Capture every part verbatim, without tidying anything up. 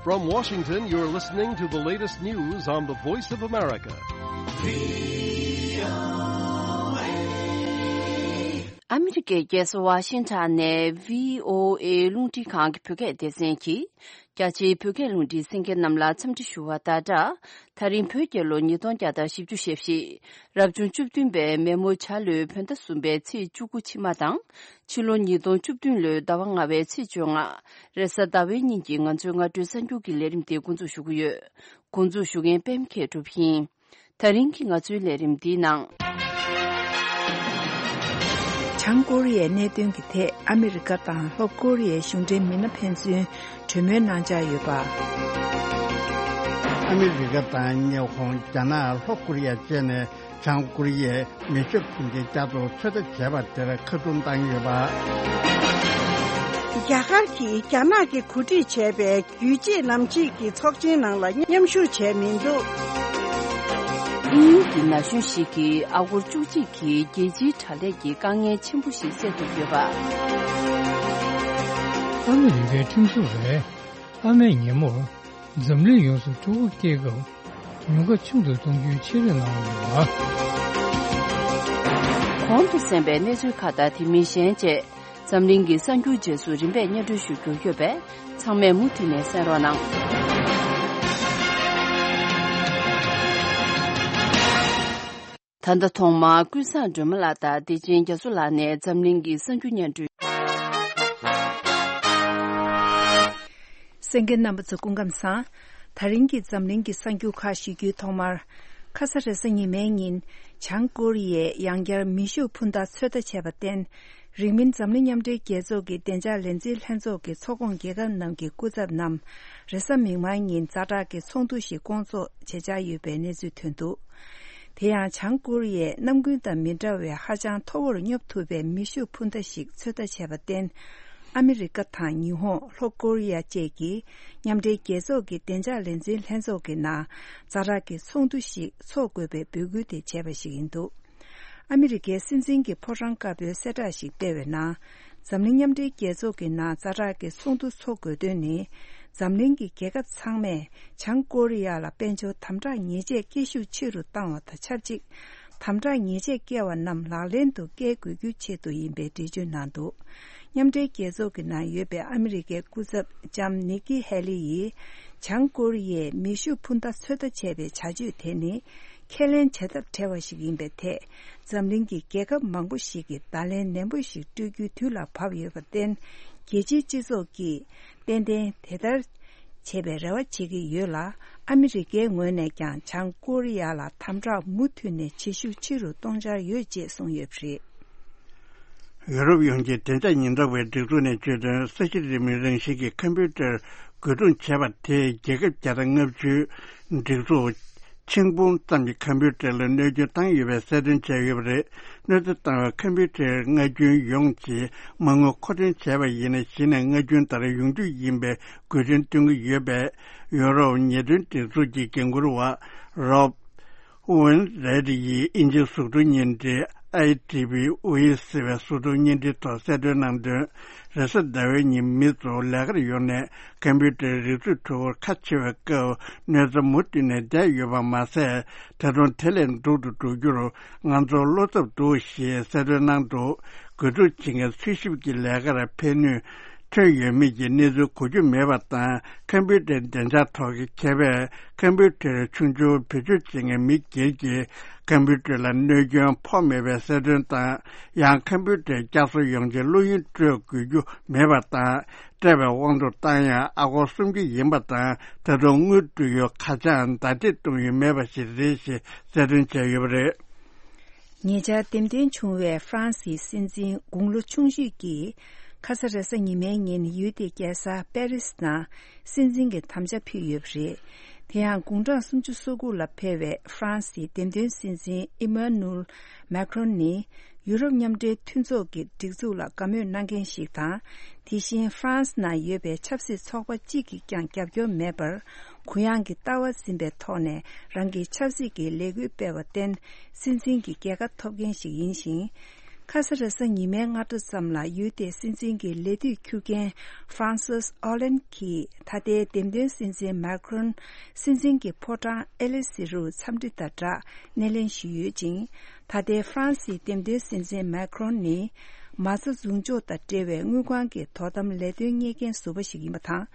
From Washington, you're listening to the latest news on the Voice of America. ཨ་མི་རི་ཀའི་རྒྱལ་ས་ཝ་ཤིང་ཊོན་ནས་བྷི་ཨོ་ཨེ་རླུང་འཕྲིན་ཁང་གི་བོད་སྐད་སྡེ་ཚན་གྱིས། རྒྱ་ཆེའི་བོད་སྐད་རླུང་འཕྲིན་གསན་མཁན་རྣམས་ལ་འཚམས་འདྲི་ཞུ་བ་དང་སྦྲགས། ད་རིང་བོད་རྒྱལ་ལོ་ཉིས་སྟོང་བརྒྱ་དང་བཞི་བཅུ་ཞེ་བཞི། རབ་བྱུང་བཅུ་བདུན་པའི་མེ་མོ་བྱ་ལོའི་བོད་ཟླ་གསུམ་པའི་ཚེས་བཅུ་དགུ་ཕྱི་མ་དང་། ཕྱི་ལོ་ཉིས་སྟོང་བཅུ་བདུན་ལོའི་ཟླ་བ་ལྔ་པའི་ཚེས་བཅོ་ལྔ། རེས་གཟའ་ཟླ་བའི་ཉིན་གྱི་ང་ཚོའི་སྔ་དྲོའི་གསར་འགྱུར་གྱི་ལས་རིམ་དེ་འགོ་འཛུགས་ཞུ་གི་ཡོད། འགོ་འཛུགས་ཞུ་མཁན་པད་མ་མཁས་གྲུབ་ཡིན། ད་རིང་གི་ང་ཚོའི་ལས་རིམ་འདིའི་ནང་། བྱང་ཀོ་རི་ཡའི་གནད་དོན་གྱི་ཐད་ཨ་མི་རི་ཀ་དང་ལྷོ་ཀོ་རི་ཡའི་གཞུང་འབྲེལ་མི་སྣ་ཕན་ཚུན་གྲོས་མོལ་གནང་འཆར་ཡོད་པ། ཨ་མི་རི་ཀ་དང་ཉི་ཧོང་། རྒྱ་ནག་ལྷོ་ཀོ་རི་ཡ་བཅས་ནས་བྱང་ཀོ་རི་ཡས་མེ་ཤུགས་འཕུར་མདེལ་བསྐྱར་དུ་ཚོད་ལྟ་བྱས་པ་དེར་ཁ་རྡུང་བཏང་ཡོད་པ། རྒྱ་གར་གྱིས་རྒྱ་ནག་གིས་གོ་སྒྲིག་བྱས་པའི་རྒྱུད་གཅིག་ལམ་གཅིག་གི་ཚོགས་ཆེན་ནང་ལ་མཉམ་ཞུགས་བྱས་མི་འདུག་དབྱིན་ཡུལ་གྱི་ན་གཞོན་ཞིག་གིས་ཨ་སྒོར་བཅུ་གཅིག་གི་རྒྱལ་སྤྱིའི་དྲ་ལས་ཀྱི་དཀའ་ངལ་ཆེན་པོ་ཞིག་སེལ་ཐུབ་ཡོད་པ། ཨ་མི་རི་ཀའི་ཁྲིམས་སྲུང་རེད། ཨ་མས་ཉིན་མོར་འཛམ་གླིང་ཡོངས་སུ་ཕྲུ་གུ་སྐྱེས་སྐབས་ཉུང་ཁ་ཆུང་དུ་གཏོང་རྒྱུའི་ཆེད་དོན་གནང་ཡོད་པ། གོང་དུ་གསན་པའི་གནས་ཚུལ་ཁག་དང་དེ་མིན་གཞན་བཅས། འཛམ་གླིང་གི་གསར་འགྱུར་རྗེས་སུ་རིམ་པས་སྙན་སྒྲོན་ཞུ་རྒྱུ་ཡོད་པས། ཚང་མས་མུ་མཐུད་ནས་གསན་རོགས་གནང་། ད་ལྟ་ཐོག་མར་ཀུན་བཟང་སྒྲོལ་མ་ལགས་དང་བདེ་ཆེན་རྒྱ་མཚོ་ལགས་ནས་འཛམ་གླིང་གི་གསར་འགྱུར་སྙན་སྒྲོན། གསན་མཁན་རྣམ་པ་ཚོ་སྐུ་ཁམས་བཟང་། ད་རིང་གི་འཛམ་གླིང་གི་གསར་འགྱུར་ཁག་ཞུ་རྒྱུའི་ཐོག་མར། ཁ་ས་རེས་གཟའ་ཉི་མའི་ཉིན། བྱང་ཀོ་རི་ཡས་ཡང་བསྐྱར་མེ་ཤུགས་འཕུར་མདའ་ཚོད་ལྟ་བྱས་པར་བརྟེན། རིང་མིན་འཛམ་གླིང་མཉམ་འབྲེལ་རྒྱལ་ཚོགས་ཀྱི་བདེ་འཇགས་ལས་འཛིན་ལྷན་ཚོགས་ཀྱི་ཚོགས་ཁོངས་རྒྱལ་ཁབ་རྣམས་ཀྱི་སྐུ་ཚབ་རྣམས། རེས་གཟའ་མིག་དམར་ཉིན་ཛ་དྲག་གི་ཚོགས་འདུ་ཞིག་བསྐོང་ཚོགས་བྱེད་འཆར་ཡོད་པའི་གནས་ཚུལ་ཐོན་འདུག་དེ་ཡང་བྱང་ཀོ་རི་ཡས་གནམ་དགུན་དང་མི་འདྲ་བའི་ཧ་ཅང་མཐོ་བོར་སྙོབ་ཐུབ་པའི་མེ་ཤུགས་འཕུར་མདའ་ཞིག་ཚོད་ལྟ་བྱས་པར་བརྟེན། ཨ་མི་རི་ཀ་དང་ཉི་ཧོང་། ལྷོ་ཀོ་རི་ཡ་བཅས་ཀྱིས་མཉམ་འབྲེལ་རྒྱལ་ཚོགས་ཀྱི་བདེ་འཇགས་ལས་འཛིན་ལྷན་ཚོགས་ཀྱི་ནང་ཛ་དྲག་གི་ཚོགས་འདུ་ཞིག་འཚོགས་དགོས་པའི་འབོད་སྐུལ་དེ་བྱས་པ་ཞིག་ཡིན་འདུག་ཨ་མི་རི་ཀའི་སྲིད་འཛིན་གྱི་ཕོ་བྲང་དཀར་པོས་གསལ་བསྒྲགས་ཤིག་སྤེལ་བའི་ནང་། འཛམ་གླིང་མཉམ་འབྲེལ་རྒྱལ་ཚོགས་ཀྱི་ནང་ཛ་དྲག་གི་ཚོགས་འདུ་འཚོགས་དགོས་དོན་ནི། འཛམ་གླིང་གི་རྒྱལ་ཁབ་ཚང་མས་བྱང་ཀོ་རི་ཡ་ལ་དཔལ་འབྱོར་དམ་དྲག་ཉེས་ཆད་སྐྱེལ་ཤུགས་ཆེ་རུ་བཏང་བ་དང་ཆབས་ཅིག་དམ་དྲག་ཉེས་ཆད་བཀལ་བ་རྣམས་ལག་ལེན་དུ་བཀལ་དགོས་རྒྱུའི་ཆེད་དུ་ཡིན་པའི་འགྲེལ་བརྗོད་གནང་འདུག་མཉམ་འབྲེལ་རྒྱལ་ཚོགས་ཀྱི་ནང་ཡོད་པའི་ཨ་མི་རི་ཀའི་སྐུ་ཚབ་ལྕམ་ནིག་ཀི་ཧེ་ལི་ཡིས། བྱང་ཀོ་རི་ཡས་མེ་ཤུགས་འཕུར་མདའ་ཚོད་ལྟ་བྱས་པའི་བྱ་སྤྱོད་དེ་ནི། ཁས་ལེན་བྱ་ཐབས་བྲལ་བ་ཞིག་ཡིན་པའི་ཐད། འཛམ་གླིང་གི་རྒྱལ་ཁབ་མང་པོ་ཞིག་གིས་བརྡ་ལན་ནན་པོ་ཞིག་སྤྲོད་རྒྱུའི་དུས་ལ་བབ་ཡོད་པར་བརྟེན། རྒྱལ་སྤྱིའི་སྤྱི་ཚོགས་ཀྱིས་ཏན་ཏན་དེ་ལྟར་བྱེད་པའི་རེ་བ་བྱེད་ཀྱི་ཡོད་ལ། ཨ་མི་རི་ཀའི་ངོས་ནས་ཀྱང་བྱང་ཀོ་རི་ཡ་ལ་དམ་དྲག་མུ་མཐུད་ནས་བྱེད་ཤུགས་ཆེ་རུ་གཏོང་འཆར་ཡོད་ཅེས་གསུངས་ཡོད་པ་རེད། ཡུ་རོབ་ཡོངས་ཀྱི་བདེ་འཇགས་ཉེན་རྟོག་པའི་སྒྲིག་འཛུགས་ནས་བརྗོད་དོན། ས་གཞི་རིང་མོའི་རང་བཞིན་གྱི་ཁམ་བུ་ཊར་རྒོལ་རྡུང་བྱས་པ་དེས་རྒྱལ་ཁབ་བརྒྱ་དང་ལྔ་བཅུའི་སྒྲིག་འཛུགས་ཆིག་འབུམ་ཙམ་གྱི་ཁམ་བུ་ཊར་ལ་གནོད་སྐྱོན་བཏང་ཡོད་པའི་གསལ་སྟོན་བྱས་ཡོད་པ་རེད། གནོད་འཚེ་བཏང་བའི་ཁམ་བུ་ཊར་སྔ་རྒྱུན་ཡོངས་ཀྱིས་མ་དངུལ་མཁོ་འདོན་བྱས་པ་ཡིན་ན། གཞི་ནས་སྔ་རྒྱུན་ལྟར་ཡོང་རྒྱུ་ཡིན་པའི་དགོས་འདུན་བཏོན་གྱི་ཡོད་པས། ཡུ་རོབ་ཉེས་དོན་སྒྲིག་འཛུགས་ཀྱི་འགན་འཁུར་བ་རོབ། ཝུན་རེད་ཡིས་དབྱིན་ཇིའི་གཟུགས་མཐོང་བརྙན་འཕྲིན་ཨའི་ཌི་བི་ཝི་ཟེར་བའི་གཟུགས་མཐོང་བརྙན་འཕྲིན་ཐོག་གསལ་སྟོན་གནང་དོན། རེས་གཟའ་ཟླ་བའི་ཉིན་མི་ཚོ་ལས་ཀར་ཡོང་ནས་ཁམ་བུ་ཊར་རིག་མཛོད་ཕྲུ་གུར་ཁ་ཕྱེ་བའི་སྐབས་གནོད་འཚེ་མུ་མཐུད་ནས་བསྡད་ཡོད་པ་མ་ཟད། ད་དུང་དེ་ལས་སྡུག་ཏུ་འགྲོ་རྒྱུར་ང་ཚོར་བློ་འཚབ་འདུག་ཞེས་གསལ་སྟོན་གནང་འདུག་རྒོལ་རྡུང་བྱེད་མཁན་འཚོལ་ཞིབ་ཀྱི་ལས་ཀར་ཕན་ནུས། ཐོན་ཡོད་མེད་ཀྱི་གནས་ཚུལ་གོ་རྒྱུ་མེད་པ་དང་། ཁམ་བུ་ཊར་བདེ་འཇགས་ཐོག་གི་མཁས་པས་ཁམ་བུ་ཊར་ཆུང་ཆུང་བེད་སྤྱོད་བྱེད་མཁན་མི་སྒེར་གྱིས་ཁམ་བུ་ཊར་ལ་གནོད་སྐྱོན་ཕོག་མེད་པའི་གསལ་སྟོན་དང་། ཡང་ཁམ་བུ་ཊར་བསྐྱར་གསོ་ཡོང་ཆེད་བླུ་ཡོན་སྤྲོད་དགོས་རྒྱུ་མེད་པ་དང་། སྤྲད་པའི་དབང་དུ་བཏང་ཡང་ཨ་སྒོར་སུམ་བརྒྱ་ཡིན་པ་དང་། ད་དུང་དངུལ་སྤྲོད་ཡུལ་ཁ་བྱང་ཟླ་སྒྲིལ་གཏོང་ཡུལ་མེད་པ་ཞིག་རེད་ཞེས་གསལ་སྟོན་བྱས་ཡོད་པ་རེད། ཉེ་ཆར་འདེམས་ཐོན་བྱུང་བའི་ཧྥ་རན་སིའི་སྲིད་འཛིན་དགུང་ལོ་ཆུང་ཤོས་ཀྱིས། ཁ་ས་རེས་གཟའ་ཉི་མའི་ཉིན་ཡུལ་དེའི་རྒྱལ་ས་པེ་རིས་ནང་སྲིད་འཛིན་གྱི་དམ་བཅའ་ཕུལ་ཡོད་པ་རེད། དེ་ཡང་དགུང་གྲངས་སུམ་ཅུ་སོ་དགུ་ལ་ཕེབས་པའི་ཧྥ་རན་སིའི་འདེམས་ཐོན་སྲིད་འཛིན་ཨི་མ་ནུལ་མེ་ཁྲོན་ནི། ཡུ་རོབ་མཉམ་འབྲེལ་མཐུན་ཚོགས་ཀྱི་སྒྲིག་འཛུགས་ལ་དགའ་མོས་གནང་མཁན་ཞིག་དང་། དེ་བཞིན་ཧྥ་རན་སི་ནང་ཡོད་པའི་ཆབ་སྲིད་ཚོགས་པ་གཅིག་གིས་ཀྱང་རྒྱབ་སྐྱོར་མེད་པར། གུ་ཡངས་ཀྱི་ལྟ་བ་འཛིན་པའི་ཐོག་ནས་རང་གི་ཆབ་སྲིད་ཀྱི་ལས་འགུལ་སྤེལ་བར་བརྟེན། སྲིད་འཛིན་གྱི་རྒྱལ་ཁ་ཐོབ་མཁན་ཞིག་ཡིན་ཞིང་། ཁ་ས་རེས་གཟའ་ཉི་མའི་སྔ་དྲོ་ཙམ་ལ་ཡུལ་དེའི་སྲིད་འཛིན་གྱི་ལས་དུས་འཁྱོལ་མཁན་ཧྥ་རན་སིས་ཨོ་ལན་གྱིས་ད་ལྟའི་འདེམས་ཐོན་སྲིད་འཛིན་མཱ་ཁི་རོན་སྲིད་འཛིན་གྱི་ཕོ་བྲང་ཨེ་ལི་སི་རུ་འཚམས་འདྲི་དང་སྦྲགས་སྣེ་ལེན་ཞུས་ཡོད་ཅིང་། ད་ལྟའི་ཧྥ་རན་སིའི་འདེམས་ཐོན་སྲིད་འཛིན་མཱ་ཁི་རོན་ནི་མ་རྩ་རྫུན་འཇོག་དང་འབྲེལ་བའི་དངུལ་ཁང་གི་དོ་དམ་ལས་དོན་གཉེར་མཁན་ཟུར་པ་ཞིག་ཡིན་པ་དང་།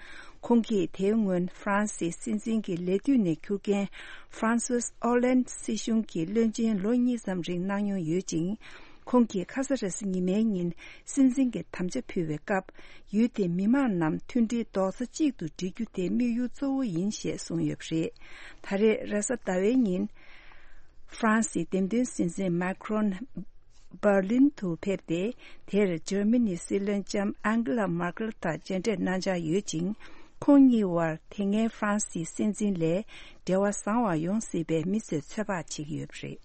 ཁོང་གིས་དེའི་སྔོན་ཧྥ་རན་སིའི་སྲིད་འཛིན་གྱི་ལས་དུས་ནས་འཁྱུར་མཁན་ཧྥ་རན་སིས་ཨོ་ལན་སྲིད་གཞུང་གི་བློན་ཆེན་ལོ་གཉིས་ཙམ་རིང་གནང་མྱོང་ཡོད་ཅིང་། ཁོང་གིས་ཁ་ས་རེས་གཟའ་ཉི་མའི་ཉིན་སྲིད་འཛིན་གྱི་དམ་བཅའ་ཕུལ་བའི་སྐབས། ཡུལ་དེའི་མི་མང་རྣམས་མཐུན་སྒྲིལ་རྡོག་རྩ་གཅིག་ཏུ་སྒྲིལ་རྒྱུ་དེ་དམིགས་ཡུལ་གཙོ་བོ་ཡིན་ཞེས་གསུངས་ཡོད་པ་རེད། ད་རེས་རེས་གཟའ་ཟླ་བའི་ཉིན། ཧྥ་རན་སིའི་འདེམས་ཐོན་སྲིད་འཛིན་མཱ་ཁི་རོན། འབར་ལིན་དུ་ཕེབས་ཏེ། དེར་འཇར་མ་ནིའི་སྲིད་བློན་ལྕམ་ཨན་གྷི་ལ་མར་ཀེལ་དང་མཇལ་འཕྲད་གནང་འཆར་ཡོད་ཅིང་། ཁོང་གཉིས་བར་དེ་སྔའི་ཧྥ་རན་སིའི་སྲིད་འཛིན་ལས་འབྲེལ་བ་བཟང་བ་ཡོང་སྲིད་པའི་མི་ཚོས་ཚོད་དཔག་བྱེད་ཀྱི་ཡོད་པ་རེད།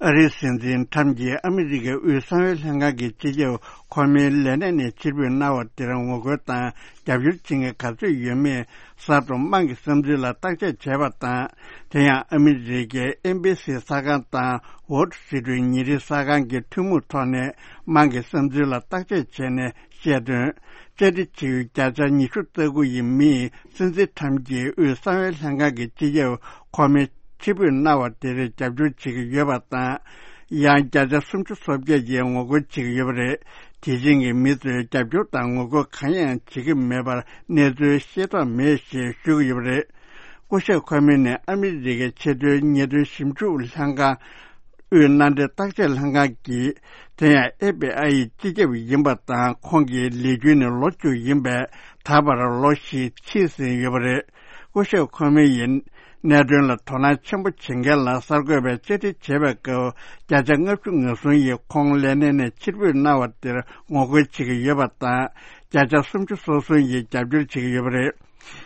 ཨ་རིའི་སྲིད་འཛིན་ཁྲམ་གྱིས་ཨ་མི་རི་ཀའི་དབུས་གསང་བའི་ལྷན་ཁང་གི་སྤྱི་ཁྱབ་ཁོ་མོའི་ལས་གནས་ནས་ཕྱིར་འབུད་གནང་བ་དེར་ངོ་རྒོལ་དང་རྒྱབ་སྐྱོར་བྱེད་མཁན་ག་ཚོད་ཡོད་མེད་གསར་དུ་དམངས་ཀྱི་བསམ་ཚུལ་ལ་བརྟག་དཔྱད་བྱས་པ་དང་། དེ་ཡང་ཨ་མི་རི་ཀའི་ཨེན་བྷི་སི་གསར་ཁང་དང་ཝོལ་སི་ཊི་རིཊ་ཉིན་རེའི་གསར་ཁང་གི་ཐུན་མོང་ཐོག་ནས་དམངས་ཀྱི་བསམ་ཚུལ་ལ་བརྟག་དཔྱད་བྱས་ནས། བཤད་དོན། བཅའ་སྒྲིག་བྱེད་ཡུལ་བརྒྱ་ཆ་ཉི་ཤུ་རྩ་དགུ་ཡི་མིས་སྲིད་འཛིན་ཁྲམ་གྱིས་དབུས་གསང་བའི་ལྷན་ཁང་གི་སྤྱི་ཁྱབ་ཁོ་མོའི་ཕྱིར་འབུད་གནང་བ་དེར་རྒྱབ་སྐྱོར་བྱེད་ཀྱི་ཡོད་པ་དང་། ཡང་བརྒྱ་ཆ་སུམ་ཅུ་སོ་བརྒྱད་ཀྱིས་ངོ་རྒོལ་བྱེད་ཀྱི་ཡོད་པ་རེད། དེ་བཞིན་གྱི་མི་ཚོས་རྒྱབ་སྐྱོར་དང་ངོ་རྒོལ་གང་ཡང་བྱེད་ཀྱི་མེད་པར་གནས་ཚུལ་ཤེས་རྟོགས་མེད་ཞེས་ཞུ་གི་ཡོད་པ་རེད། སྐུ་ཞབས་ཁོ་མོ་ནི་ཨ་མི་རི་ཀའི་ཆེས་མཐོའི་ཉེས་དོན་ཞིབ་འཇུག་ལྷན་ཁང་། དབུས་མནའ་འབྲེལ་བརྟག་དཔྱད་ལྷན་ཁང་གི། དེ་ཡང་ཨེཕ་བི་ཨའི་སྤྱི་ཁྱབ་ཡིན་པ་དང་། ཁོང་གི་ལས་རྒྱུན་ནི་ལོ་བཅུ་ཡིན་པས། ད་བར་ལོ་བཞི་ཕྱིན་ཟིན་ཡོད་པ་རེད། སྐུ་ཞབས་ཁོ་མོ་ཡིས་གནད་དོན་ལ་དོ་སྣང་ཆེན་པོ་བྱེད་མཁན་ལ་གསར་འགོད་པས་བཅར་འདྲི་བྱས་པའི་སྐབས། བརྒྱ་ཆ་ལྔ་བཅུ་ང་གསུམ་ཡིས་ཁོང་ལས་གནས་ནས་ཕྱིར་འབུད་གནང་བ་དེར་ངོ་རྒོལ་བྱེད་ཀྱི་ཡོད་པ་དང་། བརྒྱ་ཆ་སུམ་ཅུ་སོ་གསུམ་ཡིས་རྒྱབ་སྐྱོར་བྱེད་ཀྱི་ཡོད་པ་རེད།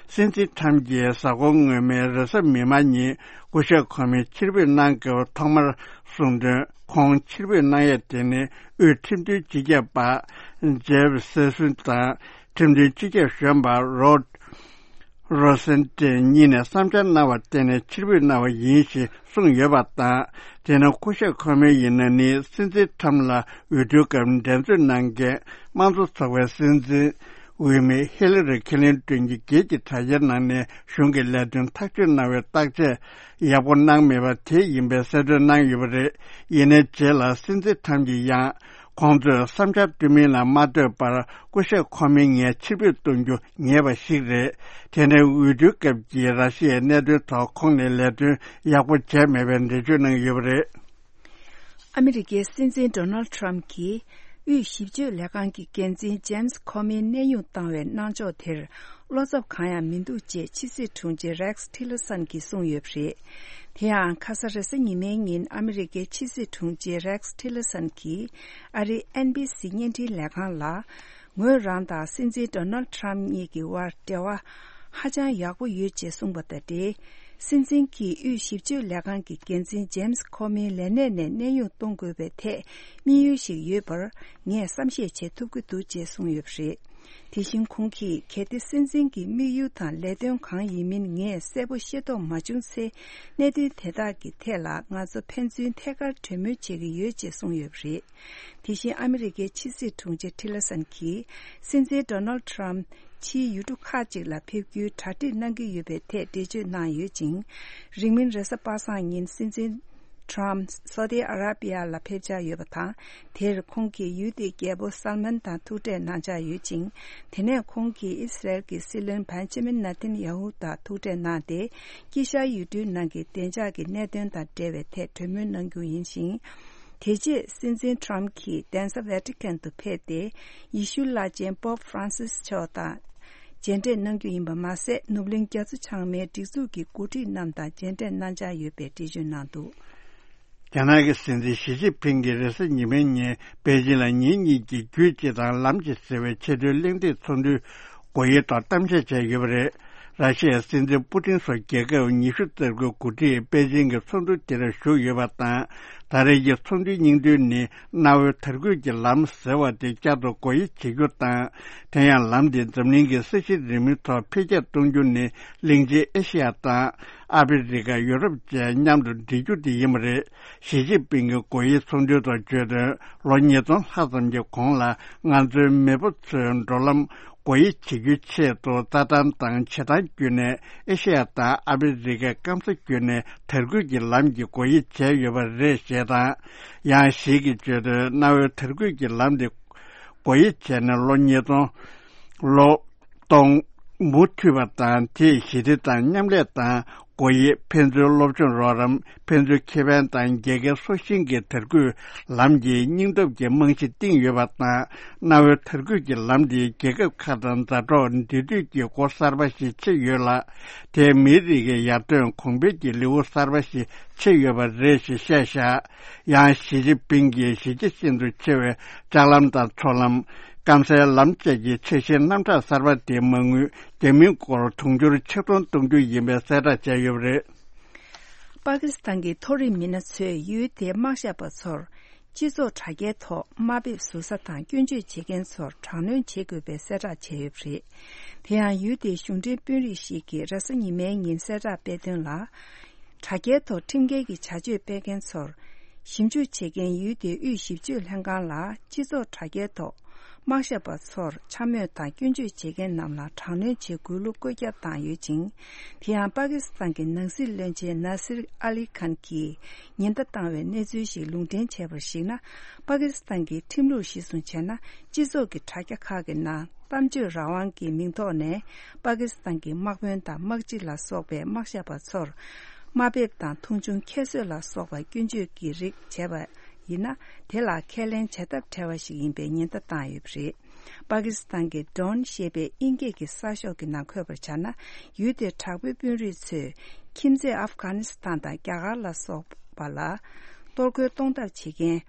སྲིད་འཛིན་ཁྲམ་གྱིས་གཟའ་འཁོར་སྔོན་མའི་རེས་གཟའ་མིག་དམར་ཉིན་སྐུ་ཞབས་ཁོ་མོའི་ཕྱིར་འབུད་གནང་སྐབས་ཐོག་མར་གསུངས་དོན། ཁོང་ཕྱིར་འབུད་གནང་ཡས་དེ་ནི་དབུས་ཁྲིམས་མཐུན་སྤྱི་ཁྱབ་པ་ཇེབ་སེ་སུན་དང་ཁྲིམས་མཐུན་སྤྱི་ཁྱབ་གཞོན་པ་རོད་རོ་སེན་ཏེ་གཉིས་ནས་བསམ་འཆར་གནང་བར་བརྟེན་ནས་ཕྱིར་འབུད་གནང་བ་ཡིན་ཞེས་གསུངས་ཡོད་པ་དང་། དེ་ནི་སྐུ་ཞབས་ཁོ་མོ་ཡིན་ན་ནི་སྲིད་འཛིན་ཁྲམ་ལ་འོས་བསྡུའི་སྐབས་འགྲན་རྩོད་གནང་མཁན་དམངས་གཙོ་ཚོགས་པའི་སྲིད་འཛིན། འོས་མི་ཧི་ལ་རི་ཁི་ལིན་ཏོན་གྱི་སྒེར་གྱི་དྲ་རྒྱའི་ནང་ནས་གཞུང་གི་ལས་དོན་ཐག་གཅོད་གནང་བའི་བརྟག་དཔྱད་ཡག་པོ་གནང་མེད་པ་དེ་ཡིན་པའི་གསལ་སྟོན་གནང་ཡོད་པ་རེད། ཡིན་ནའི་རྗེས་ལ་སྲིད་འཛིན་ཁྲམ་གྱིས་ཡང་ཁོང་ཚོས་བསམ་འཆར་བཏོན་མིན་ལ་མ་ལྟོས་པར་སྐུ་ཞབས་ཁོ་མོའི་ངས་ཕྱིར་འབུད་གཏོང་རྒྱུ་ངེས་པ་ཞིག་རེད། དེ་ནས་འོས་བསྡུའི་སྐབས་ཀྱི་ར་ཤི་ཡའི་གནད་དོན་ཐོག་ཁོང་ནས་ལས་དོན་ཡག་པོ་བྱས་མེད་པའི་འགྲེལ་བརྗོད་གནང་ཡོད་པ་རེད། ཨ་མི་རི་ཀའི་སྲིད་འཛིན་ཌོ་ནལ་ཌི་ཊརམ་གྱིས་དབུས་ཞིབ་དཔྱོད་ལས་ཁང་གི་འགན་འཛིན་ཇེམ་སི་ཁོ་མིའི་གནས་དབྱུང་བཏང་བའི་གནང་ཕྱོགས་དེར་བློ་འཚབ་གང་ཡང་མི་འདུག་ཅེས་ཕྱི་སྲིད་དྲུང་ཆེ་རེག་སི་ཊི་ལར་སན་གྱིས་གསུངས་ཡོད་པ་རེད། དེ་ཡང་ཁ་ས་རེས་གཟའ་ཉི་མའི་ཉིན་ཨ་མི་རི་ཀའི་ཕྱི་སྲིད་དྲུང་ཆེ་རེག་སི་ཊི་ལར་སན་གྱིས་ཨ་རིའི་ཨེན་བྷི་སི་བརྙན་འཕྲིན་ལས་ཁང་ལ། ངོས་རང་དང་སྲིད་འཛིན་ཌོ་ནལ་ཌི་ཊརམ་གཉིས་ཀྱི་དབར་འབྲེལ་བ་ཧ་ཅང་ཡག་པོ་ཡོད་ཅེས་གསུངས་པ་དང་འབྲེལ། སྲིད་འཛིན་གྱིས་དབུས་ཞིབ་དཔྱོད་ལས་ཁང་གི་འགན་འཛིན་ཇེམ་སི་ཁོ་མིའི་ལས་གནས་ནས་གནས་དབྱུང་གཏོང་དགོས་པའི་ཐད་དམིགས་ཡུལ་ཞིག་ཡོད་པར་ངས་བསམ་ཤེས་བྱེད་ཐུབ་ཀྱི་འདུག་ཅེས་གསུངས་ཡོད་པ་རེད། དེ་བཞིན་ཁོང་གིས་གལ་ཏེ་སྲིད་འཛིན་གྱི་དམིགས་ཡུལ་དང་ལས་དོན་གང་ཡིན་མིན་ངས་གསལ་པོ་ཤེས་རྟོགས་མ་བྱུང་ཚེ། གནད་དོན་དེ་དག་གི་ཐད་ལ་ང་ཚོ་ཕན་ཚུན་ཐད་ཀར་གྲོས་མོལ་བྱེད་ཀྱི་ཡོད་ཅེས་གསུངས་ཡོད་པ་རེད། དེ་བཞིན་ཨ་མི་རི་ཀའི་ཕྱི་སྲིད་དྲུང་ཆེ་ཊི་ལར་སན་གྱིས། སྲིད་འཛིན་ཌོ་ནལ་ཌི་ཊརམ་ཕྱིའི་ཡུལ་གྲུ་ཁག་ཅིག་ལ་ཕེབས་རྒྱུའི་གྲ་སྒྲིག་གནང་གི་ཡོད་པའི་ཐད་འགྲེལ་བརྗོད་གནང་ཡོད་ཅིང་། རིང་མིན་རེས་གཟའ་པ་སངས་ཉིན་སྲིད་འཛིན་ཊརམ་སོ་ཏི་ཨ་ར་པི་ཡ་ལ་ཕེབས་འཆར་ཡོད་པ་དང་། དེར་ཁོང་གིས་ཡུལ་དེའི་རྒྱལ་པོ་སལ་མན་དང་ཐུག་འཕྲད་གནང་འཆར་ཡོད་ཅིང་། དེ་ནས་ཁོང་གིས་ཨི་སི་རལ་གྱི་སྲིད་བློན་བན་ཇ་མིན་ནེ་ཐན་ཡ་ཧུ་དང་ཐུག་འཕྲད་གནང་སྟེ། དཀྱིལ་ཤར་ཡུལ་གྲུའི་ནང་གི་བདེ་འཇགས་ཀྱི་གནད་དོན་དང་འབྲེལ་བའི་ཐད་གྲོས་མོལ་གནང་རྒྱུ་ཡིན་ཞིང་། དེ་རྗེས་སྲིད་འཛིན་ཊརམ་གྱིས་གདན་ས་ཝེ་ཏི་ཀན་དུ་ཕེབས་ཏེ། ཡེ་ཤུ་བླ་ཆེན་པོབ་ཧྥ་རན་སིས་མཆོག་དང་མཇལ་འཕྲད་གནང་རྒྱུ་ཡིན་པ་མ་ཟད། ནུབ་གླིང་རྒྱ་མཚོ་བྱང་མའི་སྒྲིག་འཛུགས་ཀྱི་འགོ་ཁྲིད་རྣམས་དང་མཇལ་འཕྲད་གནང་འཆར་ཡོད་པའི་འགྲེལ་བརྗོད་གནང་འདུག། རྒྱ་ནག་གི་སྲིད་འཛིན་ཞི་ཅིན་ཕིང་གིས་རེས་གཟའ་ཉི་མའི་ཉིན་པེ་ཅིང་ལ་ཉིན་གཉིས་ཀྱི་རྒྱུད་སྤྱི་དང་ལམ་གྱི་ཟེར་བའི་ཆེས་མཐོའི་གླེང་སྟེགས་ཚོགས་འདུའི་སྒོ་དབྱེའི་ཐོག་གཏམ་བཤད་བྱས་ཡོད་པ་རེད། ར་ཤི་ཡའི་སྲིད་འཛིན་པུ་ཏིན་སོགས་རྒྱལ་ཁབ་ཉི་ཤུ་རྩ་དགུའི་འགོ་ཁྲིད་པེ་ཅིང་གི་ཚོགས་འདུ་དེར་ཞུགས་ཡོད་པ་དང་། ད་རེས་ཀྱི་ཚོགས་འདུའི་སྙིང་དོན་ནི་གནའ་བོའི་དར་རྒུད་ཀྱི་ལམ་ཟེར་བ་དེ་བསྐྱར་དུ་སྒོ་དབྱེ་བྱེད་རྒྱུ་དང་། དེ་ཡང་ལམ་དེ་འཛམ་གླིང་གི་ས་གཞི་རིལ་མོའི་ཐོག་འཕེལ་རྒྱས་གཏོང་རྒྱུ་ནི་གླིང་ཆེན་ཨེ་ཤེ་ཡ་དང་ཨ་ཕི་རི་ཀ། ཡུ་རོབ་བཅས་མཉམ་དུ་སྒྲིལ་རྒྱུ་དེ་ཡིན་པ་རེད། ཞི་ཅིན་ཕིང་གིས་སྒོ་དབྱེ་ཚོགས་འདུའི་ཐོག་བརྗོད་དོན། ལོ་ཉིས་སྟོང་ལྷག་ཙམ་གྱི་གོང་ལ་ང་ཚོའི་མེས་པོ་ཚོས་འགྲོ་ལམ་སྒོ་དབྱེ་བྱེད་རྒྱུའི་ཆེད་དུ་རྩྭ་ཐང་དང་བྱེ་ཐང་བརྒྱུད་ནས་ཨེ་ཤེ་ཡ་དང་ཨ་ཕི་རི་ཀའི་སྐམ་ས་བརྒྱུད་ནས་དར་རྒུད་ཀྱི་ལམ་གྱི་སྒོ་དབྱེ་བྱས་ཡོད་པ་རེད་ཞེས་དང་། ཡང་ཞིག་གིས་བརྗོད་དོན། གནའ་བོའི་དར་རྒུད་ཀྱི་ལམ་དེ་སྒོ་དབྱེ་བྱས་ནས་ལོ་ཉིས་སྟོང་ལོ་སྟོང་མུ་མཐུད་པ་དང་། དེས་ཞི་བདེ་དང་མཉམ་ལས་དང་སྒོ་དབྱེ། ཕན་ཚུན་སློབ་སྦྱོང་རོགས་རམ། ཕན་ཚུན་ཁེ་ཕན་དང་རྒྱལ་ཁའི་སྲོག་ཤིང་གི་དར་རྒུད་ལམ་གྱི་སྙིང་སྟོབས་ཀྱི་རྨང་གཞི་བཏིང་ཡོད་པ་དང་། གནའ་བོའི་དར་རྒུད་ཀྱི་ལམ་དེས་རྒྱལ་ཁབ་ཁག་དང་མཛའ་གྲོགས་འབྲེལ་མཐུད་ཀྱི་སྒོ་གསར་པ་ཞིག་ཕྱེ་ཡོད་ལ། དེས་མིའི་རིགས་ཀྱི་ཡར་ཐོན་གོང་འཕེལ་གྱི་ལེའུ་གསར་པ་ཞིག་ཕྱེ་ཡོད་པ་རེད་ཞེས་བཤད་བཞག་ཡང་ཞི་ཅིན་ཕིང་གིས་གཞི་རྒྱ་ཤིན་ཏུ་ཆེ་བའི་ལྕགས་ལམ་དང་མཚོ་ལམ། སྐམ་སའི་ལམ་བཅས་ཀྱི་ཆ་ཤས་རྣམ་གྲངས་གསར་པ་དེའི་མ་དངུལ་རྒྱ་མིའི་སྒོར་དུང་ཕྱུར་ཆིག་སྟོང་གཏོང་རྒྱུ་ཡིན་པའི་གསལ་བསྒྲགས་བྱས་ཡོད་པ་རེད། པ་ཀི་སི་ཐན་གྱི་མཐོ་རིམ་མི་སྣ་ཚོས་ཡུལ་དེའི་དམག་ཞབས་པ་ཚོར་སྤྱི་ཚོགས་དྲ་རྒྱའི་ཐོག་དམའ་འབེབས་ཟུར་ཟ་དང་སྐྱོན་བརྗོད་བྱེད་མཁན་ཚོར་དྲག་གནོན་བྱེད་དགོས་པའི་གསལ་བསྒྲགས་བྱས་ཡོད་པ་རེད། དེ་ཡང་ཡུལ་དེའི་གཞུང་འབྲེལ་དཔོན་རིགས་ཤིག་གིས་རེས་གཟའ་ཉི་མའི་ཉིན་གསལ་བསྒྲགས་སྤེལ་དོན་ལ། དྲ་རྒྱའི་ཐོག་ཁྲིམས་འགལ་གྱི་བྱ་སྤྱོད་སྤེལ་མཁན་ཚོར་ཞིབ་འཇུག་བྱེད་མཁན་ཡུལ་དེའི་དབུས་ཞིབ་དཔྱོད་ལྷན་ཁང་ལ་སྤྱི་ཚོགས་དྲ་རྒྱའི་ཐོག་དམག་ཞབས་པ་ཚོར་འཕྱ་སྨོད་དང་སྐྱོན་བརྗོད་བྱེད་མཁན་རྣམས་ལ་དྲག་གནོན་བྱེད་དགོས་ལུགས་བཀོད་ཁྱབ་བཏང་ཡོད་ཅིང་། དེ་ཡང་པ་ཀི་སི་ཐན་གྱི་ནང་སྲིད་བློན་ཆེན་ནཱ་སིར་ཨ་ལི་ཁཱན་གྱིས་ཉེན་བརྡ་བཏང་བའི་གནས་ཚུལ་ཞིག་ལུང་འདྲེན་བྱས་པར་གཞིགས་ན། པ་ཀི་སི་ཐན་གྱི་ཁྲིམས་ལུགས་གཞིར་བཟུང་བྱས་ན། སྤྱི་ཚོགས་ཀྱི་དྲ་རྒྱ་ཁག་གི་ནང་གཏམ་བརྗོད་རང་དབང་གི་མིང་ཐོག་ནས་པ་ཀི་སི་ཐན་གྱི་དམག་དཔོན་དང་དམག་སྤྱི་ལ་སོགས་པའི་དམག་ཞབས་པ་ཚོར་དམའ་འབེབས་དང་མཐོང་ཆུང་ཁྱད་གསོད་ལ་སོགས་པ་སྐྱོན་བརྗོད་ཀྱི་རིགས་བྱས་པ་ཡིན་ན། དེ་ལ་ཁས་ལེན་བྱ་ཐབས་བྲལ་བ་ཞིག་ཡིན་པའི་ཉེན་བརྡ་བཏང་ཡོད་པ་རེད། པ་ཀི་སི་ཐན་གྱི་ཌོན་ཞེས་པའི་དབྱིན་སྐད་ཀྱི་གསར་ཤོག་གི་ནང་འཁོད་པར་བྱས་ན། ཡུལ་དེའི་དྲག་པོའི་དཔོན་རིགས་ཚོས་ཁྱིམ་མཚེས་ཨབ་གྷ་ནི་སི་ཐན་དང་རྒྱ་གར་ལ་སོགས་པ་ལ་གཏོར་རྒོལ་གཏོང་ཐབས་བྱེད་མཁན།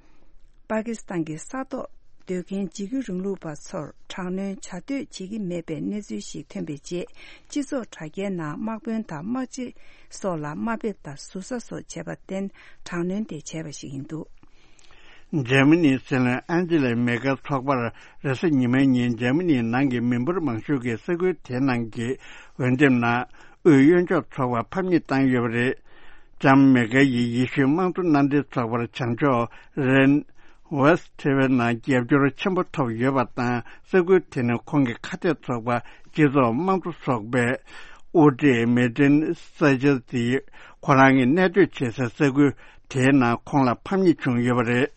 པ་ཀི་སི་ཐན་གྱི་ས་ཐོག་སྡོད་མཁན་འཇིགས་སྐུལ་རིང་ལུགས་པ་ཚོར་དྲག་གནོན་བྱ་འདོད་བྱེད་ཀྱི་མེད་པའི་གནས་ཚུལ་ཞིག་ཐོན་པའི་རྗེས། སྤྱི་ཚོགས་དྲ་རྒྱའི་ནང་དམག་དཔོན་དང་དམག་སྤྱི་སོགས་ལ་དམའ་འབེབས་དང་ཟུར་ཟ་སོགས་བྱས་པར་བརྟེན། དྲག་གནོན་དེ་བྱས་པ་ཞིག་ཡིན་འདུག་འཇར་མ་ནིའི་སྲིད་བློན་ཨན་ཇི་ལ་མེ་ཀལ་ཚོགས་པར་རེས་གཟའ་ཉི་མའི་ཉིན་འཇར་མ་ནིའི་ནང་གི་མི་འབོར་མང་ཤོས་ཀྱི་ས་ཁུལ་དེའི་ནང་གི་འོས་འདེམས་ནང་། དབུས་གཡོན་ཕྱོགས་ཚོགས་པར་ཕམ་ཉེས་བཏང་ཡོད་པ་རེད། ལྕམ་མེ་ཀལ་ཡིས་ཡེ་ཤུའི་དམངས་གཙོ་མནའ་འབྲེལ་ཚོགས་པར་བྱང་ཕྱོགས་རེན་ཝེསྟི་ཐེ་ཝེ་ནང་རྒྱབ་སྐྱོར་ཆེན་པོ་ཐོབ་ཡོད་པ་དང་། ས་ཁུལ་དེ་ནི་ཁོང་གི་ཁ་གཏད་ཚོགས་པ་སྤྱི་ཚོགས་དམངས་གཙོ་ཚོགས་པའི་དབུ་ཁྲིད་མེ་ཏིན་ས་ཅེ་ཏི་ཁོ་རང་གི་གནས་སྡོད་བྱེད་སའི་ས་ཁུལ་དེའི་ནང་ཁོང་ལ་ཕམ་ཉེས་བྱུང་ཡོད་པ་རེད།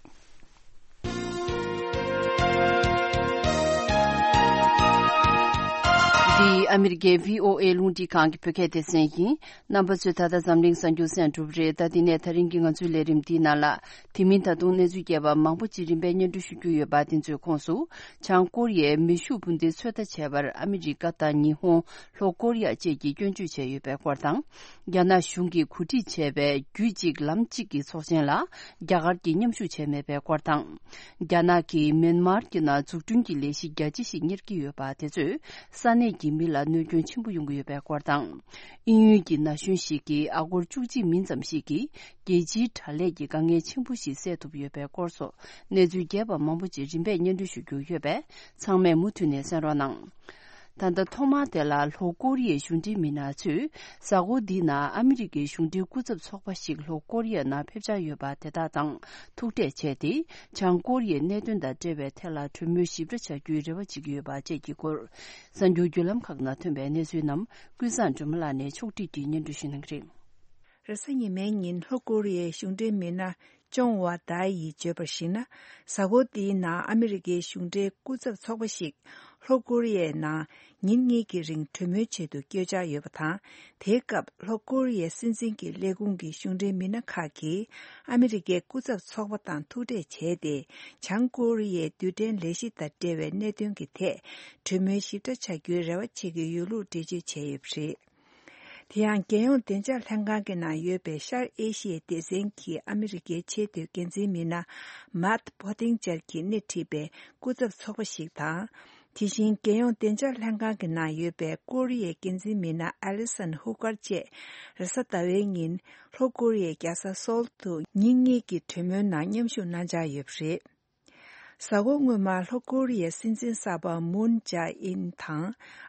འདི་ཨ་མི་རི་ཀའི་བྷི་ཨོ་ཨེ་རླུང་འཕྲིན་ཁང་གི་བོད་སྐད་སྡེ་ཚན་ཡིན། རྣམ་པ་ཚོས་ད་ལྟ་འཛམ་གླིང་གསར་འགྱུར་གསན་གྲུབ་རེད། ད་འདི་ནས་ད་རིང་གི་ང་ཚོའི་ལས་རིམ་འདིའི་ནང་ལ། དེ་མིན་ད་དུང་གནས་ཚུལ་རྒྱས་པ་མང་པོ་ཅིག་རིམ་པས་སྙན་སྒྲོན་ཞུ་རྒྱུ་ཡོད་པ། དེ་ཚོའི་ཁོངས་སུ། བྱང་ཀོ་རི་ཡས་མེ་ཤུགས་འཕུར་མདེལ་ཚོད་ལྟ་བྱས་པར་ཨ་མི་རི་ཀ་དང་ཉི་ཧོང་། ལྷོ་ཀོ་རི་ཡ་བཅས་ཀྱིས་སྐྱོན་བརྗོད་བྱས་ཡོད་པའི་སྐོར་དང་། རྒྱ་ནག་གཞུང་གིས་གོ་སྒྲིག་བྱས་པའི་རྒྱུད་གཅིག་ལམ་གཅིག་གི་ཚོགས་ཆེན་ལ་རྒྱ་གར་གྱིས་མཉམ་ཞུགས་བྱས་མེད་པའི་སྐོར་དང་། རྒྱ་ནག་གིས་མེན་མར་གྱི་ནང་འཛུགས་སྐྲུན་གྱི་ལས་གཞི་རྒྱ་ཆེ་ཞིག་གཉེར་གྱི་ཡོད་པ་དེ་ཚོས་ས་གནས་ཀྱི་མི་ལ་གནོད་སྐྱོན་ཆེན་པོ་ཡོང་གི་ཡོད་པའི་སྐོར་དང་། དབྱིན་ཡུལ་གྱི་ན་གཞོན་ཞིག་གིས་ཨ་སྒོར་བཅུ་གཅིག་མིན་ཙམ་ཞིག་གིས་རྒྱལ་སྤྱིའི་དྲ་ལས་ཀྱི་དཀའ་ངལ་ཆེན་པོ་ཞིག་སེལ་ཐུབ་ཡོད་པའི་སྐོར་སོགས་གནས་ཚུལ་རྒྱས་པ་མང་པོ་ཅིག་རིམ་པས་སྙན་སྒྲོན་ཞུ་རྒྱུ་ཡོད་པས། ཚང་མས་མུ་མཐུད་ནས་གསན་རོགས་གནང་། ད་ལྟ་ཐོག་མར་དེ་ལ་ལྷོ་ཀོ་རི་ཡའི་གཞུང་འབྲེལ་མི་སྣ་ཚོས་གཟའ་འཁོར་འདིའི་ནང་ཨ་མི་རི་ཀའི་གཞུང་འབྲེལ་སྐུ་ཚབ་ཚོགས་པ་ཞིག་ལྷོ་ཀོ་རི་ཡ་ནང་ཕེབས་འཆར་ཡོད་པ་དེ་དག་དང་ཐུག་འཕྲད་བྱས་ཏེ། བྱང་ཀོ་རི་ཡའི་གནད་དོན་དང་འབྲེལ་བའི་ཐད་ལ་གྲོས་མོལ་ཞིབ་ཕྲ་བྱ་རྒྱུའི་རེ་བ་བྱེད་ཀྱི་ཡོད་པ་བཅས་ཀྱི་སྐོར། གསར་འགྱུར་བརྒྱུད་ལམ་ཁག་ནང་ཐོན་པའི་གནས་ཚུལ་རྣམས་ཀུན་བཟང་སྒྲོལ་མ་ལགས་ནས་ཕྱོགས་སྒྲིག་གིས་སྙན་སྒྲོན་ཞུ་གནང་གི་རེད། རེས་གཟའ་ཉི་མའི་ཉིན་ལྷོ་ཀོ་རི་ཡའི་གཞུང་འབྲེལ་མི་སྣ་ཅོང་ཝ་ཏཱ་ཡིས་བརྗོད་པར་གཞིགས་ན། གཟའ་འཁོར་འདིའི་ནང་ཨ་མི་རི་ཀའི་གཞུང་འབྲེལ་སྐུ་ཚབ་ཚོགས་པ་ཞིག་ལྷོ་ཀོ་རི་ཡའི་ནང་ཉིན་གཉིས་ཀྱི་རིང་གྲོས་མོལ་ཆེད་དུ་བསྐྱོད་འཆར་ཡོད་པ་དང་། དེའི་སྐབས་ལྷོ་ཀོ་རི་ཡའི་སྲིད་འཛིན་གྱི་ལས་ཁུངས་ཀྱི་གཞུང་འབྲེལ་མི་སྣ་ཁག་གིས་ཨ་མི་རི་ཀའི་སྐུ་ཚབ་ཚོགས་པ་དང་ཐུག་འཕྲད་བྱས་ཏེ། བྱང་ཀོ་རི་ཡའི་རྡུལ་ཕྲན་ལས་གཞི་དང་འབྲེལ་བའི་གནད་དོན་གྱི་ཐད་གྲོས་མོལ་ཞིབ་ཕྲ་བྱ་རྒྱུའི་རེ་བ་བྱེད་ཀྱི་ཡོད་ལུགས་འགྲེལ་བརྗོད་བྱས་ཡོད་པ་རེད། དེ་ཡང་རྒྱལ་ཡོངས་བདེ་འཇགས་ལྷན་ཁང་གི་ནང་ཡོད་པའི་ཤར་ཨེ་ཤི་ཡའི་སྡེ་ཚན་གྱི་ཨ་མི་རི་ཀའི་ཆེས་མཐོའི་འགན་འཛིན་མི་སྣ་མཱད་བྷོ་ཏིང་ཅར་གྱིས་སྣེ་ཁྲིད་པའི་སྐུ་ཚབ་ཚོགས་པ་ཞིག་དང་། དེ་བཞིན་རྒྱལ་ཡོངས་བདེ་འཇགས་ལྷན་ཁང་གི་ནང་ཡོད་པའི་ཀོ་རི་ཡའི་འགན་འཛིན་མི་སྣ་ཨ་ལི་སན་ཧུ་ཀར་བཅས་རེས་གཟའ་ཟླ་བའི་ཉིན་ལྷོ་ཀོ་རི་ཡའི་རྒྱལ་ས་སོལ་དུ་ཉིན་གཉིས་ཀྱི་གྲོས་མོལ་ནང་མཉམ་ཞུགས་གནང་འཆར་ཡོད་པ་རེད། གཟའ་འཁོར་སྔོན་མ་ལྷོ་ཀོ་རི་ཡའི་སྲིད་འཛིན་གསར་པ་མུན་ཇཱ་ཨིན་དང་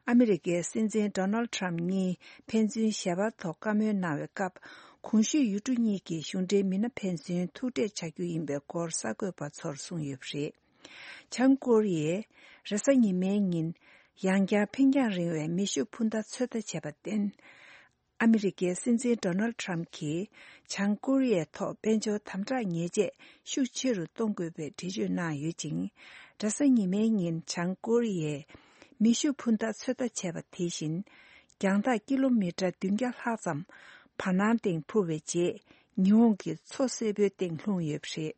ཨ་མི་རི་ཀའི་སྲིད་འཛིན་ཌོ་ནལ་ཁྲམ་གཉིས་ཕན་ཚུན་ཞལ་པར་ཐོག་བཀའ་མོལ་གནང་བའི་སྐབས། གོང་ཞུས་ཡུལ་གྲུ་གཉིས་ཀྱི་གཞུང་འབྲེལ་མི་སྣ་ཕན་ཚུན་ཐུག་འཕྲད་བྱ་རྒྱུ་ཡིན་པའི་སྐོར་གསར་འགོད་པ་ཚོར་གསུངས་ཡོད་པ་རེད། བྱང་ཀོ་རི་ཡས་རེས་གཟའ་ཉི་མའི་ཉིན་ཡང་བསྐྱར་འཕེན་རྒྱང་རིང་བའི་མེ་ཤུགས་འཕུར་མདའ་ཚོད་ལྟ་བྱས་པར་བརྟེན། ཨ་མི་རི་ཀའི་སྲིད་འཛིན་ཌོ་ནལ་ཁྲམ་གྱིས་བྱང་ཀོ་རི་ཡའི་ཐོག་དཔལ་འབྱོར་དམ་དྲག་ཉེས་ཆད་ཤུགས་ཆེ་རུ་གཏོང་དགོས་པའི་འགྲེལ་བརྗོད་གནང་ཡོད་ཅིང་། རེས་གཟའ་ཉི་མའི་ཉིན་བྱང་ཀོ་རི་ཡས་མེ་ཤུགས་འཕུར་མདའ་ཚོད་ལྟ་བྱས་པ་དེ་བཞིན་རྒྱང་ཐག་ཀི་ལོ་མི་ཊར་བདུན་བརྒྱ་ལྷག་ཙམ་བར་སྣང་སྟེང་འཕུར་བའི་རྗེས་ཉི་ཧོང་གི་མཚོ་སེར་པོའི་སྟེང་ལྷུང་ཡོད་པ་རེད།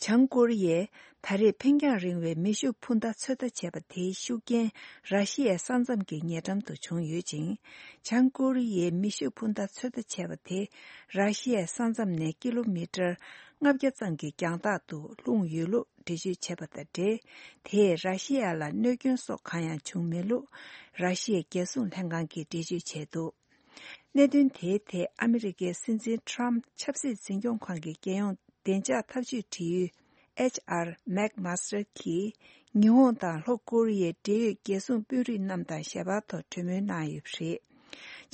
བྱང་ཀོ་རི་ཡས་ད་རེས་འཕེན་རྒྱང་རིང་བའི་མེ་ཤུགས་འཕུར་མདའ་ཚོད་ལྟ་བྱས་པ་དེའི་ཤུགས་རྐྱེན་ར་ཤི་ཡའི་ས་མཚམས་ཀྱི་ཉེ་འགྲམ་དུ་བྱུང་ཡོད་ཅིང་། བྱང་ཀོ་རི་ཡས་མེ་ཤུགས་འཕུར་མདའ་ཚོད་ལྟ་བྱས་པ་དེ་ར་ཤི་ཡའི་ས་མཚམས་ནས་ཀི་ལོ་མི་ཊར་ལྔ་བརྒྱ་ཙམ་གྱི་རྒྱང་ཐག་ཏུ་ལྷུང་ཡོད་ལུགས་འགྲེལ་བརྗོད་བྱས་པ་དང་འབྲེལ། དེས་ར་ཤི་ཡ་ལ་གནོད་སྐྱོན་སོགས་གང་ཡང་བྱུང་མེད་ལུགས་ར་ཤི་ཡའི་རྒྱལ་སྲུང་ལྷན་ཁང་གིས་འགྲེལ་བརྗོད་བྱས་འདུག་གནད་དོན་དེའི་ཐད་ཨ་མི་རི་ཀའི་སྲིད་འཛིན་ཁྲམ་ཆབ་སྲིད་འཛིན་སྐྱོང་ཁང་གི་རྒྱལ་ཡོངས་བདེ་འཇགས་ཐབས་ཇུས་འབྲེལ་ཡོད་ཨེཆ་ཨར་མེག་མཱ་སི་ཊར་གྱིས་ཉི་ཧོང་དང་ལྷོ་ཀོ་རི་ཡའི་འབྲེལ་ཡོད་རྒྱལ་སྲུང་དཔོན་རིགས་རྣམས་དང་ཞལ་པར་ཐོག་གྲོས་མོལ་གནང་ཡོད་པ་རེད།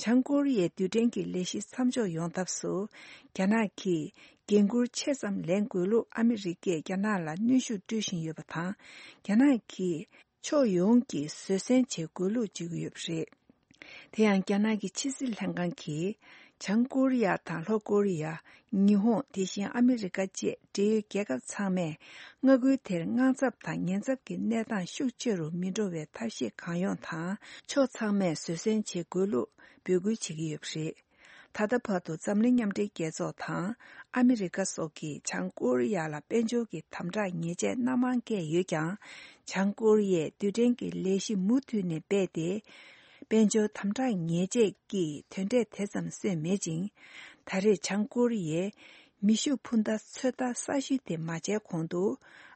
བྱང་ཀོ་རི་ཡའི་རྡུལ་ཕྲན་གྱི་ལས་གཞི་མཚམས་འཇོག་ཡོང་ཐབས་སུ་རྒྱ་ནག་གིས་འགན་འཁུར་ཆེ་ཙམ་ལེན་དགོས་ལུགས་ཨ་མི་རི་ཀས་རྒྱ་ནག་ལ་གནོན་ཤུགས་སྤྲོད་བཞིན་ཡོད་པ་དང་། རྒྱ་ནག་གིས་ཕྱོགས་ཡོངས་ཀྱིས་བཟོད་བསྲན་བྱེད་དགོས་ལུགས་བརྗོད་ཀྱི་ཡོད་པ་རེད། དེ་ཡང་རྒྱ་ནག་གི་ཕྱི་སྲིད་ལྷན་ཁང་གིས་བྱང་ཀོ་རི་ཡ་དང་ལྷོ་ཀོ་རི་ཡ། ཉི་ཧོང་། དེ་བཞིན་ཨ་མི་རི་ཀ་བཅས་འབྲེལ་ཡོད་རྒྱལ་ཁབ་ཚང་མས་མངའ་ཁུལ་དེར་དངངས་འཚབ་དང་ཉེན་ཚབས་ཀྱི་གནས་སྟངས་ཤུགས་ཆེ་རུ་མི་འགྲོ་བའི་ཐབས་ཤེས་གང་ཡོང་དང་ཕྱོགས་ཚང་མས་བཟོད་བསྲན་བྱེད་དགོས་ལུགས་འབོད་སྐུལ་བྱེད་ཀྱི་ཡོད་པ་རེད། ད་ལྟ་བར་དུ་འཛམ་གླིང་མཉམ་འབྲེལ་རྒྱལ་ཚོགས་དང་ཨ་མི་རི་ཀ་སོགས་ཀྱིས་བྱང་ཀོ་རི་ཡ་ལ་དཔལ་འབྱོར་གྱི་དམ་དྲག་ཉེས་ཆད་སྣ་མང་བཀལ་ཡོད་ཀྱང་། བྱང་ཀོ་རི་ཡས་རྡུལ་ཕྲན་གྱི་ལས་གཞི་མུ་མཐུད་ནས་སྤེལ་ཏེ། དཔལ་འབྱོར་དམ་དྲག་ཉེས་ཆད་ཀྱི་དོན་འབྲས་དེ་ཙམ་སོན་མེད་ཅིང་། ད་རེས་བྱང་ཀོ་རི་ཡས་མེ་ཤུགས་འཕུར་མདའ་ཚོད་ལྟ་གསར་ཞུ་དེ་མ་བྱས་གོང་དུ།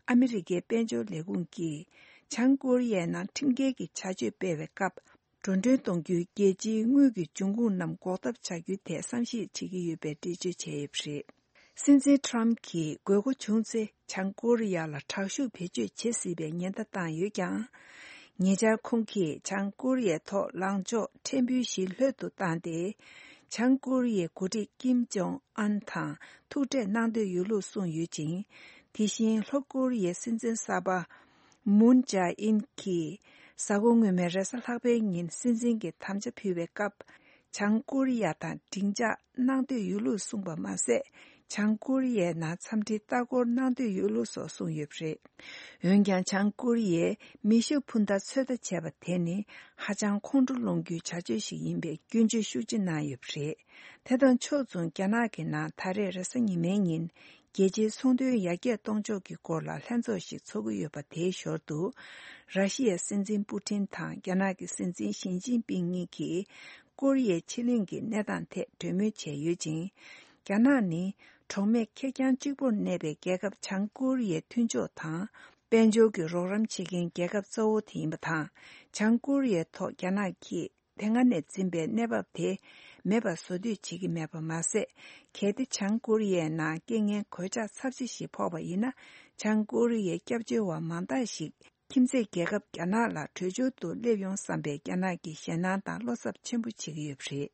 ཨ་མི་རི་ཀའི་དཔལ་འབྱོར་ལས་ཁུངས་ཀྱིས་བྱང་ཀོ་རི་ཡའི་ནང་ཁྲིམས་འགལ་གྱི་བྱ་སྤྱོད་སྤེལ་བའི་སྐབས། འགྲོ་གྲོན་གཏོང་རྒྱུའི་རྒྱལ་སྤྱིའི་དངུལ་གྱི་འབྱུང་ཁུངས་རྣམས་འགོག་ཐབས་བྱ་རྒྱུའི་ཐད་བསམ་གཞིག་བྱེད་ཀྱི་ཡོད་པའི་འགྲེལ་བརྗོད་བྱས་ཡོད་པ་རེད། སྲིད་འཛིན་ཁྲམ་གྱིས་དགོས་མཁོ་བྱུང་ཚེ་བྱང་ཀོ་རི་ཡ་ལ་དྲག་ཤུགས་བེད་སྤྱོད་བྱེད་སྲིད་པའི་ཉེན་བརྡ་བཏང་ཡོད་ཀྱང་། ཉེ་ཆར་ཁོང་གིས་བྱང་ཀོ་རི་ཡའི་ཐོག་ལངས་ཕྱོགས་ཕྲན་བུ་ཞིག་ལྷོད་དུ་བཏང་སྟེ། བྱང་ཀོ་རི་ཡའི་འགོ་ཁྲིད་ཀིམ་ཇོང་ཨན་དང་ཐུག་འཕྲད་གནང་འདོད་ཡོད་ལུགས་གསུངས་ཡོད་ཅིང་། དེ་བཞིན་ལྷོ་ཀོ་རི་ཡའི་སྲིད་འཛིན་གསར་པ། མུན་ཇཱ་ཨིན་གྱིས་གཟའ་འཁོར་སྔོན་མའི་རེས་གཟའ་ལྷག་པའི་ཉིན་སྲིད་འཛིན་གྱི་དམ་བཅའ་ཕུལ་བའི་སྐབས། བྱང་ཀོ་རི་ཡ་དང་སྡིངས་ཆ་གནང་འདོད་ཡོད་ལུགས་གསུངས་པ་མ་ཟད། བྱང་ཀོ་རི་ཡའི་ནང་འཚམས་འདྲིའི་ལྟ་སྐོར་གནང་འདོད་ཡོད་ལུགས་སོགས་གསུངས་ཡོད་པ་རེད། འོན་ཀྱང་། བྱང་ཀོ་རི་ཡས་མེ་ཤུགས་འཕུར་མདའ་ཚོད་ལྟ་བྱས་པ་དེ་ནི་ཧ་ཅང་ཁོང་ཁྲོ་སློང་རྒྱུའི་བྱ་སྤྱོད་ཞིག་ཡིན་པའི་སྐྱོན་བརྗོད་ཤུགས་ཆེ་གནང་ཡོད་པ་རེད། དེ་དང་ཕྱོགས་མཚུངས། རྒྱ་ནག་གི་ནང་ད་རེས་རེས་གཟའ་ཉི་མའི་ཉིན། རྒྱལ་སྤྱིའི་ཚོང་དོན་ཡར་རྒྱས་གཏོང་ཕྱོགས་ཀྱི་སྐོར་ལ་ལྷན་ཚོགས་ཤིག་ཚོགས་ཀྱི་ཡོད་པ། དེའི་ཞོར་དུ། ར་ཤི་ཡའི་སྲིད་འཛིན་པུ་ཊིན་དང་རྒྱ་ནག་གི་སྲིད་འཛིན་ཞི་ཅིན་ཕིང་གཉིས་ཀྱིས་ཀོ་རི་ཡའི་ཕྱེད་གླིང་གི་གནས་སྟངས་ཐད་གྲོས་མོལ་བྱས་ཡོད་ཅིང་། རྒྱ་ནག་ནི་གྲོགས་མེད་ཁེར་རྐྱང་གཅིག་པུར་གནས་པའི་རྒྱལ་ཁབ་བྱང་ཀོ་རི་ཡའི་མཐུན་ཕྱོགས་དང་། དཔལ་འབྱོར་གྱི་རོགས་རམ་བྱེད་མཁན་རྒྱལ་ཁབ་གཙོ་བོ་དེ་ཡིན་པ་དང་། བྱང་ཀོ་རི་ཡའི་ཐོག་རྒྱ་ནག་གིས། དེ་སྔ་ནས་འཛིན་པའི་གནས་བབ་དེ་མེད་པ་བཟོ་འདོད་བྱེད་ཀྱི་མེད་པ་མ་ཟད། གལ་ཏེ་བྱང་ཀོ་རི་ཡའི་ནང་རྐྱེན་ངན་གོད་ཆག་ཚབས་ཆེ་ཞིག་ཕོག་པ་ཡིན་ན། བྱང་ཀོ་རི་ཡའི་སྐྱབས་བཅོལ་བ་མང་དག་ཞིག་ཁྱིམ་མཚེས་རྒྱལ་ཁབ་རྒྱ་ནག་ལ་བྲོས་བྱོལ་དུ་སླེབས་ཡོང་བསམ་པའི་རྒྱ་ནག་གི་ཞེད་སྣང་དང་བློ་འཚབ་ཆེན་པོ་བྱེད་ཀྱི་ཡོད་པ་རེད།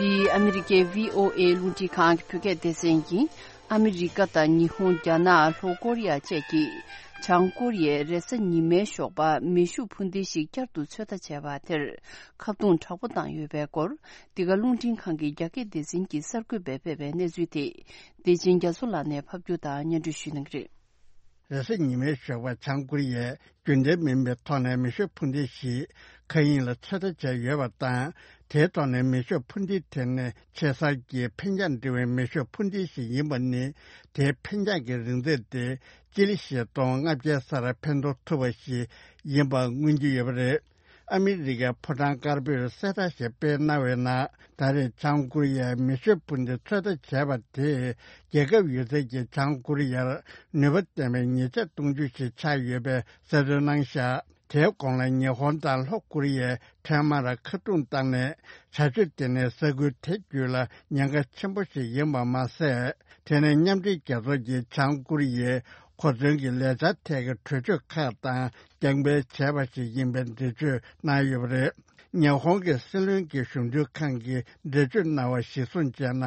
འདི་ཨ་མི་རི་ཀའི་བྷི་ཨོ་ཨེ་རླུང་འཕྲིན་ཁང་གི་བོད་སྐད་སྡེ་ཚན་ཡིན། ཨ་མི་རི་ཀ་དང་ཉི་ཧོང་། རྒྱ་ནག་ལྷོ་ཀོ་རི་ཡ་བཅས་ཀྱིས་བྱང་ཀོ་རི་ཡས་རེས་གཟའ་ཉི་མའི་ཞོགས་པ་མེ་ཤུགས་འཕུར་མདེལ་ཞིག་བསྐྱར་དུ་ཚོད་ལྟ་བྱས་པ་དེར་ཁ་རྡུང་དྲག་པོ་བཏང་ཡོད་པའི་སྐོར། འདི་ག་རླུང་འཕྲིན་ཁང་གི་རྒྱ་སྐད་སྡེ་ཚན་གྱི་གསར་འགོད་པས་སྤེལ་བའི་གནས་ཚུལ་དེ། བདེ་ཆེན་རྒྱ་མཚོ་ལགས་ནས་ཕབ་སྒྱུར་དང་སྙན་སྒྲོན་ཞུ་གནང་གི་རེད། རེས་གཟའ་ཉི་མའི་ཞོགས་པར་བྱང་ཀོ་རི་ཡས་རྒྱུན་ལྡན་མིན་པའི་ཐོག་ནས་མེ་ཤུགས་འཕུར་མདེལ་ཞིག་མཁའ་དབྱིངས་ལ་ཚོད་ལྟ་བྱས་ཡོད་པ་དང་། དེའི་ཐོག་ནས་མེ་ཤུགས་འཕུར་མདེལ་དེ་ནི་ཆེ་སར་གྱི་འཕེན་རྒྱང་འབྲིང་བའི་མེ་ཤུགས་འཕུར་མདེལ་ཞིག་ཡིན་པ་ནི། དེའི་འཕེན་རྒྱང་གི་རིང་ཚད་དེ་ སྤྱི་ལེ་བཞི་སྟོང་ལྔ་བརྒྱའི་སར་འཕེན་གཏོང་ཐུབ་པ་ཞིག་ཡིན་པ་མངོན་གྱི་ཡོད་པ་རེད། ཨ་མི་རི་ཀའི་ཕོ་བྲང་དཀར་པོས་གསལ་བསྒྲགས་ཤིག་སྤེལ་གནང་བའི་ནང་། ད་རེས་བྱང་ཀོ་རི་ཡས་མེ་ཤོད་འཕུར་མདེལ་ཚོད་ལྟ་བྱས་པ་དེས། རྒྱལ་ཁབ་ཡོད་ཚད་ཀྱིས་བྱང་ཀོ་རི་ཡར་ནུས་པ་ལྡན་པའི་ཉེས་ཆད་གཏོང་རྒྱུ་ཞིག་ཆགས་ཡོད་པའི་གསལ་སྟོན་གནང་བཞག་དེའི་གོང་ལ་ཉི་ཧོང་དང་ལྷོ་ཀོ་རི་ཡས་འཕྲལ་མར་ཁ་རྡུང་བཏང་ནས། བྱ་སྤྱོད་དེ་ནི་ས་ཁུལ་དེ་བརྒྱུད་ལ་ཉེན་ཁ་ཆེན་པོ་ཞིག་ཡིན་པ་མ་ཟད། དེ་ནི་མཉམ་འབྲེལ་རྒྱལ་ཚོགས་ཀྱིས་བྱང་ཀོ་རི་ཡས་གོ་མཚོན་གྱི་ལས་འཆར་ཐད་ཀྱི་གྲོས་ཆོད་ཁག་དང་རྒྱང་འཕེན་བྱས་པ་ཞིག་ཡིན་པའི་འགྲེལ་བརྗོད་གནང་ཡོད་པ་རེད། ཉི་ཧོང་གི་སྲིད་བློན་གྱི་གཞུང་འབྲེལ་ཁང་གིས་འགྲེལ་བརྗོད་གནང་བ་གཞིར་བཟུང་བྱས་ན།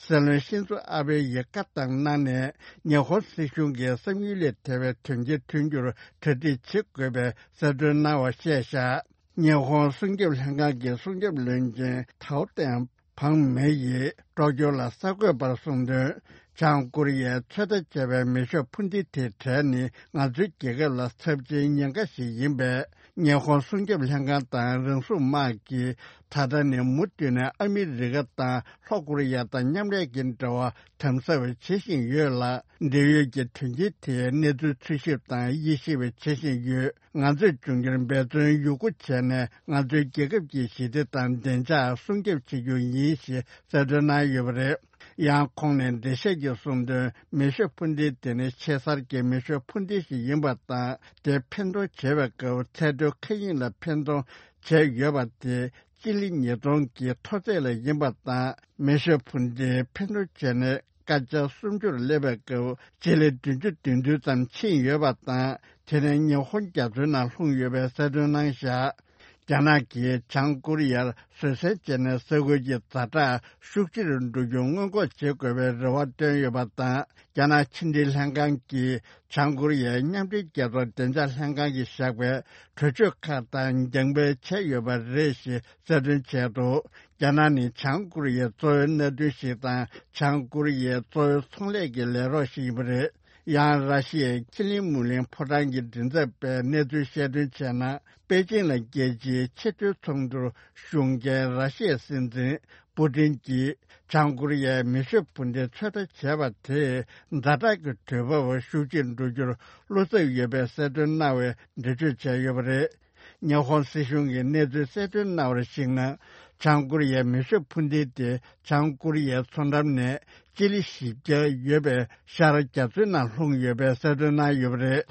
སྲིད་བློན་ཤིན་ཛོ་ཨ་བྷེ་ཡིས་བཀའ་བཏང་གནང་ནས། ཉི་ཧོང་སྲིད་གཞུང་གིས་བསམ་ཡུལ་ལས་ཐལ་བའི་དོན་རྐྱེན་ཐོན་རྒྱུར་གྲ་སྒྲིག་བྱེད་དགོས་པའི་གསལ་སྟོན་གནང་བ་བཤད་བཞག་ཉི་ཧོང་སྲུང་སྐྱོབ་ལྷན་ཁང་གི་སྲུང་སྐྱོབ་བློན་ཆེན་ཐའོ་ཏན་བང་མེ་ཡིས་ཀྲོ་ཀྱོ་ལ་གསར་འགོད་པར་གསུངས་དོན། བྱང་ཀོ་རི་ཡས་ཚོད་ལྟ་བྱས་པའི་མེ་ཤོད་འཕུར་མདེལ་དེའི་གྲས་ནི་ང་ཚོའི་རྒྱལ་ཁབ་ལ་ཚབས་ཆེའི་ཉེན་ཁ་ཞིག་ཡིན་པས། ཉི་ཧོང་སྲུང་སྐྱོབ་ལྷན་ཁང་དང་རང་སྲུང་དམག་གིས་ད་ལྟ་ནས་མུ་མཐུད་ནས་ཨ་མི་རི་ཀ་དང་ལྷོ་ཀོ་རི་ཡ་དང་མཉམ་ལས་ཀྱི་འབྲེལ་བ་དམ་ཟབ་བྱེད་བཞིན་ཡོད་ལ། འབྲེལ་ཡོད་ཀྱི་དོན་རྐྱེན་དེའི་གནས་ཚུལ་འཚོལ་ཞིབ་དང་དབྱེ་ཞིབ་བྱེད་བཞིན་ཡོད། ང་ཚོས་འབྱུང་འགྱུར་འབད་བརྩོན་ཡོད་རྒུ་བྱས་ནས། ང་ཚོའི་རྒྱལ་ཁབ་ཀྱི་ཞི་བདེ་དང་བདེ་འཇགས་སྲུང་སྐྱོབ་བྱེད་རྒྱུ་ཡིན་ཞེས་གསལ་སྟོན་གནང་ཡོད་པ་རེད། ཡང་ཁོང་ནས་འགྲེལ་བཤད་ཀྱིས་གསུངས་དོན། མེ་ཤོད་འཕུར་མདེལ་དེ་ནི་ཆེ་སར་གྱི་མེ་ཤོད་འཕུར་མདེལ་ཞིག་ཡིན་པ་དང་། དེ་འཕེན་གཏོང་བྱེད་པའི་སྐབས་ཚད་མཐོའི་མཁའ་དབྱིངས་ལ་འཕེན་གཏོང་བྱས་ཡོད་པ་དེ་སྤྱི་ལེ་ཉིས་སྟོང་གི་མཐོ་ཚད་ལ་ཡིན་པ་དང་། མེ་ཤོད་འཕུར་མདེལ་འཕེན་གཏོང་བྱས་ནས། སྐར་ཆ་སུམ་ཅུར་སླེབས་པའི་སྐབས་སྤྱི་ལེ་བདུན་ཅུ་དོན་བདུན་ཙམ་ཕྱིན་ཡོད་པ་དང་། དེ་ནི་ཉི་ཧོང་རྒྱ་མཚོའི་ནང་ལྷུང་ཡོད་པའི་གསལ་སྟོན་གནང་བཞག་རྒྱ་ནག་གིས་བྱང་ཀོ་རི་ཡར་བཟོད་བསྲན་བྱས་ནས་ས་ཁུལ་གྱི་ཛ་དྲག་ཤུགས་ཆེ་རུ་འགྲོ་རྒྱུ་སྔོན་འགོག་བྱེད་དགོས་པའི་རེ་བ་བཏོན་ཡོད་པ་དང་། རྒྱ་ནག་ཕྱི་འབྲེལ་ལྷན་ཁང་གིས་བྱང་ཀོ་རི་ཡའི་མཉམ་འབྲེལ་རྒྱལ་ཚོགས་བདེ་འཇགས་ལྷན་ཁང་གིས་བཞག་པའི་གྲོས་ཆོད་ཁག་དང་རྒྱང་འཕེན་བྱས་ཡོད་པ་རེད་ཞེས་གསལ་སྟོན་བྱས་འདུག་རྒྱ་ནག་ནི་བྱང་ཀོ་རི་ཡའི་གཙོ་བོའི་མནའ་མཐུན་ཞིག་དང་། བྱང་ཀོ་རི་ཡའི་གཙོ་བོའི་ཚོང་ལས་ཀྱི་ལས་རོགས་ཤིག་ཡིན་པ་རེད། ཡང་། ར་ཤི་ཡའི་ཁི་ལིན་མུ་ལིན་ཕོ་བྲང་གི་མགྲིན་ཚབ་པས་གནས་ཚུལ་བཤད་དོན་བྱས་ན། པེ་ཅིང་ལ་རྒྱལ་སྤྱིའི་ཆེས་མཐོའི་ཚོགས་འདུར་ཞུགས་མཁན་ར་ཤི་ཡའི་སྲིད་འཛིན་པུ་ཏིན་གྱིས། བྱང་ཀོ་རི་ཡའི་མེ་ཤོད་འཕུར་མདེལ་ཚོད་ལྟ་བྱས་པ་དེས། ཛ་དྲག་གི་དུས་བབ་ཤུགས་ཆེར་འགྲོ་རྒྱུར་བློ་འཚབ་ཡོད་པའི་གསལ་སྟོན་གནང་བའི་འགྲེལ་བརྗོད་བྱས་ཡོད་པ་རེད། ཉི་ཧོང་སྲིད་གཞུང་གིས་གནས་ཚུལ་གསལ་སྟོན་གནང་བར་གཞིགས་ན། བྱང་ཀོ་རི་ཡའི་མེ་ཤོད་འཕུར་མདེལ་དེ་བྱང་ཀོ་རི་ཡའི་མཚོ་འགྲམ་ནས་སྤྱི་ལེ་བཞི་བརྒྱ་ཡོད་པའི་ཤར་རྒྱ་མཚོའི་ནང་ལྷུང་ཡོད་པའི་གསལ་སྟོན་གནང་ཡོད་པ་རེད།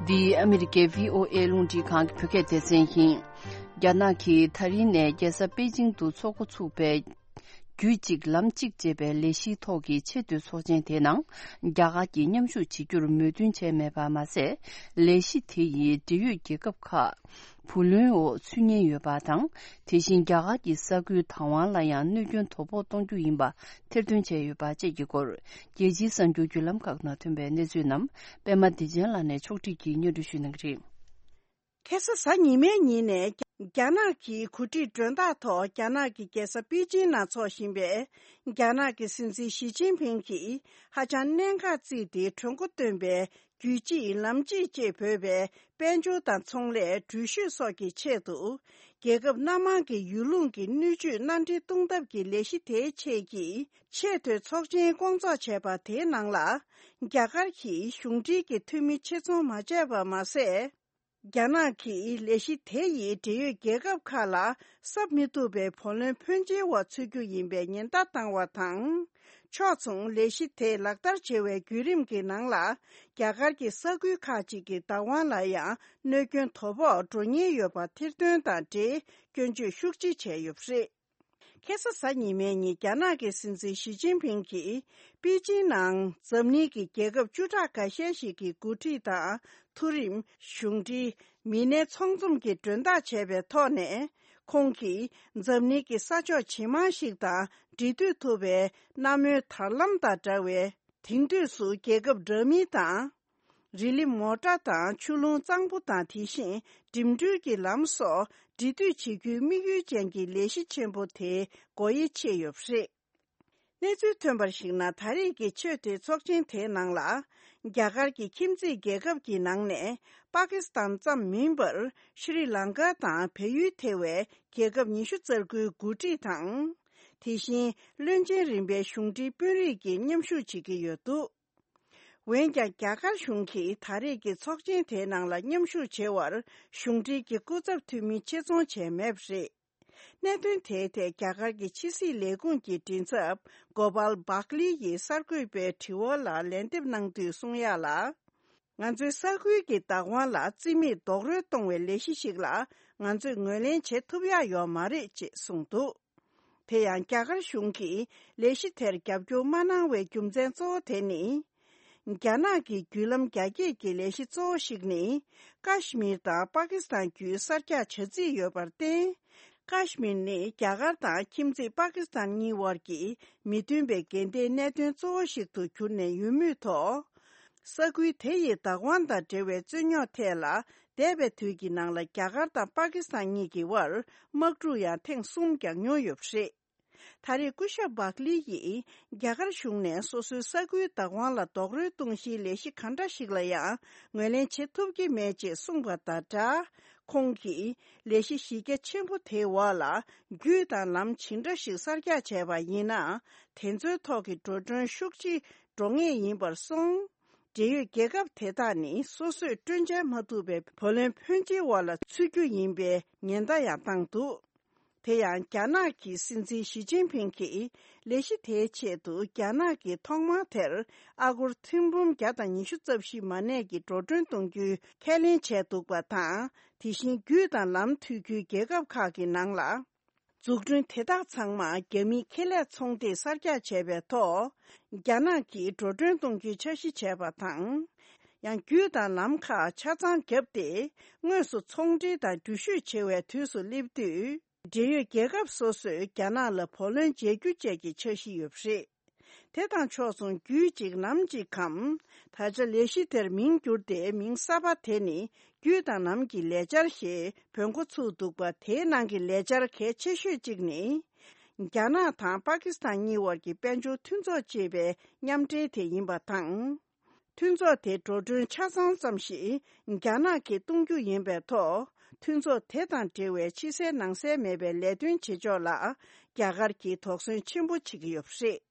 འདི་ཨ་མི་རི་ཀའི་བྷི་ཨོ་ཨེ་རླུང་འཕྲིན་ཁང་གི་བོད་སྐད་སྡེ་ཚན་ཡིན། རྒྱ་ནག་གིས་ད་རིང་ནས་རྒྱལ་ས་པེ་ཅིང་དུ་ཚོགས་འགོ་ཚུགས་པའི་རྒྱུད་གཅིག་ལམ་གཅིག་ཅེས་པའི་ལས་གཞིའི་ཐོག་གི་ཆེས་མཐོའི་ཚོགས་ཆེན་དེའི་ནང་རྒྱ་གར་གྱིས་མཉམ་ཞུགས་བྱེད་རྒྱུར་མོས་མཐུན་བྱས་མེད་པ་མ་ཟད། ལས་གཞི་དེ་ཡིས་འབྲེལ་ཡོད་རྒྱལ་ཁབ་ཁག་བུ་ལོན་འོག་ཚུད་ཉེན་ཡོད་པ་དང་། དེ་བཞིན་རྒྱ་གར་གྱི་ས་ཁུལ་བདག་དབང་ལ་ཡང་གནོད་སྐྱོན་དོ་ཕོག་གཏོང་རྒྱུ་ཡིན་པ་ཐེར་འདོན་བྱས་ཡོད་པ་བཅས་ཀྱི་སྐོར། རྒྱལ་སྤྱིའི་གསར་འགྱུར་བརྒྱུད་ལམ་ཁག་ནང་ཐོན་པའི་གནས་ཚུལ་རྣམས་པད་མ་བདེ་ཆེན་ལགས་ནས་ཕྱོགས་སྒྲིག་གིས་སྙན་སྒྲོན་ཞུ་གནང་གི་རེད། ཁ་སང་གཟའ་ཉི་མའི་ཉིན་ནས་རྒྱ་ནག་གི་གོ་སྒྲིག་མགྲོན་བདག་ཐོག་རྒྱ་ནག་གི་རྒྱལ་ས་པེ་ཅིང་ནང་འཚོགས་བཞིན་པའི་རྒྱ་ནག་གི་སྲིད་འཛིན་ཞི་ཅིན་ཕིང་གིས་ཧ་ཅང་གནད་འགག་བརྩིས་ཏེ་གྲོས་འགོ་བཏོན་པའི་རྒྱུད་གཅིག་ལམ་གཅིག་ཅེས་འབོད་པའི་དཔལ་འབྱོར་དང་ཚོང་ལས། འགྲུལ་བཞུད་སོགས་ཀྱི་ཆེད་དུ། རྒྱལ་ཁབ་སྣ་མང་གི་ཡུལ་ལུང་གི་སྣོད་བཅུད་མནའ་འབྲེལ་གཏོང་ཐབས་ཀྱི་ལས་གཞི་དེའི་ཆེད་ཀྱི་ཆེས་མཐོའི་ཚོགས་ཆེན་སྐོང་ཚོགས་བྱས་པ་དེའི་ནང་ལ། རྒྱ་གར་གྱིས་གཞུང་འབྲེལ་གྱི་འཐུས་མི་ཆེད་རྫོང་མ་བྱས་པ་མ་ཟད། རྒྱ་ནག་གིས་ལས་གཞི་དེ་ཡིས་འབྲེལ་ཡོད་རྒྱལ་ཁབ་ཁག་ལ་གསབ་མི་ཐུབ་པའི་བུ་ལོན་ཕོན་ཆེའི་འོག་ཚུད་རྒྱུ་ཡིན་པའི་ཉེན་བརྡ་བཏང་བ་དང་། ཕྱོགས་མཚུངས་ལས་གཞི་དེ་ལག་བསྟར་བྱེད་པའི་བརྒྱུད་རིམ་གྱི་ནང་ལ། རྒྱ་གར་གྱི་ས་ཁུལ་ཁག་ཅིག་གི་བདག་དབང་ལ་ཡང་གནོད་སྐྱོན་དོ་ཕོག་འགྲོ་ཉེན་ཡོད་པ་ཐེར་འདོན་དང་འབྲེལ་སྐྱོན་བརྗོད་ཤུགས་ཆེ་བྱས་ཡོད་པ་རེད། ཁ་སང་གཟའ་ཉི་མའི་ཉིན་རྒྱ་ནག་གི་སྲིད་འཛིན་ཞི་ཅིན་ཕིང་གིས་པེ་ཅིང་ནང་འཛམ་གླིང་གི་རྒྱལ་ཁབ་བཅུ་ཕྲག་འགའ་ཤས་ཤིག་གི་འགོ་ཁྲིད་དང་མཐོ་རིམ་གཞུང་འབྲེལ་མི་སྣའི་ཚོགས་འཛོམས་ཀྱི་མགྲོན་བདག་བྱས་པའི་ཐོག་ནས། ཁོང་གིས་འཛམ་གླིང་གི་ས་ཕྱོགས་ཇེ་མང་ཞིག་དང་འབྲེལ་མཐུད་ཐུབ་པའི་གནམ་སྨོན་དར་ལམ་དང་འདྲ་བའི། དེང་དུས་སུ་རྒྱལ་ཁབ་འདྲ་མིན་དང་། རི་ལི་མོ་ཊ་དང་ཆུ་ཀླུང་གཙང་པོ་དང་། དེ་བཞིན་འགྲིམ་འགྲུལ་གྱི་ལམ་སོགས་འབྲེལ་མཐུད་བྱེད་རྒྱུའི་དམིགས་ཡུལ་ཅན་གྱི་ལས་གཞི་ཆེན་པོ་དེ་སྒོ་དབྱེ་ཕྱེ་ཡོད་པ་རེད། གནས་ཚུལ་ཐོན་པར་གཞིགས་ན། ད་རེས་ཀྱི་ཆེས་མཐོའི་ཚོགས་ཆེན་དེའི་ནང་ལ། རྒྱ་གར་གྱི་ཁྱིམ་མཚེས་རྒྱལ་ཁབ་ཀྱི་ནང་ནས་པ་ཀི་སི་ཐན་ཙམ་མིན་པར་ཤྲི་ལང་ཀ་དང་བལ་ཡུལ་ཐེ་བའི་རྒྱལ་ཁབ་ཉི་ཤུ་རྩ་དགུའི་འགོ་ཁྲིད་དང་། དེ་བཞིན་བློན་ཆེན་རིམ་པའི་གཞུང་འབྲེལ་དཔོན་རིགས་ཀྱིས་མཉམ་ཞུགས་བྱེད་ཀྱི་ཡོད་འདུག་འོན་ཀྱང་རྒྱ་གར་གཞུང་གིས་ད་རེས་ཀྱི་ཚོགས་ཆེན་དེའི་ནང་ལ་མཉམ་ཞུགས་བྱེད་པར་གཞུང་འབྲེལ་གྱི་སྐུ་ཚབ་འཐུས་མི་ཆེད་རྫོང་བྱས་མེད་པ་རེད། གནད་དོན་དེའི་ཐད་རྒྱ་གར་གྱི་ཕྱི་སྲིད་ལས་ཁུངས་ཀྱི་མགྲིན་ཚབ་གོ་པལ་བག་ལི་ཡིས་གསར་འགོད་པའི་དྲི་བ་ལ་ལན་འདེབས་གནང་དུས་གསུང་ཡག་ལ། ང་ཚོའི་ས་ཁུལ་གྱི་བདག་དབང་ལ་རྩིས་མེད་རྡོག་རོལ་གཏོང་བའི་ལས་གཞི་ཞིག་ལ་ང་ཚོས་ངོས་ལེན་བྱེད་ཐུབ་ཡག་ཡོད་མ་རེད་ཅེས་གསུངས་འདུག་དེ་ཡང་རྒྱ་གར་གཞུང་གིས་ལས་གཞི་དེར་རྒྱབ་སྐྱོར་མ་གནང་བའི་རྒྱུ་མཚན་གཙོ་བོ་དེ་ནི། རྒྱ་ནག་གི་བརྒྱུད་ལམ་རྒྱ་སྐྱེད་ཀྱི་ལས་གཞི་གཙོ་བོ་ཞིག་ནི། ཀཱ་ཤི་མིར་དང་པ་ཀི་སི་ཐན་བརྒྱུད་གསར་རྒྱག་བྱ་རྩིས་ཡོད་པར་བརྟེན། ཀཱ་ཤི་མིར་ནི་རྒྱ་གར་དང་ཁྱིམ་མཚེས་པ་ཀི་སི་ཐན་གཉིས་དབར་གྱི་མི་མཐུན་པའི་འགལ་ཟླའི་གནད་དོན་གཙོ་བོ་ཞིག་ཏུ་གྱུར་ནས་ཡོད་མུས་ཐོག་ས་ཁུལ་དེ་ཡི་བདག་དབང་དང་འབྲེལ་བའི་རྩོད་རྙོག་ཐད་ལ། འདས་པའི་དུས་ཀྱི་ནང་ལ་རྒྱ་གར་དང་པ་ཀི་སི་ཐན་གཉིས་ཀྱི་དབར་དམག་འཁྲུག་ཡང་ཐེངས་གསུམ་བརྒྱབ་མྱོང་ཡོད་པ་རེད། ད་རེས་སྐུ་ཞབས་བག་ལི་ཡིས་རྒྱ་གར་གཞུང་ནས་སོ་སོའི་ས་ཁུལ་བདག་དབང་ལ་རྡོག་རོལ་གཏོང་གཞིའི་ལས་གཞི་ག་འདྲ་ཞིག་ལ་ཡང་ངོས་ལེན་བྱེད་ཐུབ་ཀྱི་མེད་ཅེས་གསུངས་པ་དང་སྦྲགས། ཁོང་གིས་ལས་གཞི་གཞི་རྒྱ་ཆེན་པོ་དེའི་འོག་ལ་རྒྱུད་དང་ལམ་ཇི་འདྲ་ཞིག་གསར་རྒྱག་བྱས་པ་ཡིན་ན། དེ་ཚོའི་ཐོག་གི་འགྲོ་གྲོན་ཤུགས་ཆེ་འགྲོ་ངེས་ཡིན་པར་སོང་། འབྲེལ་ཡོད་རྒྱལ་ཁབ་དེ་དག་ནི་སོ་སོས་སྤྲོད་འཇལ་མ་ཐུབ་པའི་བུ་ལོན་ཕོན་ཆེའི་འོག་ལ་ཚུད་རྒྱུ་ཡིན་པའི་ཉེན་བརྡ་ཡང་བཏང་འདུག་དེ་ཡང་རྒྱ་ནག་གི་སྲིད་འཛིན་ཞི་ཅིན་ཕིང་གིས་ལས་གཞི་དེའི་ཆེད་དུ་རྒྱ་ནག་གིས་ཐོག་མར་དེར་ཨ་སྒོར་ཐེར་འབུམ་བརྒྱ་དང་ཉི་ཤུ་རྩ་བཞི་མ་གནས་ཀྱི་འགྲོ་གྲོན་གཏོང་རྒྱུའི་ཁས་ལེན་བྱས་འདུག་པ་དང་། དེ་བཞིན་རྒྱུད་དང་ལམ་མཐུད་རྒྱུའི་རྒྱལ་ཁབ་ཁག་གི་ནང་ལ། འཛུགས་སྐྲུན་དེ་དག་ཚང་མ་རྒྱ་མིའི་ཁེ་ལས་ཚོང་སྡེས་གསར་རྒྱག་བྱས་པའི་ཐོག་རྒྱ་ནག་གིས་འགྲོ་གྲོན་གཏོང་རྒྱུའི་འཆར་གཞི་བྱས་པ་དང་། ཡང་རྒྱུད་དང་ལམ་ཁག་ཆ་ཚང་བརྒྱབ་སྟེ། དངོས་སུ་ཚོང་འབྲེལ་དང་འགྲུལ་བཞུད་བྱེད་པའི་དུས་སུ་སླེབས་དུས། འབྲེལ་ཡོད་རྒྱལ་ཁབ་སོ་སོས་རྒྱ་ནག་ལ་བུ་ལོན་འཇལ་རྒྱུ་བཅས་ཀྱི་འཆར་གཞི་ཡོད་པ་རེད། དེ་དང་ཕྱོགས་མཚུངས་རྒྱུད་གཅིག་ལམ་གཅིག་གམ། ད་ཆ་ལས་གཞི་དེར་མིང་བསྒྱུར་ཏེ་མིང་གསར་པ་དེ་ནི་རྒྱུད་དང་ལམ་གྱི་ལས་འཆར་ཞེས་འབོད་འགོ་ཚུགས་འདུག་པ། དེའི་ནང་གི་ལས་འཆར་གལ་ཆེ་ཤོས་གཅིག་ནི། རྒྱ་ནག་དང་པ་ཀི་སི་ཐན་གཉིས་དབར་གྱི་དཔལ་འབྱོར་མཐུན་ཚོགས་ཅེས་པའི་མཉམ་འབྲེལ་དེ་ཡིན་པ་དང་། མཐུན་ཚོགས་དེ་འགྲོ་གྲོན་ཆ་ཚང་ཙམ་ཞིག་རྒྱ་ནག་གིས་གཏོང་རྒྱུ་ཡིན་པའི་ཐོག་མཐུན་ཚོགས་དེ་དང་འབྲེལ་བའི་ཕྱི་གསལ་ནང་གསལ་མེད་པའི་ལས་དོན་བྱེད་ཕྱོགས་ལ་རྒྱ་གར་གྱིས་དོགས་ཟོན་ཆེན་པོ་བྱེད་ཀྱི་ཡོད་པ་རེད།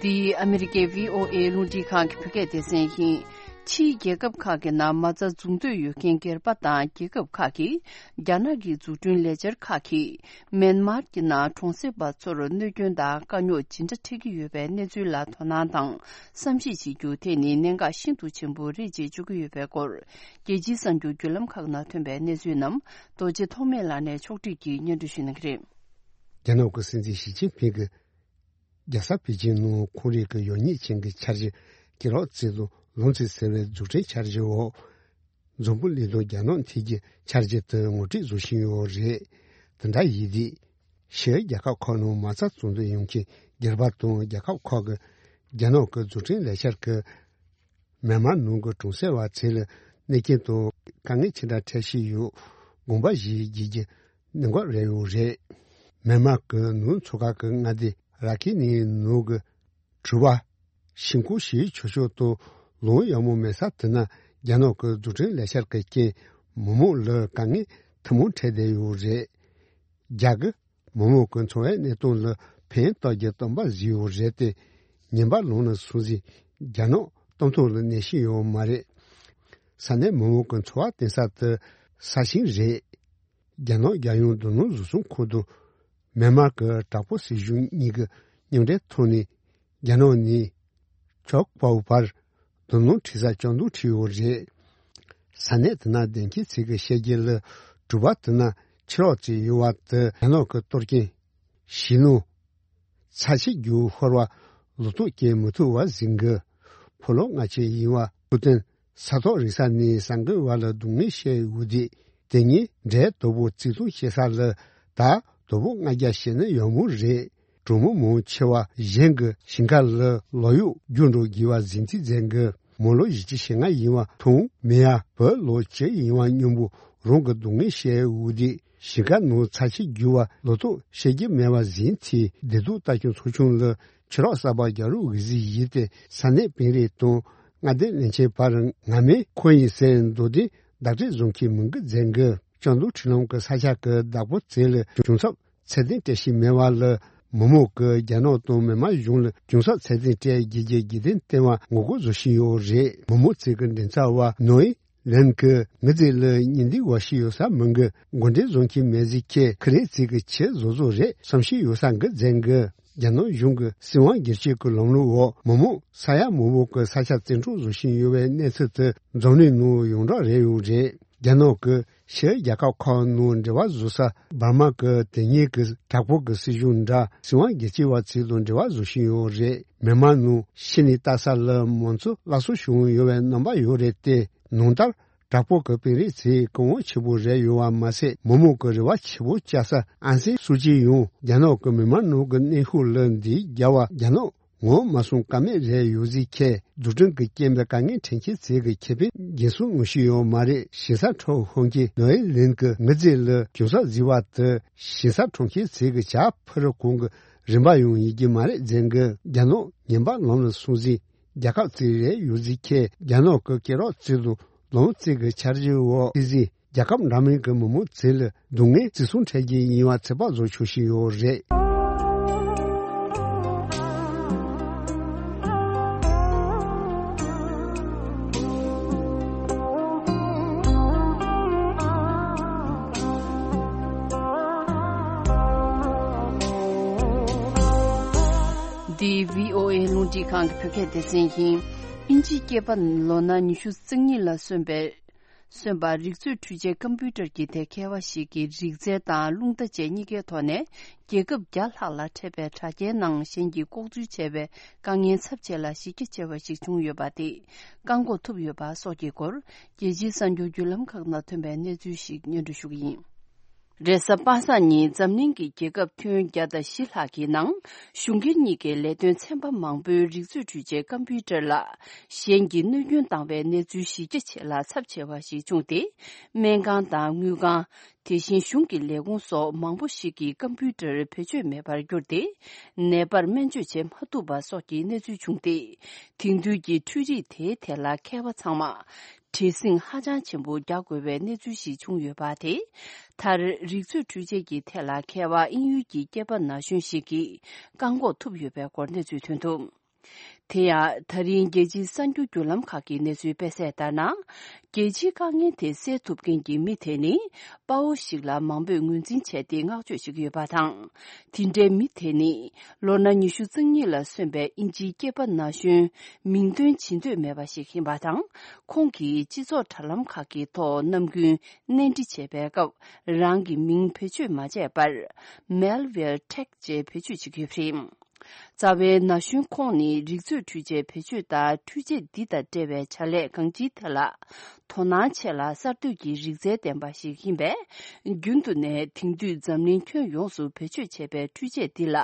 འདི་ཨ་མི་རི་ཀའི་བྷི་ཨོ་ཨེ་རླུང་འཕྲིན་ཁང་གི་བོད་སྐད་སྡེ་ཚན་ཡིན། ཕྱིའི་རྒྱལ་ཁབ་ཁག་གི་ནང་མ་རྩ་འཛུགས་འདོད་ཡོད་མཁན་སྒེར་པ་དང་རྒྱལ་ཁབ་ཁག་གིས་རྒྱ་ནག་གི་འཛུགས་སྐྲུན་ལས་འཆར་ཁག་གིས་མེན་མར་གྱི་ནང་གྲོང་གསེབ་པ་ཚོར་གནོད་སྐྱོན་དང་དཀའ་རྙོག་ཇི་འདྲ་འཕྲད་ཀྱི་ཡོད་པའི་གནས་ཚུལ་ལ་དོ་སྣང་དང་བསམ་གཞིག་བྱེད་རྒྱུ་དེ་ནི་གནད་འགག་ཤིན་ཏུ་ཆེན་པོ་རེད་ཅེས་བརྗོད་ཀྱི་ཡོད་པའི་སྐོར། རྒྱལ་སྤྱིའི་གསར་འགྱུར་བརྒྱུད་ལམ་ཁག་ནང་ཐོན་པའི་གནས་ཚུལ་རྣམས་རྡོ་རྗེ་ཐོགས་མེད་ལགས་ནས་ཕྱོགས་སྒྲིག་གིས་སྙན་སྒྲོན་ཞུ་གནང་གི་རེད། རྒྱ་ནག་གི་སྲིད་འཛིན་ཞི་ཅིན་ཕིང་གིས། རྒྱལ་ས་པེ་ཅིང་ནང་ཁོང་རང་གི་ཡོད་ཉིད་ཅན་གྱི་འཆར་གཞི་ཀེ་རོགས་རྩེ་དང་ལུང་རྩེ་ཟེར་བའི་འཛུགས་སྐྲུན་འཆར་གཞིའི་འོག་འཛམ་བུ་གླིང་དང་རྒྱ་ནག་མཐུད་རྒྱུའི་འཆར་གཞི་དེ་ངོ་སྤྲོད་བཟོ་བཞིན་ཡོད་རེད། དེ་འདྲ་ཡིན་དུས། ཕྱིའི་རྒྱལ་ཁབ་ཁག་ནང་མ་རྩ་འཛུགས་འདོད་ཡོད་མཁན་སྒེར་པ་དང་རྒྱལ་ཁབ་ཁག་གིས་རྒྱ་ནག་གི་འཛུགས་སྐྲུན་ལས་འཆར་གྱིས། མེན་མར་ནང་གི་གྲོང་གསེབ་པ་ཚོ་ལ་གནོད་སྐྱོན་དང་དཀའ་ངལ་ཅི་འདྲ་འཕྲད་བཞིན་ཡོད། དགོངས་པ་བཞེས་བགྱིད་རྒྱུ་གནད་འགག་རེད་ཡོད་རེད། མེན་མར་གྱི་ནང་མཚོ་ཁ་གི་མངའ་སྡེ་ར་ཁིན་ནི་ནང་གི་དྲོད་འབར་ཤིང་ཁུག་ཞིག་ཆུ་ཤུགས་དང་ལུང་ཡག་མོ་མེད་ས་དེ་ན་རྒྱ་ནག་གི་འཛུགས་སྐྲུན་ལས་འཆར་གྱི་རྐྱེན་མི་མང་ལ་དཀའ་ངལ་ཐུན་མོང་འཕྲད་བསྡད་ཡོད་རེད། རྒྱ་གི་མི་མང་གི་འཚོ་བའི་གནས་སྟངས་ལ་ཕན་བཏགས་རྒྱུ་སྟོན་པ་བཟོས་ཡོད་རེད་དེ། ཉིན་པ་ལོངས་ན་སོང་ཟིག་རྒྱ་ནག་གཏམ་ཐོག་ལ་གནས་ཤིང་ཡོད་མ་རེད། ས་གནས་མི་མང་གི་འཚོ་བ་བརྟེན་ས་དེ་ས་ཞིང་རེད། རྒྱ་ནག་རྒྱལ་ཡོངས་རྡུལ་སྣུམ་བཟོ་ཚོང་ཁང་དུ་མེན་མར་གྱི་དྲག་པོ་སྲིད་གཞུང་གཉིས་ཀྱི་མཉམ་འབྲེལ་ཐོག་ནས་རྒྱ་ནག་ནས་ཆོག་པའི་བར་རྡུལ་སྣུམ་འཁྲུག་ས་བཅག་འདོན་བྱས་ཡོད་རེད། ས་གནས་དེ་ན་བདེན་སྐྱིད་ཚིག་གི་བཤད་རྒྱུ་ལ་གྲུ་པ་དེ་ན་ཕྱི་ལོགས་ཙམ་ཡོད་པ་དེ་རྒྱ་ནག་གི་གཏོར་སྐྱོན་ཞི་ནུ་ཚ་ཆེ་རྒྱུ་ཤོར་བ་ལོ་ཏོག་སྐྱེ་མི་ཐུབ་པ་ཟིན་གི་ཕོ་ལོ་ལྔ་ཆེ་ཡིན་པ་ཕུ་ཏན་ས་ཐོག་རིག་ས་ནས་ས་འགུལ་བ་ལ་སྡུག་བསྔལ་བཤད་ཡོད་དེ། དེ་ཉིད་འབྲས་དོ་པོ་བརྩི་མཐོང་བྱེད་ས་ལ་ད་དོ་པོ་ལྔ་བརྒྱ་བྱས་ན་ཡག་མོ་རེད། གྲོགས་མོ་མང་ཆེ་བ་གཞན་གྱི་ཞིང་ཁ་ལ་ལོག་གཡོག་རྒྱུགས་འགྲོ་དགོས་པ་ཟིན་ཚིག་མཛད་གི། མོ་ལོ་བཞི་བཅུ་ཞེ་ལྔ་ཡིན་པ་མཐོང་མི་ཡ་བུ་ལོ་བཅུ་ཡིན་པ་སྙོམས་པོ་རང་གི་སྡུག་བསྔལ་བཤད་འུ་དེ་ཞིང་ཁ་ནང་ཚ་ཆེ་རྒྱུ་བ་ལོ་ཏོག་བཤད་རྒྱུ་མེད་པ་ཟིན་ཚེ་བདེ་སྡུག་ལྟ་སྐྱོང་ཚོགས་ཆུང་ལ་ཕྱི་རོགས་གསར་པ་རྒྱག་རོགས་འོས་གཟིགས་ཡིན་ཏེ་ས་གནས་དཔོན་རིགས་དང་མངའ་སྡེ་བློན་ཆེན་བར་ང་མེད་ཁོ་ཡིན་ཟེར་མདོ་དོན་བདག་སྤྲད་བཟོ་མཁན་མང་གི་མཛད་གི། ལྕང་རྡོ་འཕྲུལ་ལམ་གྱི་ས་ཆ་གི་བདག་པོ་ཚོ་ལ་གྱོང་གསབ་ཚད་ལྡན་སྤྲད་བཞིན་མེད་པ་ལ་མི་མང་གིས་རྒྱ་ནག་དང་མི་དམངས་གཞུང་ལ་གྱོང་གསབ་ཚད་ལྡན་སྤྲད་རྒྱུ་གི་རྒྱུ་རྐྱེན་བསྟན་པ་ངོ་རྒོལ་བཟོ་བཞིན་ཡོད་རེད། མི་མང་ཚོ་གི་མགྲིན་ཚབ་པ་ནོའི་ལན་གྱིས་ངའི་རྩིས་ལ་ཉིན་འདི་བ་ཞིག་ཡོད་ས་མིན་གི། འགོ་འདྲེན་བཟོ་མཁན་མེད་ཟིག་ཁྱེད་ཁི་རེ་ཚིག་གི་ཆེད་བཟོ་བཟོ་རེད་བསམ་ཤེས་ཡོད་ས་འགི་མཛད་གི། རྒྱ་ནག་གཞུང་གི་སྲིད་དབང་སྒེར་གཅོད་ཀྱི་ལམ་ལུགས་འོག་མི་མང་ས་ཡ་མང་པོ་གི་ས་ཆ་བཙན་འཕྲོག་བཟོ་བཞིན་ཡོད་པའི་གནས་ཚུལ་དེ་འཛམ་གླིང་ནང་ཡོངས་གྲགས་རེད་ཡོད་རེད། རྒྱ་ནག་གི་ཕྱིའི་རྒྱལ་ཁབ་ཁག་ནང་འབྲེལ་བ་བཟོ་ས་འབར་མ་གི་དེ་ཉིད་ཀྱི་དྲག་པོ་གི་སྲིད་གཞུང་འདྲ་སྲིད་དབང་སྒེར་གཅོད་པ་ཚོ་དང་འབྲེལ་བ་བཟོ་བཞིན་ཡོད་རེད། མི་མང་ནང་ཕྱི་ནས་ལྟ་ས་ལ་མང་གཙོ་སླར་གསོ་བྱུང་ཡོད་པའི་རྣམ་པ་ཡོད་རེད་དེ། ནང་ལྟར་དྲག་པོ་གི་དཔོན་རིགས་ཚོས་སྐུ་དབང་ཆེ་པོ་རེད་ཡོད་པ་མ་ཟད་མི་མང་གི་རེ་བ་ཆེ་པོ་བཅའ་ས་ཨན་སན་སུའུ་ཅི་ཡང་རྒྱ་ནག་གི་མི་མང་ནང་གི་གནོན་ཤུགས་ལ་འདི་རྒྱལ་བ་རྒྱ་ནག་ངོ་མ་སོང་ཀ་མེད་རེད་ཡོད་ཟིག་ཁྱེད་རྫུ་འཕྲུལ་གྱི་རྐྱེན་པས་དཀའ་ངལ་འཕྲད་མཁན་ཚོ་གི་ཁེ་ཕན་འགན་སྲུང་ངོ་ཤེས་ཡོད་མ་རེད། ཞིང་ས་འཕྲོག་ཤོང་མཁན་ནོའི་ལིན་གྱི་ངའི་རྩིས་ལ་གྱོང་གསབ་བཟོས་པ་དེ་ཞིང་ས་འཕྲོག་མཁན་ཚོ་གི་ཇ་ཕུ་རུ་གོང་གི་རིན་པ་ཡང་ཡིན་གྱི་མ་རེད་ཟེར་གི། རྒྱ་ནག་ངན་པ་ལམ་ལ་སོང་ཟིག་རྒྱལ་ཁབ་ཅིག་རེད་ཡོད་ཟིག་ཁྱེད་རྒྱ་ནག་གི་སྐད་རགས་ཚོ་དང་ལམ་ཚོ་གི་འཆར་གཞི་འོག་ཏི་ཟིག་རྒྱལ་ཁབ་འདྲ་མིན་གྱི་མི་མང་ཚོ་ལ་སྡུག་བསྔལ་བརྩི་སྲུང་འཕྲད་རྒྱུ་ཡིན་པ་ཚོད་དཔག་བཟོ་ཆོག་བཞིན་ཡོད་རེད། འདི་བྷི་ཨོ་ཨེ་རླུང་འཕྲིན་ཁང་གི་བོད་སྐད་སྡེ་ཚན་ཡིན། དབྱིན་ཇིའི་སྐྱེས་པ་ལོ་ན་ཉི་ཤུ་རྩ་གཉིས་ལ་སོན་པའི། སོན་པ་རིག་མཛོད་འཕྲུལ་ཆས་ཀམ་པུ་ཊར་གྱི་ཐད་མཁས་པ་ཞིག་གིས་རིག་རྩལ་དང་རླུང་རྟ་བཅས་གཉིས་ཀའི་ཐོག་ནས་རྒྱལ་ཁབ་བརྒྱ་ལྷག་ལ་འཕྲད་པའི་དྲ་རྒྱའི་ནང་གཞན་གྱིས་ལྐོག་འཛུལ་བྱས་པའི་དཀའ་ངལ་ཚབས་ཆེ་ལ་གཞི་རྒྱ་ཆེ་བ་ཞིག་བྱུང་ཡོད་པ་དེ་བཀག་འགོག་ཐུབ་ཡོད་པ་སོགས་ཀྱི་སྐོར་རྒྱལ་སྤྱིའི་གསར་འགྱུར་བརྒྱུད་ལམ་ཁག་ནང་ཐོན་པའི་གནས་ཚུལ་ཞིག་སྙན་སྒྲོན་ཞུ་གི་ཡིན། རེས་གཟའ་པ་སངས་ཉིན་འཛམ་གླིང་གི་རྒྱལ་ཁབ་ཁྱོན་བརྒྱ་དང་བཞི་ལྷག་གི་ནང་གཞུང་སྒེར་གཉིས་ཀའི་ལས་དོན་ཚན་པ་མང་པོའི་རིག་མཛོད་འཕྲུལ་ཆས་ཀམ་པུ་ཊར་ལ་གཞན་གྱིས་གནོད་སྐྱོན་བཏང་བའི་གནས་ཚུལ་གཞི་རྒྱ་ཆེ་ལ་ཚབས་ཆེ་བ་ཞིག་བྱུང་སྟེ། སྨན་ཁང་དང་དངུལ་ཁང་། དེ་བཞིན་གཞུང་གི་ལས་ཁུངས་སོགས་མང་པོ་ཞིག་གིས་ཀམ་པུ་ཊར་བེད་སྤྱོད་མེད་པར་གྱུར་ཏེ། ནད་པར་སྨན་བཅོས་བྱེད་མ་ཐུབ་པ་སོགས་ཀྱི་གནས་ཚུལ་བྱུང་སྟེ། དེང་དུས་ཀྱི་འཕྲུལ་རིག་དེའི་ཐད་ལ་མཁས་པ་ཚང་མ། བྲེལ་ཟིང་ཧ་ཅང་ཆེན་པོ་རྒྱག་དགོས་པའི་གནས་ཚུལ་ཞིག་བྱུང་ཡོད་པ་དེ། མཐར་རིག་མཛོད་འཕྲུལ་ཆས་ཀྱི་ཐད་ལ་མཁས་པ་དབྱིན་ཡུལ་གྱི་སྐྱེས་པ་ན་གཞོན་ཞིག་གིས་བཀག་འགོག་ཐུབ་ཡོད་པའི་སྐོར་གནས་ཚུལ་ཐོན་འདུག་དེ་ཡང་ད་རིང་རྒྱལ་སྤྱིའི་གསར་འགྱུར་བརྒྱུད་ལམ་ཁག་གི་གནས་ཚུལ་སྤེལ་གསལ་ལྟར་ན། རྒྱལ་སྤྱིའི་དཀའ་ངལ་དེ་སེལ་ཐུབ་མཁན་གྱི་མི་དེ་ནི་དཔའ་བོ་ཞིག་ལ་མང་པོས་ངོས་འཛིན་བྱས་ཏེ་བསྔགས་བརྗོད་བྱེད་ཀྱི་ཡོད་པ་དང་། དེ་འདྲའི་མི་དེ་ནི་ལོ་ན་ཉི་ཤུ་རྩ་གཉིས་ལ་སོན་པའི་དབྱིན་ཇིའི་སྐྱེས་པ་ན་གཞོན། མིང་འདོན་བྱེད་འདོད་མེད་པ་ཞིག་ཡིན་པ་དང་། ཁོང་གིས་སྤྱི་ཚོགས་དྲ་ལམ་ཁག་གི་ཐོག་ནམ་རྒྱུན་གནས་འདྲི་བྱེད་པའི་སྐབས་རང་གི་མིང་བེད་སྤྱོད་མ་བྱས་པར། Malware Tech ཅེས་བེད་སྤྱོད་བྱེད་ཀྱི་ཡོད་པ་རེད། རྩ་བའི་ན་གཞོན་ཁོང་ནི་རིག་མཛོད་འཕྲུལ་ཆས་བེད་སྤྱོད་དང་འཕྲུལ་ཆས་འདི་དང་འབྲེལ་བའི་བྱ་ལས་གང་ཅིའི་ཐད་ལ་དོ་སྣང་ཆེ་ལ་གསར་གཏོད་ཀྱི་རིག་རྩལ་ལྡན་པ་ཞིག་ཡིན་པས། རྒྱུན་དུ་ནས་དེང་དུས་འཛམ་གླིང་ཁྱོན་ཡོངས་སུ་བེད་སྤྱོད་བྱས་པའི་འཕྲུལ་ཆས་འདི་ལ་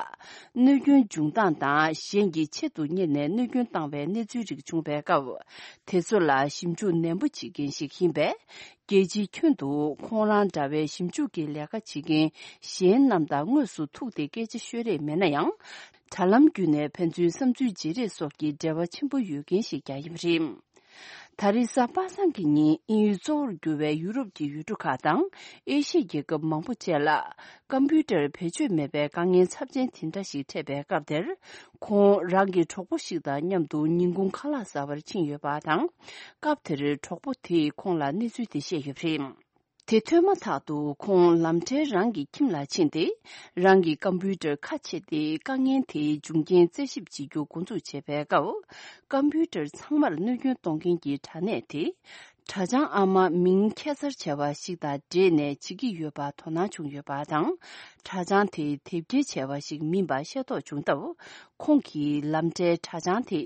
གནོད་སྐྱོན་འབྱུང་སྟངས་དང་གཞན་གྱིས་ཆེད་དུ་གཉེར་ནས་གནོད་སྐྱོན་བཏང་བའི་གནས་ཚུལ་རིགས་བྱུང་བའི་སྐབས། དེ་ཚོ་ལ་ཞིབ་འཇུག་ནན་པོ་བྱེད་མཁན་ཞིག་ཡིན་པས། རྒྱལ་སྤྱིའི་ཁྱོན་དུ་ཁོང་རང་འདྲ་བའི་ཞིབ་འཇུག་གི་ལས་ཀ་བྱེད་མཁན་གཞན་རྣམས་དང་དངོས་སུ་ཐུག་སྟེ་སྐད་ཆ་ཤོད་རེས་མེད་ན་ཡང་། དྲ་ལམ་བརྒྱུད་ནས་ཕན་ཚུན་བསམ་ཚུལ་བརྗེ་རེས་སོགས་ཀྱི་འབྲེལ་བ་ཆེན་པོ་ཡོད་མཁན་ཞིག་ཀྱང་ཡིན་པ་རེད། ད་རེས་གཟའ་པ་སངས་ཀྱི་ཉིན་དབྱིན་ཡུལ་གཙོ་བོར་གྱུར་བའི་ཡུ་རོབ་ཀྱི་ཡུལ་གྲུ་ཁག་དང་ཨེ་ཤི་ཡའི་རྒྱལ་ཁབ་མང་པོ་བཅས་ལ། ཀམ་པུ་ཊར་བེད་སྤྱོད་མེད་པའི་དཀའ་ངལ་ཚབས་ཆེན་དེ་འདྲ་ཞིག་འཕྲད་པའི་སྐབས་དེར། ཁོང་རང་གི་གྲོགས་པོ་ཞིག་དང་མཉམ་དུ་ཉིན་གུང་ཁ་ལག་ཟ་བར་ཕྱིན་ཡོད་པ་དང་། སྐབས་དེར་གྲོགས་པོ་དེས་ཁོང་ལ་གནས་ཚུལ་དེ་བཤད་ཡོད་པ་རེད། དེ་ཐོས་མ་ཐག་ཏུ་ཁོང་ལམ་འཕྲལ་རང་གི་ཁྱིམ་ལ་ཕྱིན་ཏེ། རང་གི་ཀམ་པུ་ཊར་ཁ་ཕྱེ་སྟེ་དཀའ་ངལ་དེའི་འབྱུང་རྐྱེན་རྩད་ཞིབ་བྱེད་རྒྱུ་འགོ་འཛུགས་བྱས་པའི་སྐབས། ཀམ་པུ་ཊར་ཚང་མར་གནོད་སྐྱོན་གཏོང་མཁན་གྱི་དྲ་གནས་དེ། དྲ་བྱང་ཨ་མ་མིང་ཁྱད་མཚར་ཆེ་བ་ཞིག་དང་འབྲེལ་ནས་བྱེད་ཀྱི་ཡོད་པ་དོ་སྣང་བྱུང་ཡོད་པ་དང་། དྲ་བྱང་དེ་དེབ་སྐྱེལ་བྱས་པ་ཞིག་མིན་པ་ཤེས་རྟོགས་བྱུང་སྟབས། ཁོང་གིས་ལམ་འཕྲལ་དྲ་བྱང་དེ་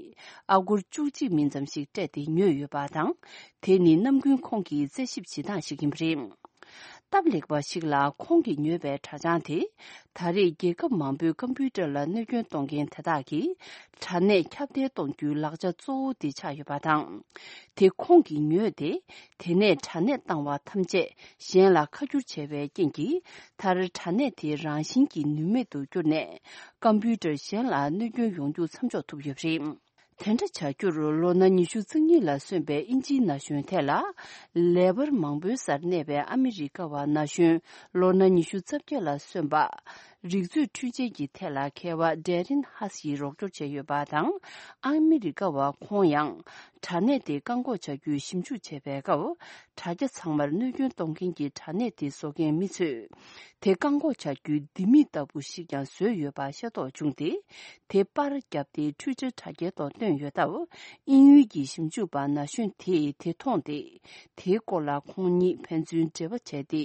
ཨ་སྒོར་བཅུ་གཅིག་མིན་ཙམ་ཞིག་སྤྲད་དེ་ཉོས་ཡོད་པ་དང་། དེ་ནི་ནམ་རྒྱུན་ཁོང་གི་རྩད་ཞིབ་བྱེད་སྟངས་ཤིག་ཡིན་པ་རེད། སྟབས་ལེགས་པ་ཞིག་ལ་ཁོང་གིས་ཉོས་པའི་དྲ་བྱང་དེ། ད་རེས་རྒྱལ་ཁབ་མང་པོའི་ཀམ་པུའུ་ཊར་ལ་གནོད་སྐྱོན་གཏོང་མཁན་དེ་དག་གིས་དྲ་གནས་ཁྱབ་གདལ་གཏོང་རྒྱུའི་ལག་ཆ་གཙོ་བོ་དེ་ཆགས་ཡོད་པ་དང་། དེ་ཁོང་གིས་ཉོས་ཏེ། དེ་ནས་དྲ་གནས་བཏང་བ་ཐམས་ཅད་གཞན་ལ་ཁ་བསྒྱུར་བྱས་པའི་རྐྱེན་གྱིས། མཐར་དྲ་གནས་དེ་རང་བཞིན་གྱིས་ནུས་མེད་དུ་གྱུར་ནས། ཀམ་པུའུ་ཊར་གཞན་ལ་གནོད་སྐྱོན་ཡོང་རྒྱུ་མཚམས་འཇོག་ཐུབ་ཡོད་པ་རེད། དེ་འདྲ་བྱ་རྒྱུར་ལོ་ན་ཉི་ཤུ་རྩ་གཉིས་ལ་སོན་པའི་དབྱིན་ཇིའི་ན་གཞོན་ཐད་ལ། ལེ་དབར་མང་པོའི་སར་གནས་པའི་ཨ་མི་རི་ཀ་བ་ན་གཞོན་ལོ་ན་ཉི་ཤུ་རྩ་བརྒྱད་ལ་སོན་པ། རིག་མཛོད་འཕྲུལ་ཆས་ཀྱི་ཐད་ལ་མཁས་པ་ཌེ་རིན་ཧ་སི་ཡིས་རོགས་སྐྱོར་བྱས་ཡོད་པ་དང་། ཨ་མི་རི་ཀ་བ་ཁོང་ཡང་དྲ་གནས་དེ་བཀག་འགོག་བྱ་རྒྱུའི་ཞིབ་འཇུག་བྱེད་པའི་སྐབས། དྲ་རྒྱ་ཚང་མར་གནོད་སྐྱོན་གཏོང་མཁན་གྱི་དྲ་གནས་དེ་བཟོ་མཁན་མི་ཚོས། དེ་བཀག་འགོག་བྱ་རྒྱུའི་ལྡེ་མིག་ལྟ་བུ་ཞིག་ཀྱང་བཟོས་ཡོད་པ་ཤེས་རྟོགས་བྱུང་སྟེ། དེ་པར་བརྒྱབ་སྟེ་ཊུའི་ཊར་དྲ་རྒྱའི་ཐོག་བཏོན་ཡོད་སྟབས། དབྱིན་ཡུལ་གྱི་ཞིབ་འཇུག་པ་ན་གཞོན་དེས་དེ་མཐོང་སྟེ། དེའི་སྐོར་ལ་ཁོང་གཉིས་ཕན་ཚུན་འབྲེལ་བ་བྱས་ཏེ།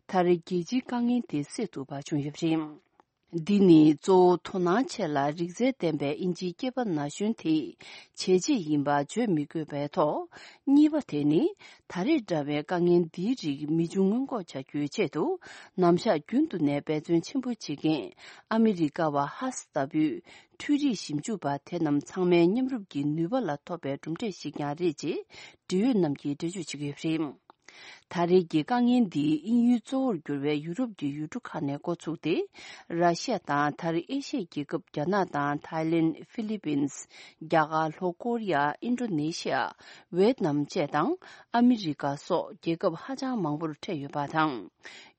མཐར་རྒྱལ་སྤྱིའི་དཀའ་ངལ་དེ་སེལ་ཐུབ་པ་བྱུང་ཡོད་པ་རེད། འདི་ནི་གཙོ་བོ་དོ་སྣང་ཆེ་ལ་རིག་རྩལ་ལྡན་པའི་དབྱིན་ཇིའི་སྐྱེས་པ་ན་གཞོན་དེས་བྱས་རྗེས་ཡིན་པ་བརྗོད་མི་དགོས་པའི་ཐོག་གཉིས་པ་དེ་ནི། ད་རེས་འདྲ་བའི་དཀའ་ངལ་འདིའི་རིགས་མི་འབྱུང་སྔོན་འགོག་བྱ་རྒྱུའི་ཆེད་དུ། ནམ་ཞག་རྒྱུན་དུ་ནས་འབད་བརྩོན་ཆེན་པོ་བྱེད་མཁན་ཨ་མི་རི་ཀ་བ་ཧ་སི་ལྟ་བུའི་འཕྲུལ་རིག་ཞིབ་འཇུག་པ་དེ་རྣམས་ཚང་མའི་མཉམ་རུབ་ཀྱི་ནུས་པ་ལ་ཐོབ་པའི་གྲུབ་འབྲས་ཤིག་ཀྱང་རེད་ཅེས་འབྲེལ་ཡོད་རྣམས་ཀྱིས་འགྲེལ་བརྗོད་བྱེད་ཀྱི་ཡོད་པ་རེད། ད་རེས་ཀྱི་དཀའ་ངལ་འདི་དབྱིན་ཡུལ་གཙོ་བོར་གྱུར་བའི་ཡུ་རོབ་ཀྱི་ཡུལ་གྲུ་ཁག་ནས་འགོ་ཚུགས་ཏེ། ར་ཤི་ཡ་དང་མཐར་ཨེ་ཤི་ཡའི་རྒྱལ་ཁབ་རྒྱ་ནག་དང་ཐའི་ལེན། ཧྥི་ལི་པིན། རྒྱ་གར། ལྷོ་ཀོ་རི་ཡ། ཨིན་ཌོ་ནེ་ཤི་ཡ། ཝེ་ཏི་ནམ་བཅས་དང་ཨ་མི་རི་ཀ་སོགས་རྒྱལ་ཁབ་ཧ་ཅང་མང་པོར་འཕྲད་ཡོད་པ་དང་།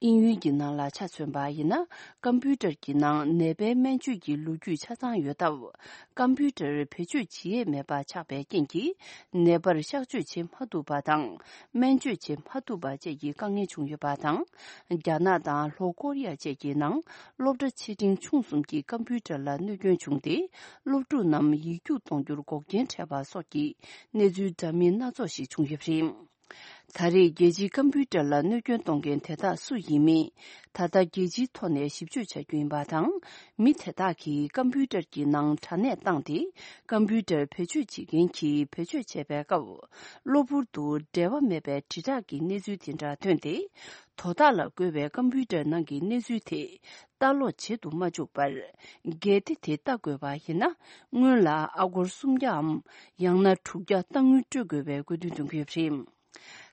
དབྱིན་ཡུལ་གྱི་ནང་ལ་ཆ་མཚོན་པ་ཡིན་ན། ཀམ་པུའུ་ཊར་གྱི་ནང་ནད་པའི་སྨན་བཅོས་ཀྱི་ལོ་རྒྱུས་ཆ་ཚང་ཡོད་སྟབས། ཀམ་པུའུ་ཊར་བེད་སྤྱོད་བྱེད་ཡས་མེད་པ་ཆགས་པའི་རྐྱེན་གྱིས། ནད་པར་གཤགས་བཅོས་བྱེད་མ་ཐུབ་པ་དང་། སྨན་བཅོས་བྱེད་མ་ཐུབ་པ་བཅས་ཀྱི་དཀའ་ངལ་བྱུང་ཡོད་པ་དང་། རྒྱ་ནག་དང་ལྷོ་ཀོ་རི་ཡ་བཅས་ཀྱི་ནང་སློབ་གྲྭ་ཆེ་འབྲིང་ཆུང་གསུམ་གྱི་ཀམ་པུའུ་ཊར་ལ་གནོད་སྐྱོན་བྱུང་སྟེ། སློབ་ཕྲུག་རྣམས་ཡིག་རྒྱུགས་གཏོང་རྒྱུར་འགོག་རྐྱེན་འཕྲད་པ་སོགས་ཀྱི་གནས་ཚུལ་འདྲ་མིན་སྣ་ཚོགས་ཤིག་བྱུང་ཡོད་པ་རེད། ད་རེས་རྒྱལ་སྤྱིའི་ཀམ་པུའུ་ཊར་ལ་གནོད་སྐྱོན་གཏོང་མཁན་དེ་དག་སུ་ཡིན་མིན། ད་ལྟ་རྒྱལ་སྤྱིའི་ཐོག་ནས་ཞིབ་དཔྱོད་བྱ་རྒྱུ་ཡིན་པ་དང་། མི་དེ་དག་གིས་ཀམ་པུའུ་ཊར་གྱི་ནང་དྲ་གནས་བཏང་སྟེ། ཀམ་པུའུ་ཊར་བེད་སྤྱོད་བྱེད་མཁན་གྱིས་བེད་སྤྱོད་བྱས་པའི་སྐབས། གློ་བུར་དུ་འབྲེལ་བ་མེད་པའི་དྲིལ་བསྒྲགས་ཀྱི་གནས་ཚུལ་དེ་འདྲ་ཐོན་ཏེ། དོ་བདག་ལ་བཀོལ་བའི་ཀམ་པུའུ་ཊར་ནང་གི་གནས་ཚུལ་དེ་ལྟ་ཀློག་བྱེད་དུ་མ་བཅུག་པར། གལ་ཏེ་དེ་ལྟ་དགོས་པ་ཡིན་ན། སྔོན་ལ་ཨ་སྒོར་སུམ་བརྒྱའམ། ཡང་ན་དྲུག་བརྒྱ་གཏའ་དངུལ་སྤྲོད་དགོས་པའི་དགོས་འདུན་འདོན་གྱི་ཡོད་པ་རེད།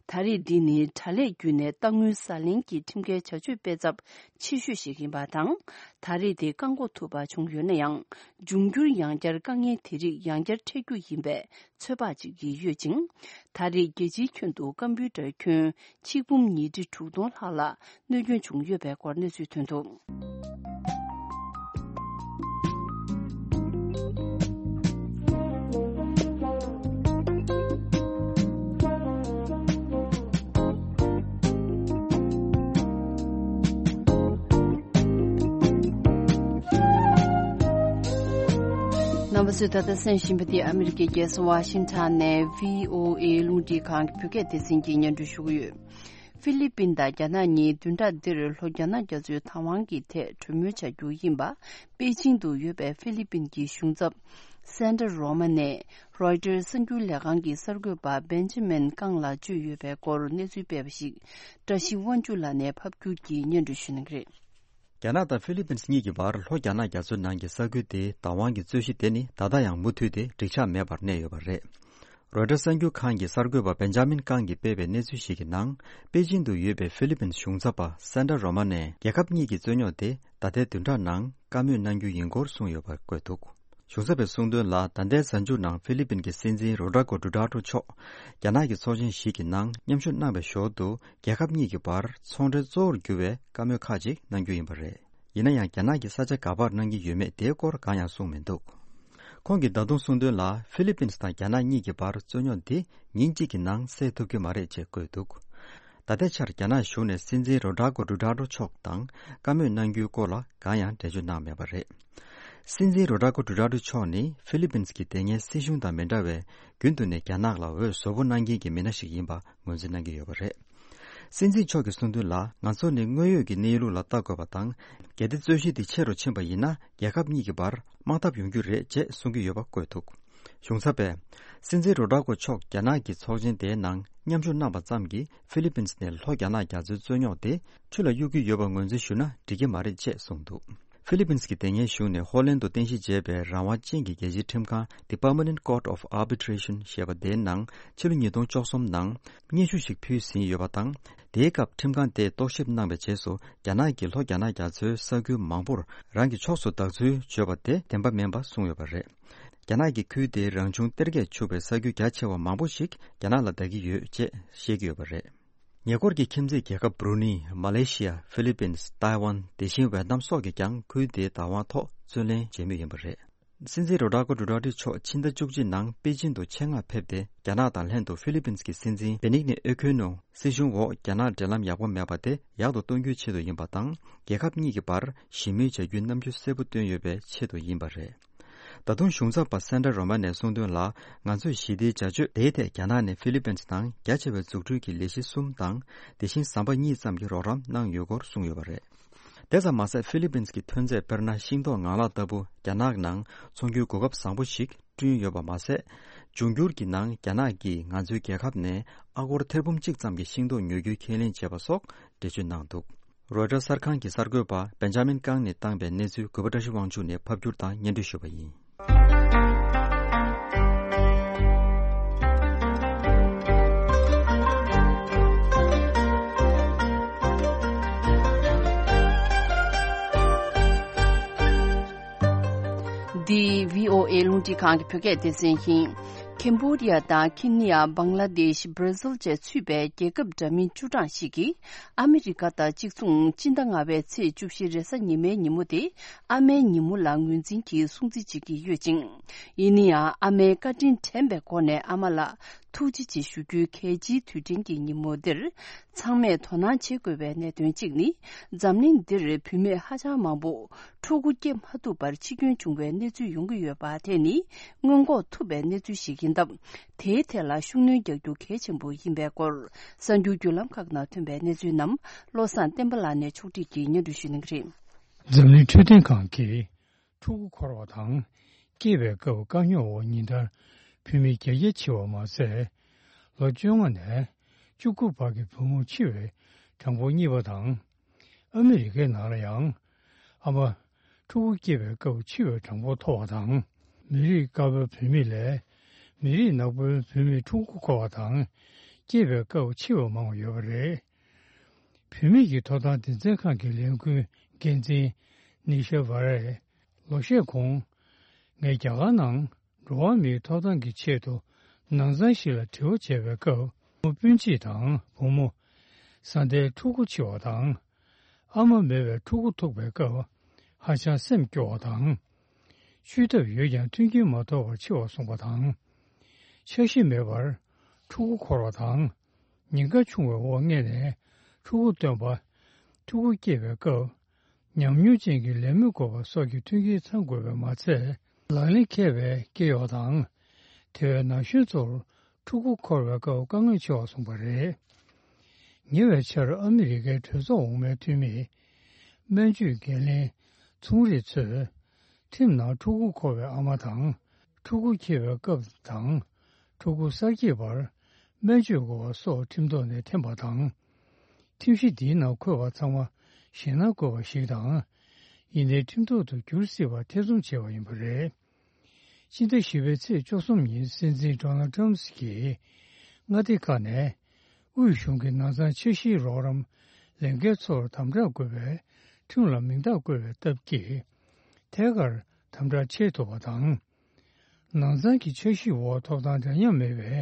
ད་རེས་འདི་ནི་དྲ་ལས་བརྒྱུད་ནས་གཏའ་དངུལ་ཟ་ལེན་གྱི་ཁྲིམས་འགལ་བྱ་སྤྱོད་སྤེལ་ཚབས་ཆེ་ཤོས་ཤིག་ཡིན་པ་དང་། ད་རེས་དེ་བཀག་འགོག་ཐུབ་པ་བྱུང་ཡོད་ན་ཡང་། འབྱུང་འགྱུར་ཡང་བསྐྱར་དཀའ་ངལ་དེ་རིགས་ཡང་བསྐྱར་འཕྲད་རྒྱུ་ཡིན་པའི་ཚོད་དཔག་བྱེད་ཀྱི་ཡོད་ཅིང་། ད་རེས་རྒྱལ་སྤྱིའི་ཁྱོན་དུ་ཀམ་པུའུ་ཊར་ཁྱོན་ཆིག་འབུམ་ཉིས་ཁྲི་དྲུག་སྟོང་ལྷག་ལ་གནོད་སྐྱོན་བྱུང་ཡོད་པའི་སྐོར་གནས་ཚུལ་ཐོན་འདུག། རྣམ་པ་ཚོས་ད་ལྟ་གསན་བཞིན་པ་འདི་ཨ་མི་རི་ཀའི་རྒྱལ་ས་ཝ་ཤིང་ཊོན་ནས་བྷི་ཨོ་ཨེ་རླུང་འཕྲིན་ཁང་གི་བོད་སྐད་སྡེ་ཚན་གྱིས་སྙན་སྒྲོན་ཞུ་གི་ཡོད། ཧྥི་ལི་པིན་དང་རྒྱ་ནག་གཉིས་བདུན་ཕྲག་འདིར་ལྷོ་རྒྱ་ནག་རྒྱ་མཚོའི་བདག་དབང་གི་ཐད་གྲོས་མོལ་བྱ་རྒྱུ་ཡིན་པ། པེ་ཅིང་དུ་ཡོད་པའི་ཧྥི་ལི་པིན་གྱི་གཞུང་ཚབ་སན་ཏྲ་རོ་མ་ནས་རོའི་ཊར་གསར་འགྱུར་ལས་ཁང་གི་གསར་འགོད་པ་བེན་ཇི་མིན་ཀང་ལ་བཅོལ་ཡོད་པའི་སྐོར་གནས་ཚུལ་སྤེལ་བ་ཞིག་བཀྲ་ཤིས་དབང་ཕྱུག་ལགས་ནས་ཕབ་སྒྱུར་གྱིས་སྙན་སྒྲོན་ཞུ་གནང་གི་རེད། རྒྱ་ནག་དང་ཧྥི་ལི་པིན་གཉིས་ཀྱི་བར་ལྷོ་རྒྱ་ནག་རྒྱ་མཚོའི་ནང་གི་ས་ཁུལ་དེའི་བདག་དབང་གི་རྩོད་གཞི་དེ་ནི་ད་ལྟ་ཡང་མུ་མཐུད་དེ་འགྲིག་ཆགས་མེད་པར་གནས་ཡོད་པ་རེད། རོའི་ཊར་གསར་འགྱུར་ཁང་གི་གསར་འགོད་པ་བེན་ཇ་མིན་ཀང་གིས་སྤེལ་བའི་གནས་ཚུལ་ཞིག་གི་ནང་། པེ་ཅིང་དུ་ཡོད་པའི་ཧྥི་ལི་པིན་གཞུང་ཚབ་པ་སན་ཏྲ་རོ་མ་ནས་རྒྱལ་ཁབ་གཉིས་ཀྱི་རྩོད་རྙོག་དེ་ད་ལྟའི་བདུན་ཕྲག་ནང་བཀའ་མོལ་གནང་རྒྱུ་ཡིན་སྐོར་གསུངས་ཡོད་པ་བཀོད་འདུག། གཞུང་ཚབ་པས་གསུངས་དོན་ལ། ད་ལྟའི་གཟའ་མཇུག་ནང་ཧྥི་ལི་པིན་གྱི་སྲིད་འཛིན་རོ་ཌ་ཀོ་ཌུ་ཊར་ཀྲོ་མཆོག་རྒྱ་ནག་གི་ཚོགས་ཆེན་ཞིག་གི་ནང་མཉམ་ཞུགས་གནང་བའི་ཞོར་དུ། རྒྱལ་ཁབ་གཉིས་ཀྱི་བར་ཚོང་འབྲེལ་གཙོ་བོར་གྱུར་བའི་བཀའ་མོལ་ཁག་ཅིག་གནང་རྒྱུ་ཡིན་པ་རེད། ཡིན་ན་ཡང་། རྒྱ་ནག་གིས་ས་ཆ་ག་པར་གནང་གི་ཡོད་མེད་དེའི་སྐོར་གང་ཡང་གསུངས་མི་འདུག། ཁོང་གིས་ད་དུང་གསུངས་དོན་ལ། ཧྥི་ལི་པིན་དང་རྒྱ་ནག་གཉིས་ཀྱི་བར་རྩོད་རྙོག་འདི་ཉིན་གཅིག་གི་ནང་སེལ་ཐུབ་ཀྱི་མ་རེད་ཅེས་བཀོད་འདུག། ད་ལྟའི་ཆར་རྒྱ་ནག་གཞུང་ནས་སྲིད་འཛིན་རོ་ཌ་ཀོ་ཌུ་ཊར་ཀྲོ་མཆོག་དང་བཀའ་མོལ་གནང་རྒྱུའི་སྐོར་ལ་གང་ཡང་འགྲེལ་བརྗོད་གནང་མེད་པ་རེད། སྲིད་འཛིན་རོ་ཌ་ཀོ་ཌུ་ཊར་ཀྲོ་མཆོག་ནི་ཧྥི་ལི་པིན་གྱི་དེ་སྔའི་སྲིད་གཞུང་དང་མི་འདྲ་བའི། རྒྱུན་དུ་ནས་རྒྱ་ནག་ལ་འོས་བཟོ་པོ་གནང་མཁན་གྱི་མི་སྣ་ཞིག་ཡིན་པ་ངོས་འཛིན་གནང་གི་ཡོད་པ་རེད། སྲིད་འཛིན་མཆོག་གིས་གསུངས་དོན་ལ། ང་ཚོ་ནི་དངོས་ཡོད་ཀྱི་གནས་ལུགས་ལ་ལྟ་དགོས་པ་དང་། གལ་ཏེ་རྩོད་གཞི་འདི་ཆེ་རུ་ཕྱིན་པ་ཡིན་ན། རྒྱལ་ཁབ་གཉིས་ཀྱི་བར་དམག་འཐབ་ཡོང་རྒྱུ་རེད་ཅེས་གསུང་གི་ཡོད་པ་བཀོད་འདུག། གཞུང་ཚབ་པས། སྲིད་འཛིན་རོ་ཌ་ཀོ་མཆོག་རྒྱ་ནག་གི་ཚོགས་ཆེན་དེའི་ནང་མཉམ་ཞུགས་གནང་བ་ཙམ་གྱིས་ཧྥི་ལི་པིན་ནས་ལྷོ་རྒྱ་ནག་རྒྱ་མཚོའི་རྩོད་རྙོག་དེ་ཆུ་ལ་གཡུག་རྒྱུ་ཡོད་པ་ངོས་འཛིན་ཞུས་ན་འགྲིག་གི་མ་རེད་ཅེས་གསུངས་འདུག་ཧྥི་ལི་པིན་གྱི་དེ་སྔའི་གཞུང་ནས་ཧོ་ལན་དུ་རྟེན་གཞི་བྱས་པའི་རང་དབང་ཅན་གྱི་རྒྱལ་སྤྱིའི་ཁྲིམས་ཁང་The Permanent Court of Arbitration ཞེས་པ་དེའི་ནང་ཕྱི་ལོ་ཉིས་སྟོང་བཅུ་གསུམ་ནང་སྙན་ཞུ་ཞིག་ཕུལ་ཟིན་ཡོད་པ་དང་། དེའི་སྐབས་ཁྲིམས་ཁང་དེས་རྟོག་ཞིབ་གནང་བའི་རྗེས་སུ་རྒྱ་ནག་གིས་ལྷོ་རྒྱ་ནག་རྒྱ་མཚོའི་ས་ཁུལ་མང་པོར་རང་གི་ཕྱོགས་སུ་བདག་འཛུལ་བྱོས་པ་དེ་བདེན་པ་མིན་པ་གསུངས་ཡོད་པ་རེད། རྒྱ་ནག་གི་ཁུལ་དེའི་རང་བྱུང་གཏེར་ཁས་ཕྱུག་པའི་ས་རྒྱུ་རྒྱ་ཆེ་བ་མང་པོ་ཞིག་རྒྱ་ནག་ལ་བདག་གི་ཡོད་ཅེས་བཤད་ཀྱི་ཡོད་པ་རེད། ཉེ་འཁོར་གྱི་ཁྱིམ་མཚེས་རྒྱལ་ཁབ་བྷྲུ་ནི། མ་ལེ་ཤི་ཡ། ཧྥི་ལི་པིན། ཏཱི་ཝན། དེ་བཞིན་ཝེ་ཏམ་སོགས་ཀྱིས་ཀྱང་ཁུལ་དེའི་བདག་དབང་ཐོག་རྩོད་ལེན་བྱེད་མུས་ཡིན་པ་རེད། སྲིད་འཛིན་རོ་ཌ་ཀོ་ཌུ་ཏར་ཏེ་མཆོག་ཕྱི་ཟླ་བཅུ་གཅིག་ནང་པེ་ཅིན་དུ་ཆེད་མངགས་ཕེབས་ཏེ། རྒྱ་ནག་དང་ལྷན་དུ་ཧྥི་ལི་པིན་གྱི་སྲིད་འཛིན་བེ་ནིག་ནེ་ཨེ་ཁོན་ནོ་སྲིད་གཞུང་འོག་རྒྱ་ནག་འབྲེལ་ལམ་ཡག་པོ་མེད་པ་དེ་ཡག་ཏུ་གཏོང་རྒྱུའི་ཆེད་དུ་ཡིན་པ་དང་། རྒྱལ་ཁབ་གཉིས་ཀྱི་བར་ཞི་མོལ་བྱ་རྒྱུའི་རྣམ་འགྱུར་གསལ་པོ་བཏོན་ཡོད་པའི་ཆེད་དུ་ཡིན་པ་རེད། ད་དུང་གཞུང་ཚབ་པ་སན་ཏྲ་རོ་མ་ནས་གསུངས་དོན་ལ། ང་ཚོས་ཞི་བདེའི་བྱ་སྤྱོད་དེའི་ཐད་རྒྱ་ནག་ནས་ཧྥི་ལི་པིན་ནང་རྒྱ་ཆེ་བའི་འཛུགས་སྐྲུན་གྱི་ལས་གཞི་གསུམ་དང་། དེ་བཞིན་ཟམ་པ་གཉིས་ཙམ་གྱི་རོགས་རམ་གནང་ཡོད་སྐོར་གསུངས་ཡོད་པ་རེད། དེ་ཙམ་མ་ཟད། ཧྥི་ལི་པིན་གྱི་ཐོན་རྫས་དཔེར་ན་ཤིང་ཏོག་ངང་ལག་ལྟ་བུ་རྒྱ་ནག་ནང་ཚོང་རྒྱུའི་གོ་སྐབས་བཟང་པོ་ཞིག་བསྐྲུན་ཡོད་པ་མ་ཟད། འབྱུང་འགྱུར་གྱི་ནང་རྒྱ་ནག་གིས་ང་ཚོའི་རྒྱལ་ཁབ་ནས་ཨ་སྒོར་ཐེར་འབུམ་གཅིག་ཙམ་གྱི་ཤིང་ཏོག་ཉོ་རྒྱུའི་ཁས་ལེན་བྱས་པ་སོགས་འགྲེལ་བརྗོད་གནང་འདུག་རོའི་ཊར་གསར་ཁང་གི་གསར་འགོད་པ་སྦེན་ཇ་མིན་ཀང་ནས་བཏང་པའི་གནས་ཚུལ་གུས་པ་བཀྲ་ཤིས་དབང་ཕྱུག་ནས་ཕབ་བསྒྱུར་དང་སྙན་སྒྲོན་ཞུས་པ་ཡིན། འདི་བྷི་ཨོ་ཨེ་རླུང་འཕྲིན་ཁང་གི་བོད་སྐད་སྡེ་ཚན་ཡིན། ཁེམ་བྷོ་ཌི་ཡ་དང་ཁེ་ནི་ཡ། བང་ལ་དེཤ། བྷར་ཛིལ་བཅས་ཚུད་པའི་རྒྱལ་ཁབ་འདྲ་མིན་བཅུ་གྲངས་ཤིག་གིས་ཨ་མི་རི་ཀ་དང་གཅིག་མཚུངས་སྤྱི་ཟླ་ལྔ་པའི་ཚེས་བཅུ་བཞི་རེས་གཟའ་ཉི་མའི་ཉིན་མོ་དེ་ཨ་མའི་ཉིན་མོ་ལ་ངོས་འཛིན་གྱིས་སྲུང་བརྩི་བྱེད་ཀྱི་ཡོད་ཅིང་། ཡིན་ན་ཡང་ཨ་མའི་བཀའ་དྲིན་དྲན་པའི་སྒོ་ནས་ཨ་མ་ལ་ཐུགས་རྗེ་ཆེ་ཞུ་རྒྱུའི་གལ་ཆེའི་དུས་དྲན་གྱི་ཉིན་མོ་འདིར། ཚང་མས་དོ་སྣང་བྱེད་དགོས་པའི་གནད་དོན་གཅིག་ནི། འཛམ་གླིང་འདིར་བུད་མེད་ཧ་ཅང་མང་པོ་ཕྲུ་གུ་སྐྱེ་མ་ཐུབ་པར་འཆི་སྐྱོན་བྱུང་བའི་གནས་ཚུལ་ཡོང་གི་ཡོད་པ་དེ་ནི་སྔོན་འགོག་ཐུབ་པའི་གནས་ཚུལ་ཞིག་ཡིན་སྟབས། དེའི་ཐད་ལ་ཤུགས་སྣོན་རྒྱག་རྒྱུ་གལ་ཆེན་པོ་ཡིན་པའི་སྐོར། གསར་འགྱུར་བརྒྱུད་ལམ་ཁག་ནང་ཐོན་པའི་གནས་ཚུལ་རྣམས་བློ་བཟང་བསྟན་པ་ལགས་ནས་ཕྱོགས་སྒྲིག་གིས་སྙན་སྒྲོན་ཞུ་གནང་གི་རེད། འཛམ་གླིང་འཕྲོད་བསྟེན་ཁང་གིས། ཕྲུ་གུ་འཁོར་བ་དང་སྐྱེས་པའི་སྐབས་དཀའ་རྙོག་འོག་ཉིན་ལྟར་བུད་མེད་བརྒྱ་བརྒྱ་འཆི་བ་མ་ཟད། ལོ་བཅོ་ལྔ་ནས་བཅུ་དགུ་བར་གྱི་བུ་མོ་འཆི་བའི་གྲངས་འབོར་གཉིས་པ་དང་། ཨ་མི་རི་ཀའི་ནང་ལ་ཡང་ཨ་མ་ཕྲུ་གུ་སྐྱེས་པའི་སྐབས་འཆི་བའི་གྲངས་འབོར་མཐོ་བ་དང་། མི་རིགས་དཀར་པོའི་བུད་མེད་ལས་མི་རིགས་ནག་པོའི་བུད་མེད་ཕྲུ་གུ་འཁོར་བ་དང་སྐྱེས་པའི་སྐབས་འཆི་བ་མང་བ་ཡོད་པ་རེད། བུད་མེད་ཀྱི་ཐོབ་ཐང་སྡེ་ཚན་ཁང་གི་ལས་འགུལ་འགན་འཛིན་ནི་ཤ་ཝ་རས་ལོ་ཤས་གོང་། ངས་རྒྱ་གར་ནང་འགྲོ་བ་མིའི་ཐོབ་ཐང་གི་ཆེད་དུ་ནང་ཚང་ཞིག་ལ་དྲི་བ་བྱས་པའི་སྐབས། བུ་མོ་སྤུན་མཆེད་དང་བུ་མོ། བཟའ་ཟླའི་ཕྲུ་གུ་འཆི་བ་དང་། ཨ་མ་མེད་པའི་ཕྲུ་གུ་ཐུག་པའི་སྐབས། ཧ་ཅང་སེམས་སྐྱོ་བ་དང་། ཤུལ་ཐབས་ཡོད་ཀྱང་མཐུན་རྐྱེན་མ་ཐོབ་པར་འཆི་བར་སོང་བ་དང་། འཆར་གཞི་མེད་པར་ཕྲུ་གུ་འཁོར་བ་དང་། ཉེན་ཁ་ཆུང་བའི་འོག་མངལ་ནས་ཕྲུ་གུ་བཏོན་པ། ཕྲུ་གུ་སྐྱེས་པའི་སྐབས། ཉམས་མྱོང་ཅན་གྱི་ལས་མི་དགོས་པ་སོགས་ཀྱི་མཐུན་རྐྱེན་ཚང་དགོས་པས་མ་ཚད། ལག་ལེན་འཁེལ་བའི་སྐྱེ་གཡོག་དང་། དེ་བས་ན་གཞོན་ཚོར་ཕྲུ་གུ་འཁོར་བའི་སྐབས་དཀའ་ངལ་ཆེ་བ་སོང་བ་རེད། ཉེ་བའི་ཆར་ཨ་མི་རི་ཀའི་གྲོས་ཚོགས་འོག་མའི་འཐུས་མིས། སྨན་བཅོས་འགན་ལེན་ཚོང་རིགས་ཚོས། ཁྲིམས་ནང་ཕྲུ་གུ་འཁོར་བའི་ཨ་མ་དང་། ཕྲུ་གུ་སྐྱེས་པའི་སྐབས་དང་། ཕྲུ་གུ་གསར་སྐྱེས་བར་སྨན་བཅོས་དགོས་པ་སོགས་ཁྲིམས་ཐོག་ནས་འཐེན་པ་དང་། ཁྲིམས་གཞི་འདིའི་ནང་འཁོད་པ་ཚང་མ་ཞེད་སྣང་དགོས་པ་ཞིག་དང་། ཡིན་ནའི་ཁྲིམས་ཐོག་ཏུ་འགྱུར་སྲིད་པ་ཐེ་ཚོམ་བྱས་པ་ཡིན་པ་རེད། ཕྱི་ཟླ་བཞི་པའི་ཚེས་བཅུ་གསུམ་ཉིན་སྲིད་འཛིན་ཌོ་ནལ་ཊམ་གྱིས་མངའ་སྡེ་ཁག་ནས་དབུས་གཞུང་གི་ནང་ཚང་འཆར་གཞིའི་རོགས་རམ་ལས་འགན་ཚོར་དམ་དྲག་དགོས་པའི་ཁྲིམས་ལ་མིང་རྟགས་བཀོད་པའི་སྟབས་ཀྱིས་ཐད་ཀར་དམ་དྲག་བྱེད་ཐུབ་པ་དང་། ནང་ཚང་གི་འཆར་གཞིའི་འོག་ཐོབ་ཐང་འདྲ་མཉམ་མེད་པའི་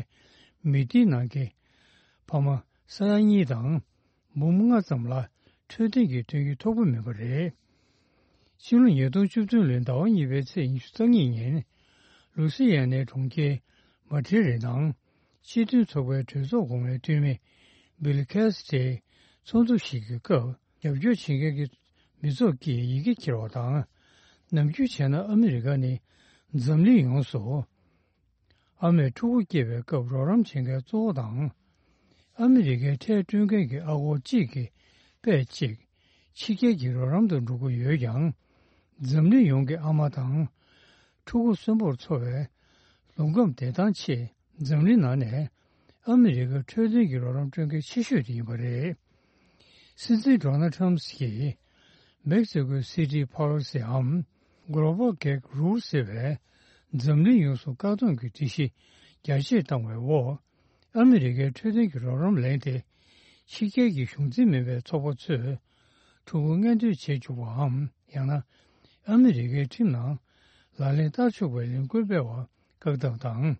མི་སྡེའི་ནང་གི་ཕ་མ་ས་ཡ་གཉིས་དང་། འབུམ་ལྔ་ཙམ་ལ་འཕྲོད་བསྟེན་གྱི་མཐུན་རྐྱེན་ཐོབ་ཀྱི་མེད་པ་རེད། ཕྱི་ལོ་ཉིས་སྟོང་བཅུ་བདུན་ལོའི་ཟླ་བ་གཉིས་པའི་ཚེས་ཉི་ཤུ་རྩ་གཉིས་ཉིན། ལུའུ་སི་ཡ་ནའི་གྲོང་ཁྱེར་མ་ཏྲི་རི་ནང་སྤྱི་མཐུན་ཚོགས་པའི་གྲོས་ཚོགས་གོང་མའི་འཐུས་མི་བྷིལ་ཁེ་སི་ཊིའི་ཚོགས་འདུ་ཞིག་གི་སྐབས། རྒྱབ་སྐྱོར་བྱེད་མཁན་གྱི་མི་ཚོགས་ཀྱིས་ཡི་གེ་འཁྱེར་བ་དང་། ནམ་རྒྱུན་བྱས་ན་ཨ་མི་རི་ཀ་ནི་འཛམ་གླིང་ཡོངས་སུ། ཨ་མས་ཕྲུ་གུ་སྐྱེས་པའི་སྐབས་རོགས་རམ་བྱེད་མཁན་གཙོ་བོ་དང་། ཨ་མི་རི་ཀའི་ཁྲལ་སྤྲོད་མཁན་གྱི་ཨ་སྒོར་གཅིག་གི་པད་གཅིག་ཕྱི་རྒྱལ་གྱི་རོགས་རམ་དུ་འགྲོ་གི་ཡོད་ཀྱང་། འཛམ་གླིང་ཡོངས་ཀྱི་ཨ་མ་དང་། ཕྲུ་གུ་གསོན་པོར་འཚོ་བའི་ རླུང་ཁམས་བདེ་ཐང་ཆེད་འཛམ་གླིང་ནང་ནས་ཨ་མི་རི་ཀའི་འཕྲོད་བསྟེན་གྱི་རོགས་རམ་སྤྲོད་མཁན་ཆེ་ཤོས་དེ་ཡིན་པ་རེད། སྲིད་འཛིན་ཌོ་ནལ་ཊམ་གྱིས་མེག་སི་ཀོ་སི་ཊི་པོ་ལི་སི་འམ་Global Gag Rule ཟེར་བའི་འཛམ་གླིང་ཡོངས་སུ་བཀག་སྡོམ་གྱི་སྒྲིག་གཞི་རྒྱ་སྐྱེད་བཏང་བའི་འོག་ཨ་མི་རི་ཀའི་འཕྲོད་བསྟེན་གྱི་རོགས་རམ་ལེན་ཏེ། ཕྱི་རྒྱལ་གྱི་གཞུང་འཛིན་མིན་པའི་ཚོགས་པ་ཚོས་ཕྲུ་གུ་མངལ་འདོན་བྱེད་བཅུག་པའམ། ཡང་ན་ཨ་མི་རི་ཀའི་ཁྲིམས་ནང་ལག་ལེན་བསྟར་ཆོག་པའི་ལས་འགུལ་སྤེལ་བར་བཀག་སྡོམ་དང་།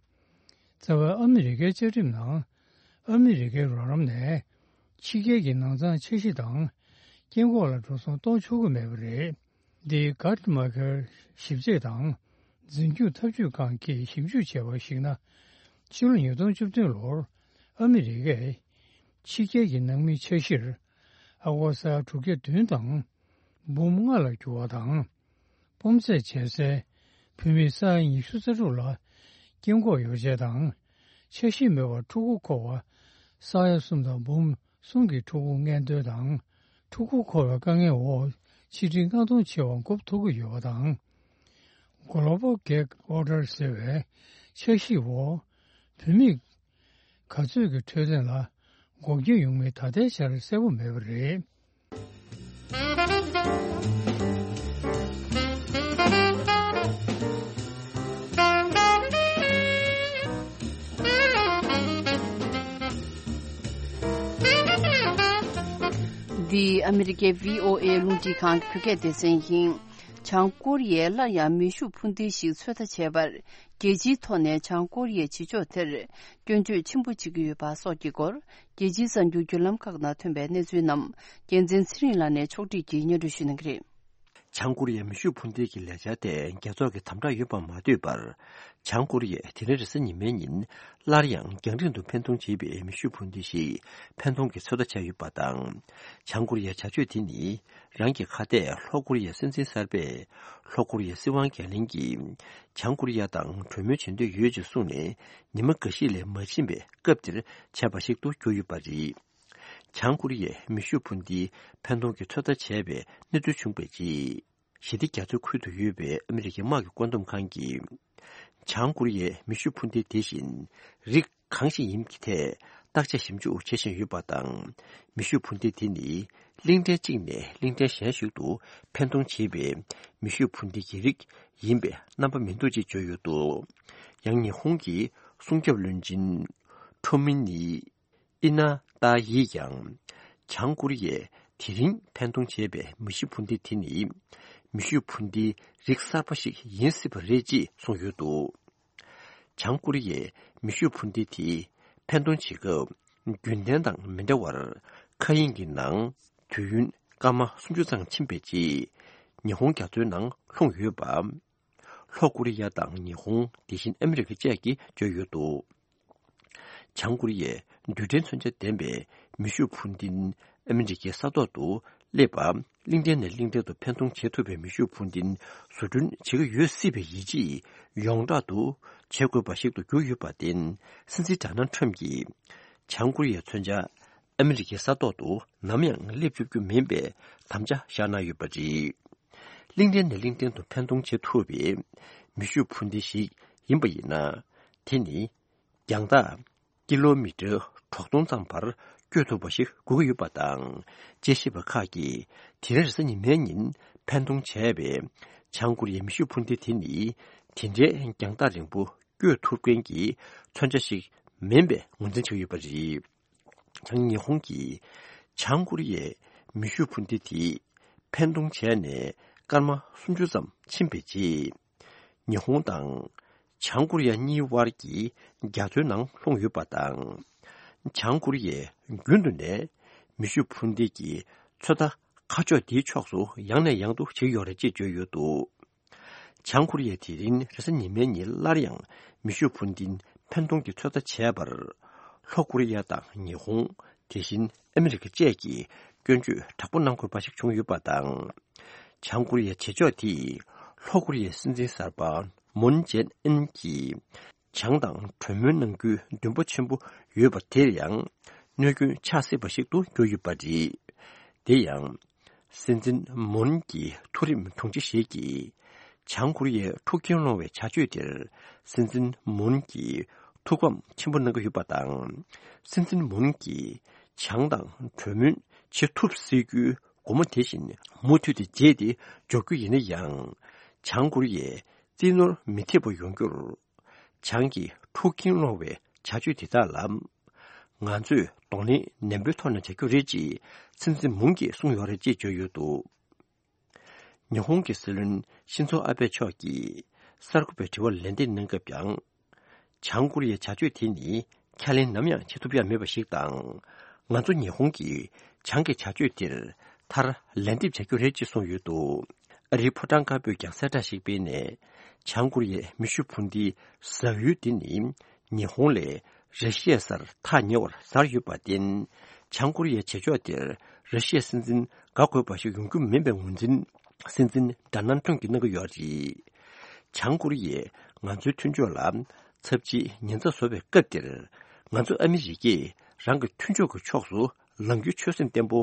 རྩ་བའི་ཨ་མི་རི་ཀའི་བཅའ་ཁྲིམས་ནང་ཨ་མི་རི་ཀའི་རོགས་རམ་ནས་ཕྱི་རྒྱལ་གྱི་ནང་ཚང་འཆར་གཞི་དང་སྐྱེ་འགོག་ལ་འགྲོ་སོང་གཏོང་ཆོག་གི་མེད་པ་རེད། འདི་Guttmacher་ཞིབ་དཔྱད་དང་འཛིན་སྐྱོང་ཐབས་ཇུས་ཁང་གིས་ཞིབ་འཇུག་བྱས་པར་གཞིགས་ན། ཕྱི་ལོ་ཉིས་སྟོང་བཅུ་བདུན་ལོར་ཨ་མི་རི་ཀས་ཕྱི་རྒྱལ་གྱི་ནང་མིའི་འཆར་གཞིར་ཨ་སྒོར་ས་ཡ་དྲུག་བརྒྱ་བདུན་དང་འབུམ་ལྔ་ལ་འགྱུར་བ་དང་། སྤོམ་ཚད་བྱས་སའི་བུད་མེད་ས་ཡ་ཉི་ཤུ་རྩ་དྲུག་ལ་སྐྱེ་འགོག་ཡོ་བྱད་དང་། འཆར་གཞི་མེད་པར་ཕྲུ་གུ་འཁོར་བ་ས་ཡ་གསུམ་དང་འབུམ་གསུམ་གྱི་ཕྲུ་གུ་མངལ་འདོན་དང་། ཕྲུ་གུ་འཁོར་བའི་དཀའ་ངལ་འོག་ཆིག་ཁྲི་ལྔ་སྟོང་ཆེ་བ་འགོག་ཐུབ་ཀྱི་ཡོད་པ་དང་། Global Gag Order་ཟེར་བའི་འཆར་གཞིའི་འོག་བུད་མེད་ག་ཚོད་ཀྱི་འཕྲོད་བསྟེན་ལ་འགོག་རྐྱེན་ཡོང་མིན་ད་ལྟའི་ཆར་གསལ་པོ་མེད་པ་རེད། འདི་ཨ་མི་རི་ཀའི་བྷི་ཨོ་ཨེ་རླུང་འཕྲིན་ཁང་གི་བོད་སྐད་སྡེ་ཚན་ཡིན། བྱང་ཀོ་རི་ཡས་སླར་ཡང་མེ་ཤུགས་འཕུར་མདེལ་ཞིག་ཚོད་ལྟ་བྱས་པར། རྒྱལ་སྤྱིའི་ཐོག་ནས་བྱང་ཀོ་རི་ཡའི་བྱེད་ཕྱོགས་དེར་སྐྱོན་བརྗོད་ཆེན་པོ་བྱེད་ཀྱི་ཡོད་པ་སོགས་ཀྱི་སྐོར། རྒྱལ་སྤྱིའི་གསར་འགྱུར་བརྒྱུད་ལམ་ཁག་ནང་ཐོན་པའི་གནས་ཚུལ་རྣམས་རྒྱལ་མཚན་ཚེ་རིང་ལགས་ནས་ཕྱོགས་སྒྲིག་གིས་སྙན་སྒྲོན་ཞུ་གནང་གི་རེད། བྱང་ཀོ་རི་ཡའི་མེ་ཤུགས་འཕུར་མདེལ་གྱི་ལས་འཆར་དེ་རྒྱལ་ཚོགས་ཀྱི་དམ་དྲག་ཡོད་པ་མ་ཐོས་པར། བྱང་ཀོ་རི་ཡས་དེ་རིང་རེས་གཟའ་ཉི་མའི་ཉིན་སླར་ཡང་རྒྱང་རིང་དུ་འཕེན་གཏོང་བྱེད་པའི་མེ་ཤུགས་འཕུར་མདེལ་ཞིག་འཕེན་གཏོང་གི་ཚོད་ལྟ་བྱས་ཡོད་པ་དང་། བྱང་ཀོ་རི་ཡའི་བྱ་སྤྱོད་དེ་ནི། རང་གི་ཁ་གཏད་ལྷོ་ཀོ་རི་ཡའི་སྲིད་འཛིན་གསར་པས། ལྷོ་ཀོ་རི་ཡའི་སྲིད་དབང་འགན་ལེན་གྱིས། བྱང་ཀོ་རི་ཡ་དང་གྲོས་མོལ་བྱེད་འདོད་ཡོད་ཅེས་གསུངས་ནས། ཉི་མ་འགའ་ཤས་ལས་མ་ཕྱིན་པའི་སྐབས་དེར་བྱས་པ་ཞིག་ཏུ་གྱུར་ཡོད་པ་རེད། བྱང་ཀོ་རི་ཡས་མེ་ཤུགས་འཕུར་མདེལ་འཕེན་གཏོང་གི་ཚོད་ལྟ་བྱས་པའི་གནས་ཚུལ་བྱུང་བའི་རྗེས། ཞི་བདེ་རྒྱ་མཚོའི་ཁུལ་དུ་ཡོད་པའི་ཨ་མི་རི་ཀའི་དམག་གི་བཀོད་འདོམས་ཁང་གིས། བྱང་ཀོ་རི་ཡའི་མེ་ཤུགས་འཕུར་མདེལ་དེ་བཞིན་རིགས་གང་ཞིག་ཡིན་གྱི་ཐད་བརྟག་དཔྱད་ཞིབ་འཇུག་བྱེད་བཞིན་ཡོད་པ་དང་། མེ་ཤུགས་འཕུར་མདེལ་དེ་ནི་གླིང་ཕྲན་གཅིག་ནས་གླིང་ཕྲན་གཞན་ཞིག་ཏུ་འཕེན་གཏོང་བྱེད་པའི་མེ་ཤུགས་འཕུར་མདེལ་གྱི་རིགས་ཡིན་པའི་རྣམ་པ་མི་འདུག་ཅེས་བརྗོད་ཡོད་འདུག་ཡང་ཉི་ཧོང་གི་སྲུང་སྐྱོབ་བློན་ཆེན་ཁྲོ་མི་ནི། ཨི་ན་ཏཱ་ཡིས་ཀྱང་། བྱང་ཀོ་རི་ཡས་དེ་རིང་འཕེན་གཏོང་བྱས་པའི་མེ་ཤུགས་འཕུར་མདེལ་དེ་ནི། མེ་ཤུགས་འཕུར་མདེལ་རིགས་གསར་པ་ཞིག་ཡིན་སྲིད་པ་རེད་ཅེས་གསུངས་ཡོད་འདུག་བྱང་ཀོ་རི་ཡས་མེ་ཤུགས་འཕུར་མདེལ་དེ་འཕེན་གཏོང་བྱེད་སྐབས། རྒྱུན་ལྡན་དང་མི་འདྲ་བར། མཁའ་དབྱིངས་ཀྱི་ནང་དུས་ཡུན་སྐར་མ་སུམ་ཅུ་ཙམ་ཕྱིན་པའི་རྗེས། ཉི་ཧོང་རྒྱ་མཚོའི་ནང་ལྷུང་ཡོད་པ། ལྷོ་ཀོ་རི་ཡ་དང་ཉི་ཧོང་། དེ་བཞིན་ཨ་མི་རི་ཀ་བཅས་ཀྱིས་བརྗོད་ཡོད་འདུག་བྱང་ཀོ་རི་ཡས་རྡུལ་ཕྲན་མཚོན་ཆ་ལྡན་པའི་མེ་ཤུགས་འཕུར་མདེལ་ཨ་མི་རི་ཀའི་ས་ཐོག་ཏུ་སླེབས་པ། གླིང་ཕྲན་ནས་གླིང་ཕྲན་དུ་འཕེན་གཏོང་བྱེད་ཐུབ་པའི་མེ་ཤུགས་འཕུར་མདེལ་བཟོ་སྐྲུན་བྱེད་ཀྱི་ཡོད་སྲིད་པའི་ཡིད་ཆེས་ཡོངས་གྲགས་སུ་བྱེད་དགོས་པ་ཞིག་ཏུ་གྱུར་ཡོད་པར་བརྟེན། སྲིད་འཛིན་ཌོ་ནལ་ཊམ་གྱིས་བྱང་ཀོ་རི་ཡའི་མཚོན་ཆ་ཨ་མི་རི་ཀའི་ས་ཐོག་ཏུ་ནམ་ཡང་སླེབས་བཅུག་རྒྱུ་མིན་པའི་དམ་བཅའ་བཞག་གནང་ཡོད་པ་རེད། གླིང་ཕྲན་ནས་གླིང་ཕྲན་དུ་འཕེན་གཏོང་བྱེད་ཐུབ་པའི་མེ་ཤུགས་འཕུར་མདེལ་ཞིག་ཡིན་པ་ཡིན་ན། དེ་ནི་རྒྱང་ཐག་ཀི་ལོ་མི་ཊར་དྲུག་སྟོང་ཙམ་བར་བསྐྱོད་ཐུབ་པ་ཞིག་དགོས་ཀྱི་ཡོད་པ་དང་། དཔྱད་ཞིབ་པ་ཁག་གིས་དེ་རིང་རེས་གཟའ་ཉི་མའི་ཉིན་འཕེན་གཏོང་བྱས་པའི་བྱང་ཀོ་རི་ཡའི་མེ་ཤུགས་འཕུར་མདེལ་དེ་ནི་དེ་འདྲའི་རྒྱང་ཐག་རིང་པོ་བསྐྱོད་ཐུབ་མཁན་གྱི་མཚོན་ཆ་ཞིག་མིན་པའི་ངོས་འཛིན་བྱེད་ཀྱི་ཡོད་པ་རེད། ཡང་ཉི་ཧོང་གིས་བྱང་ཀོ་རི་ཡའི་མེ་ཤུགས་འཕུར་མདེལ་དེ་འཕེན་གཏོང་བྱས་ནས་སྐར་མ་སུམ་ཅུ་ཙམ་ཕྱིན་པའི་རྗེས། ཉི་ཧོང་དང་བྱང་ཀོ་རི་ཡ་གཉིས་དབར་གྱི་རྒྱ་མཚོའི་ནང་ལྷུང་ཡོད་པ་དང་། བྱང་ཀོ་རི་ཡས་རྒྱུན་དུ་ནས་མེ་ཤུགས་འཕུར་མདེལ་གྱི་ཚོད་ལྟ་ཁ་ཕྱོགས་དེའི་ཕྱོགས་སུ་ཡང་ནས་ཡང་དུ་བྱེད་ཀྱི་ཡོད་རེད་ཅེས་བརྗོད་ཡོད་འདུག་བྱང་ཀོ་རི་ཡས་དེ་རིང་རེས་གཟའ་ཉི་མའི་ཉིན་སླར་ཡང་མེ་ཤུགས་འཕུར་མདེལ་འཕེན་གཏོང་གི་ཚོད་ལྟ་བྱས་པར། ལྷོ་ཀོ་རི་ཡ་དང་ཉི་ཧོང་། དེ་བཞིན་ཨ་མི་རི་ཀ་བཅས་ཀྱིས་སྐྱོན་བརྗོད་དྲག་པོ་གནང་དགོས་པ་ཞིག་བྱུང་ཡོད་པ་དང་། བྱང་ཀོ་རི་ཡའི་བྱེད་ཕྱོགས་དེས་ལྷོ་ཀོ་རི་ཡའི་སྲིད་འཛིན་གསར་པ་མུན་ཇེ་ཨིན་གྱིས་བྱང་དང་གྲོས་མོལ་གནང་རྒྱུའི་འདུན་པ་ཆེན་པོ་ཡོད་པ་དེར་ཡང་གནོད་སྐྱོན་ཆགས་སྲིད་པ་ཞིག་ཏུ་གྱུར་ཡོད་པ་རེད། དེ་ཡང་། སྲིད་འཛིན་མུན་གྱི་མཐོ་རིམ་དྲུང་ཆེ་ཞིག་གིས། བྱང་ཀོ་རི་ཡའི་འཁྲུག་རྐྱེན་སློང་བའི་བྱ་སྤྱོད་དེར་སྲིད་འཛིན་མུན་གྱིས་ཐུགས་ཕམ་ཆེན་པོ་གནང་གི་ཡོད་པ་དང་། སྲིད་འཛིན་མུན་གྱིས་བྱང་དང་གྲོས་མོལ་བྱེད་ཐུབ་སྲིད་རྒྱུའི་སྒོ་མོ་དེ་བཞིན་མུ་མཐུད་དེ་འབྱེད་དེ་འཇོག་རྒྱུ་ཡིན་ན་ཡང་། བྱང་ཀོ་རི་ཡས་རྩིས་ནོར་མི་ཐེབས་པ་ཡོང་རྒྱུར། བྱང་གི་འཁྲུག་རྐྱེན་སློང་བའི་བྱ་སྤྱོད་དེ་དག་ལ། ང་ཚོས་གདོང་ལེན་ནན་པོའི་ཐོག་ནས་བྱ་རྒྱུ་རེད་ཅེས་སྲིད་འཛིན་མུན་གྱིས་གསུངས་ཡོད་རེད་ཅེས་བརྗོད་ཡོད་འདུག་ཉི་ཧོང་གི་སྲིད་བློན་ཤིན་ཛོ་ཨ་བྷེ་མཆོག་གིས་གསར་འགོད་པའི་དྲི་བར་ལན་འདེབས་གནང་སྐབས་ཀྱང་། བྱང་ཀོ་རི་ཡའི་བྱ་སྤྱོད་དེ་ནི་ཁས་ལེན་ནམ་ཡང་བྱེད་ཐུབ་ཡ་མེད་པ་ཞིག་དང་། ང་ཚོ་ཉི་ཧོང་གིས་བྱང་གི་བྱ་སྤྱོད་དེར་མཐར་ལན་འདེབས་བྱ་རྒྱུ་རེད་ཅེས་གསུངས་ཡོད་འདུག་ཨ་རིའི་ཕོ་བྲང་དཀར་པོས་ཀྱང་གསལ་བསྒྲགས་ཤིག་སྤེལ་ནས། བྱང་ཀོ་རི་ཡའི་མེ་ཤུགས་འཕུར་མདེལ་ཟ་ཡུལ་དེ་ནི་ཉི་ཧོང་ལས་ར་ཤི་ཡའི་སར་ཐག་ཉེ་བར་གཟར་ཡོད་པར་བརྟེན། བྱང་ཀོ་རི་ཡའི་བྱེད་ཕྱོགས་དེར་ར་ཤི་ཡའི་སྲིད་འཛིན་དགའ་དགོས་པ་ཞིག་ཡོང་རྒྱུ་མིན་པའི་ངོས་འཛིན་སྲིད་འཛིན་ཌོ་ནལ་ཊམ་གྱིས་གནང་གི་ཡོད་རེད། བྱང་ཀོ་རི་ཡས་ང་ཚོའི་མཐུན་ཕྱོགས་ལ་ཚབས་ཆེའི་ཉེན་ཚབས་བཟོ་བའི་སྐབས་འདིར། ང་ཚོ་ཨ་མི་རི་ཀས་རང་གི་མཐུན་ཕྱོགས་ཀྱི་ཕྱོགས་སུ་ལངས་རྒྱུའི་ཆོད་སེམས་བརྟན་པོ་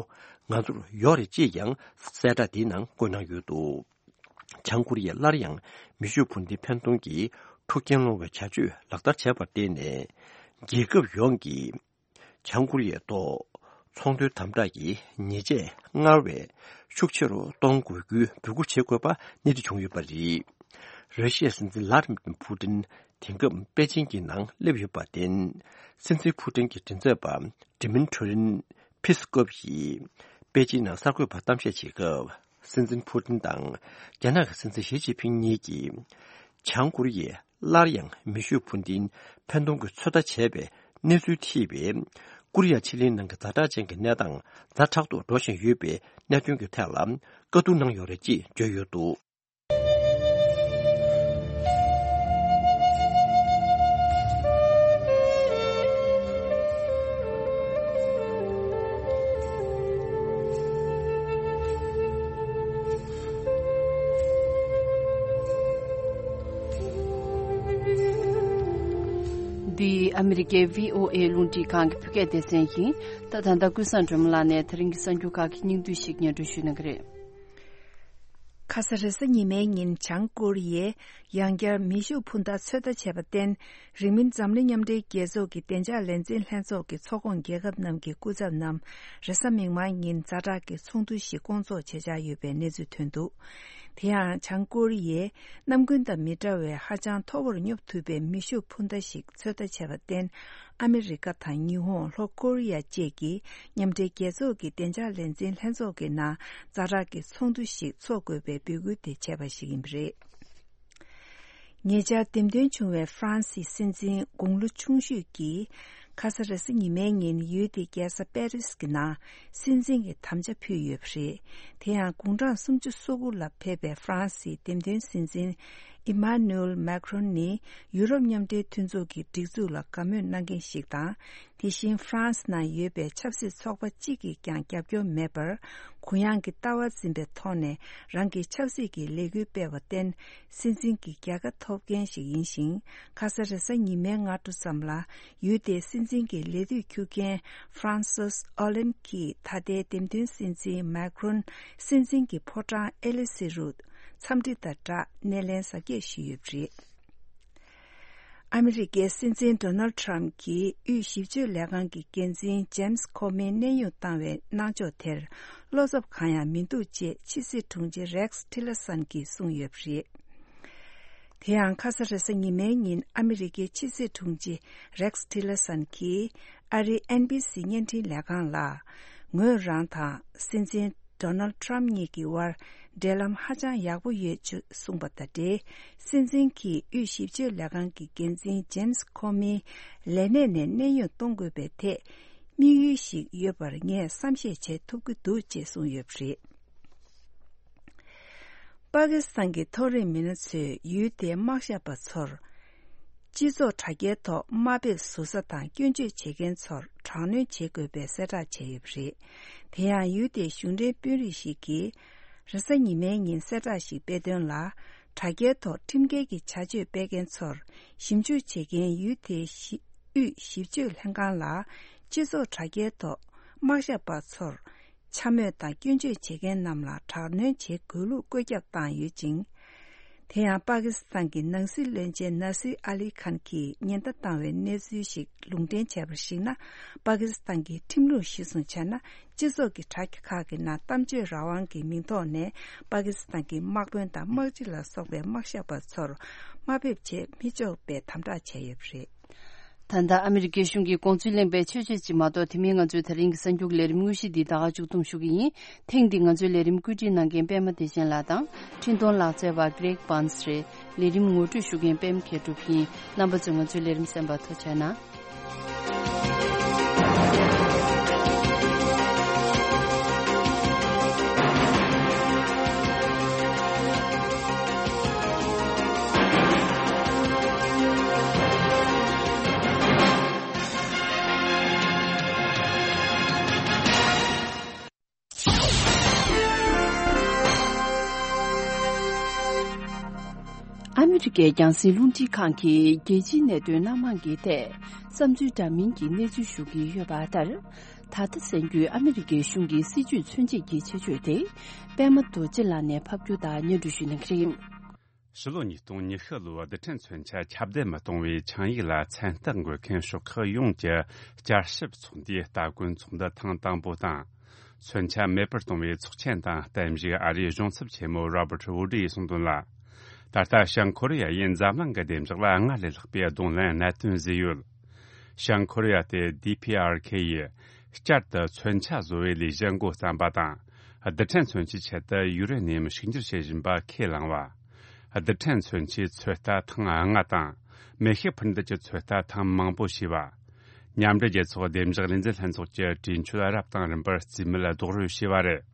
ང་ཚོར་ཡོད་རེད་ཅེས་ཀྱང་གསལ་བསྒྲགས་འདིའི་ནང་བཀོད་གནང་ཡོད་འདུག་བྱང་ཀོ་རི་ཡས་སླར་ཡང་མེ་ཤུགས་འཕུར་མདེལ་འཕེན་གཏོང་གི་འཁྲུག་རྐྱེན་སློང་བའི་བྱ་སྤྱོད་ལག་བསྟར་བྱས་པར་བརྟེན་ནས། རྒྱལ་ཁབ་ཡོངས་ཀྱིས་བྱང་ཀོ་རི་ཡའི་ཐོག་ཚོང་དོན་དམ་དྲག་གི་ཉེས་ཆད་སྔར་བས་ཤུགས་ཆེ་རུ་གཏོང་དགོས་རྒྱུའི་འབོད་སྐུལ་བྱེད་དགོས་པ་སྣེ་ཁྲིད་བྱུང་ཡོད་པ་རེད། ར་ཤི་ཡའི་སྲིད་འཛིན་ལྷ་ལྡན་ཕུ་ཏིན་དེང་སྐབས་པེ་ཅིང་གི་ནང་སླེབས་ཡོད་པར་བརྟེན། སྲིད་འཛིན་ཕུ་ཏིན་གྱི་མགྲིན་ཚབ་པ་ཌི་མིན་ཊི་རིན་པི་སི་ཀོབ་ཡིས་པེ་ཅིང་ནང་གསར་འགོད་པར་གཏམ་བཤད་བྱེད་སྐབས། སྲིད་འཛིན་ཕུ་ཏིན་དང་རྒྱ་ནག་གི་སྲིད་འཛིན་ཞི་ཅིན་ཕིང་གཉིས་ཀྱིས། བྱང་ཀོ་རི་ཡས་སླར་ཡང་མེ་ཤུགས་འཕུར་མདེལ་འཕེན་གཏོང་གི་ཚོད་ལྟ་བྱས་པའི་གནས་ཚུལ་ཐེ་བའི་ཀོ་རི་ཡ་ཕྱེད་གླིང་ནང་གི་ཛ་དྲག་ཅན་གྱི་གནས་སྟངས་ཛ་དྲག་ཏུ་འགྲོ་བཞིན་ཡོད་པའི་གནད་དོན་གྱི་ཐད་ལ་བཀའ་བསྡུར་གནང་ཡོད་རེད་ཅེས་བརྗོད་ཡོད་འདུག་འདི་ཨ་མི་རི་ཀའི་བྷི་ཨོ་ཨེ་རླུང་འཕྲིན་ཁང་གི་བོད་སྐད་སྡེ་ཚན་ཡིན། ད་ད་ལྟ་ཀུན་བཟང་སྒྲོལ་མ་ལགས་ནས་དེ་རིང་གི་གསར་འགྱུར་ཁག་གི་སྙིང་བསྡུས་ཤིག་སྙན་སྒྲོན་ཞུ་གནང་གི་རེད། ཁ་ས་རེས་གཟའ་ཉི་མའི་ཉིན་བྱང་ཀོ་རི་ཡས་ཡང་བསྐྱར་མེ་ཤུགས་འཕུར་མདའ་ཚོད་ལྟ་བྱས་པར་བརྟེན། རིང་མིན་འཛམ་གླིང་མཉམ་འབྲེལ་རྒྱལ་ཚོགས་ཀྱི་བདེ་འཇགས་ལས་འཛིན་ལྷན་ཚོགས་ཀྱི་ཚོགས་ཁོངས་རྒྱལ་ཁབ་རྣམས་ཀྱི་སྐུ་ཚབ་རྣམས་རེས་གཟའ་མིག་དམར་ཉིན་ཛ་དྲག་གི་ཚོགས་འདུ་ཞིག་བསྐོང་ཚོགས་བྱེད་འཆར་ཡོད་པའི་གནས་ཚུལ་ཐོན་འདུག་དེ་ཡང་བྱང་ཀོ་རི་ཡས་གནམ་དགུན་དང་མི་འདྲ་བའི་ཧ་ཅང་མཐོ་བོར་སྙོབ་ཐུབ་པའི་མེ་ཤུགས་འཕུར་མདའ་ཞིག་ཚོད་ལྟ་བྱས་པར་བརྟེན། ཨ་མི་རི་ཀ་དང་ཉི་ཧོང་། ལྷོ་ཀོ་རི་ཡ་བཅས་ཀྱིས་མཉམ་འབྲེལ་རྒྱལ་ཚོགས་ཀྱི་བདེ་འཇགས་ལས་འཛིན་ལྷན་ཚོགས་ཀྱི་ནང་ཛ་དྲག་གི་ཚོགས་འདུ་ཞིག་འཚོགས་དགོས་པའི་འབོད་སྐུལ་དེ་བྱས་པ་ཞིག་ཡིན་པ་རེད། ཉེ་ཆར་འདེམས་ཐོན་བྱུང་བའི་ཧྥ་རན་སིའི་སྲིད་འཛིན་དགུང་ལོ་ཆུང་ཤོས་ཀྱིས། ཁ་ས་རེས་གཟའ་ཉི་མའི་ཉིན་ཡུལ་དེའི་རྒྱལ་ས་པེ་རིས་ཀྱི་ནང་སྲིད་འཛིན་གྱི་དམ་བཅའ་ཕུལ་ཡོད་པ་རེད། དེ་ཡང་དགུང་གྲངས་སུམ་ཅུ་སོ་དགུ་ལ་ཕེབས་པའི་ཧྥ་རན་སིའི་འདེམས་ཐོན་སྲིད་འཛིན་ཨི་མཱ་ནུ་ཨེལ་མཱ་ཁྲོན་ནི་ཡུ་རོབ་མཉམ་འབྲེལ་མཐུན་ཚོགས་ཀྱི་སྒྲིག་འཛུགས་ལ་དགའ་མོས་གནང་མཁན་ཞིག་དང་། དེ་བཞིན་ཧྥ་རན་སི་ནང་ཡོད་པའི་ཆབ་སྲིད་ཚོགས་པ་གཅིག་གིས་ཀྱང་རྒྱབ་སྐྱོར་མེད་པར། གུ་ཡངས་ཀྱི་ལྟ་བ་འཛིན་པའི་ཐོག་ནས་རང་གི་ཆབ་སྲིད་ཀྱི་ལས་འགུལ་སྤེལ་བར་བརྟེན། སྲིད་འཛིན་གྱི་རྒྱལ་ཁ་ཐོབ་མཁན་ཞིག་ཡིན་ཞིང་། ཁ་ས་རེས་གཟའ་ཉི་མའི་སྔ་དྲོ་ཙམ་ལ། ཡུལ་དེའི་སྲིད་འཛིན་གྱི་ལས་དུས་འཁྱོལ་མཁན་ཧྥ་རན་སིས་ཨོ་ལན་གྱིས་ད་ལྟའི་འདེམས་ཐོན་སྲིད་འཛིན་མཱ་ཁྲོན་སྲིད་འཛིན་གྱི་ཕོ་བྲང་ཨེ་ལི་སི་རུ་འཚམས་འདྲི་དང་སྦྲགས་སྣེ་ལེན་གཟབ་རྒྱས་ཞུས་ཡོད་པ་རེད། ཨ་མི་རི་ཀའི་སྲིད་འཛིན་ཌོ་ནལ་ཊམ་གྱིས་དབུས་ཞིབ་དཔྱོད་ལས་ཁང་གི་འགན་འཛིན་ཇེམ་སི་ཁོ་མིན་གནས་དབྱུང་བཏང་བའི་གནང་ཕྱོགས་དེར་བློ་འཚབ་གང་ཡང་མི་འདུག་ཅེས་ཕྱི་སྲིད་དྲུང་ཆེ་རེག་སི་ཊི་ལར་སན་གྱིས་གསུངས་ཡོད་པ་རེད། དེ་ཡང་ཁ་ས་རེས་གཟའ་ཉི་མའི་ཉིན་ཨ་མི་རི་ཀའི་ཕྱི་སྲིད་དྲུང་ཆེ་རེག་སི་ཊི་ལར་སན་གྱིས་ཨ་རིའི་ཨེན་བྷི་སི་བརྙན་འཕྲིན་ལས་ཁང་ལ། ངོས་རང་དང་སྲིད་འཛིན་ཌོ་ནལ་ཊམ་གཉིས་ཀྱི་དབར་འབྲེལ་ལམ་ཧ་ཅང་ཡག་པོ་ཡོད་ཅེས་གསུངས་པ་དང་འབྲེལ། སྲིད་འཛིན་གྱིས་དབུས་ཞིབ་དཔྱོད་ལས་ཁང་གི་འགན་འཛིན་ཇེམ་སི་ཁོ་མིའི་ལས་གནས་ནས་གནས་དབྱུང་གཏོང་དགོས་པའི་ཐད་དམིགས་ཡུལ་ཞིག་ཡོད་པར་ངས་བསམ་ཤེས་བྱེད་ཐུབ་ཀྱི་འདུག་ཅེས་གསུངས་ཡོད་པ་རེད། པ་ཀི་སི་ཐན་གྱི་མཐོ་རིམ་མི་སྣ་ཚོས་ཡུལ་དེའི་དམག་ཞབས་པ་ཚོར། སྤྱི་ཚོགས་དྲ་རྒྱའི་ཐོག་དམའ་འབེབས་ཟུར་ཟ་དང་སྐྱོན་བརྗོད་བྱེད་མཁན་ཚོར་དྲག་གནོན་བྱེད་དགོས་པའི་གསལ་བསྒྲགས་བྱས་ཡོད་པ་རེད། དེ་ཡང་ཡུལ་དེའི་གཞུང་འབྲེལ་དཔོན་རིགས་ཤིག་གིས། རེས་གཟའ་ཉི་མའི་ཉིན་གསལ་བསྒྲགས་ཤིག་སྤེལ་དོན་ལ། དྲ་རྒྱའི་ཐོག་ཁྲིམས་འགལ་གྱི་བྱ་སྤྱོད་སྤེལ་མཁན་ཚོར་ཞིབ་འཇུག་བྱེད་མཁན་ཡུལ་དེའི་ཞི་དབུས་ཞིབ་དཔྱོད་ལྷན་ཁང་ལ། སྤྱི་ཚོགས་དྲ་རྒྱའི་ཐོག་དམག་ཞབས་པ་ཚོར། འཕྱ་སྨོད་དང་སྐྱོན་བརྗོད་བྱེད་མཁན་རྣམས་ལ་དྲག་གནོན་བྱེད་དགོས་ལུགས་བཀོད་ཁྱབ་བཏང་ཡོད་ཅིང་། དེ་ཡང་པ་ཀི་སི་ཐན་གྱི་ནང་སྲིད་བློན་ཆེན་ནཱ་སིར་ཨ་ལི་ཁཱན་གྱིས་ཉེན་བརྡ་བཏང་བའི་གནས་ཚུལ་ཞིག་ལུང་འདྲེན་བྱས་པར་གཞིགས་ན། པ་ཀི་སི་ཐན་གྱི་ཁྲིམས་ལུགས་གཞིར་བཟུང་བྱས་ན། སྤྱི་ཚོགས་ཀྱི་དྲ་རྒྱ་ཁག་གི་ནང་གཏམ་བརྗོད་རང་དབང་གི་མིང་ཐོག་ནས་པ་ཀི་སི་ཐན་གྱི་དམག་དཔོན་དང་དམག་སྤྱི་ལ་སོགས་པའི་དམག་ཞབས་པ་ཚོར་དམའ་འབེབས་བྱེད་མི་ཆོག་པའི་དམ་དྲག་བྱས་ཡོད་པ་རེད། ད་ལྟ་ཨ་མི་རི་ཀའི་གཞུང་གི་དགོངས་ཚུལ་གླེང་པའི་ཆོས་ཆོས་ཅིག་མ་གཏོགས། དེ་མིན་ང་ཚོའི་ད་རིང་གི་གསར་འགྱུར་ལས་རིམ་དངོས་གཞི་འདི་ད་ག་མཇུག་བསྡོམས་ཞུ་གི་ཡིན། ཐེངས་འདི་ང་ཚོའི་ལས་རིམ་བཀོད་སྒྲིག་གནང་མཁན་པད་མ་བདེ་ཆེན་ལགས་དང་། འཕྲིན་གཏོང་ལག་རྩལ་བ་Greg Burns རེད། ལས་རིམ་ངོ་སྤྲོད་ཞུ་མཁན་པད་མ་མཁས་གྲུབ་ཡིན། རྣམ་པ་ཚོས་ང་ཚོའི་ལས་རིམ་གསན་པར་ཐུགས་རྗེ་གནང་། ཨ་མི་རི་ཀའི་རྒྱང་སྲིང་རླུང་འཕྲིན་ཁང་གིས་རྒྱལ་སྤྱིའི་གནད་དོན་སྣ་མང་གི་ཐད་བསམ་ཚུལ་འདྲ་མིན་གྱི་གནས་ཚུལ་ཞུ་གི་ཡོད་པ་ལྟར། ད་ལྟ་གསར་འགྱུར་ཨ་མི་རི་ཀའི་གཞུང་གི་སྲིད་བྱུས་མཚོན་བྱེད་ཀྱི་ཆེད་བརྗོད་དེ། པད་མ་རྡོ་རྗེ་ལགས་ནས་ཕབ་སྒྱུར་དང་སྙན་སྒྲོན་ཞུ་གནང་གི་རེད། ཕྱི་ལོ་ཉིས་སྟོང་ཉི་ཤུ་ལོའི་རྡུལ་ཕྲན་མཚོན་ཆ་ཁྱབ་གདལ་མི་གཏོང་བའི་ཆིངས་ཡིག་ལ་མཚན་རྟགས་འགོད་མཁན་ཤོག་ཁག་ཡོངས་ཀྱི་བསྐྱར་ཞིབ་ཚོགས་འདུའི་སྟ་གོན་ཚོགས་འདུ་ཐེངས་དང་པོ་དང་། མཚོན་ཆ་མེད་པར་གཏོང་བའི་ཚོགས་ཆེན་དང་བརྟན་བཞུགས་ཨ་རིའི་གཞུང་ཚབ་ཆེན་མོ་Robert Wood ཡིས་གསུངས་དོན་ལ། ད་ལྟ་བྱང་ཁོ་རེ་ཡ་ཡིས་འཛམ་གླིང་གི་བདེ་འཇགས་ལ་སྔར་ལས་ལྷག་པའི་གདོང་ལེན་གནད་དོན་བཟོས་ཡོད། བྱང་ཁོ་རེ་ཡ་དེ་ཌི་ཕི་ཨར་ཁེ་ཡིས་བསྐྱར་དུ་མཚོན་ཆ་བཟོ་བའི་ལས་གཞི་འགོ་བརྩམས་པ་དང་། རྡུལ་ཕྲན་མཚོན་ཆའི་ཆེད་དུ་ཡུ་རེ་ནི་ཡམ་ཕྱུག་འགྱུར་བྱེད་བཞིན་པ་ཁས་བླངས་པ། རྡུལ་ཕྲན་མཚོན་ཆའི་ཚོད་ལྟ་ཐེངས་ལྔ་དང་། མེ་ཤུགས་འཕུར་མདེལ་གྱི་ཚོད་ལྟ་ཐེངས་མང་པོ་བྱས་པ། མཉམ་འབྲེལ་རྒྱལ་ཚོགས་བདེ་འཇགས་ལས་འཛིན་ལྷན་ཚོགས་ཀྱི་གྲོས་ཆོད་རབ་དང་རིམ་པར་རྩིས་མེད་རྡོག་རོལ་བྱས་པ་རེད།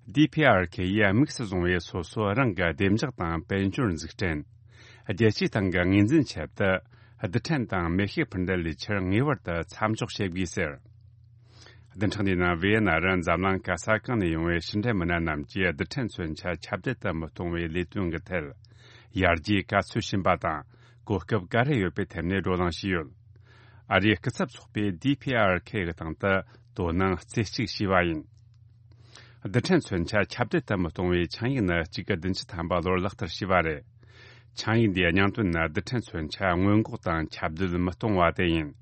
ཌི་ཕི་ཨར་ཁེ་ཡིས་དམིགས་སུ་བཟུང་བའི་སོ་སོ་རང་གི་བདེ་འཇགས་དང་དཔལ་འབྱོར་འཛུགས་སྐྲུན། རྒྱལ་སྤྱིའི་སྟེང་གི་ངོས་འཛིན་ཆེད་དུ། རྡུལ་ཕྲན་དང་མེ་ཤུགས་འཕུར་མདེལ་ལས་འཆར་ངེས་པར་དུ་མཚམས་འཇོག་བྱེད་དགོས་ཟེར། བདུན་ཕྲག་འདིའི་ནང་ཝི་ཡེ་ན་རུ་འཛམ་གླིང་ག་ས་གང་ནས་ཡོང་བའི་ཕྱི་འབྲེལ་མི་སྣ་རྣམས་ཀྱིས་རྡུལ་ཕྲན་མཚོན་ཆ་ཁྱབ་གདལ་དུ་མི་གཏོང་བའི་ལས་དོན་གྱི་ཐད། ཡར་རྒྱས་ག་ཚོད་ཕྱིན་པ་དང་། གོ་སྐབས་ག་རེ་ཡོད་པའི་ཐད་ནས་བགྲོ་གླེང་བྱས་ཡོད། ཨ་རིའི་སྐུ་ཚབ་ཚོགས་པས་ཌི་ཕི་ཨར་ཁེ་གི་སྟེང་དུ་དོ་སྣང་རྩེ་གཅིག་བྱས་པ་ཡིན། རྡུལ་ཕྲན་མཚོན་ཆ་ཁྱབ་གདལ་དུ་མི་གཏོང་བའི་ཆིངས་ཡིག་ནི་གཅིག་དགུ་བདུན་ཅུ་ཐམ་པ་ལོར་ལག་བསྟར་བྱས་པ་རེད། ཆིངས་ཡིག་འདིའི་སྙིང་དོན་ནི་རྡུལ་ཕྲན་མཚོན་ཆ་སྔོན་འགོག་དང་ཁྱབ་གདལ་མི་གཏོང་བ་དེ་ཡིན།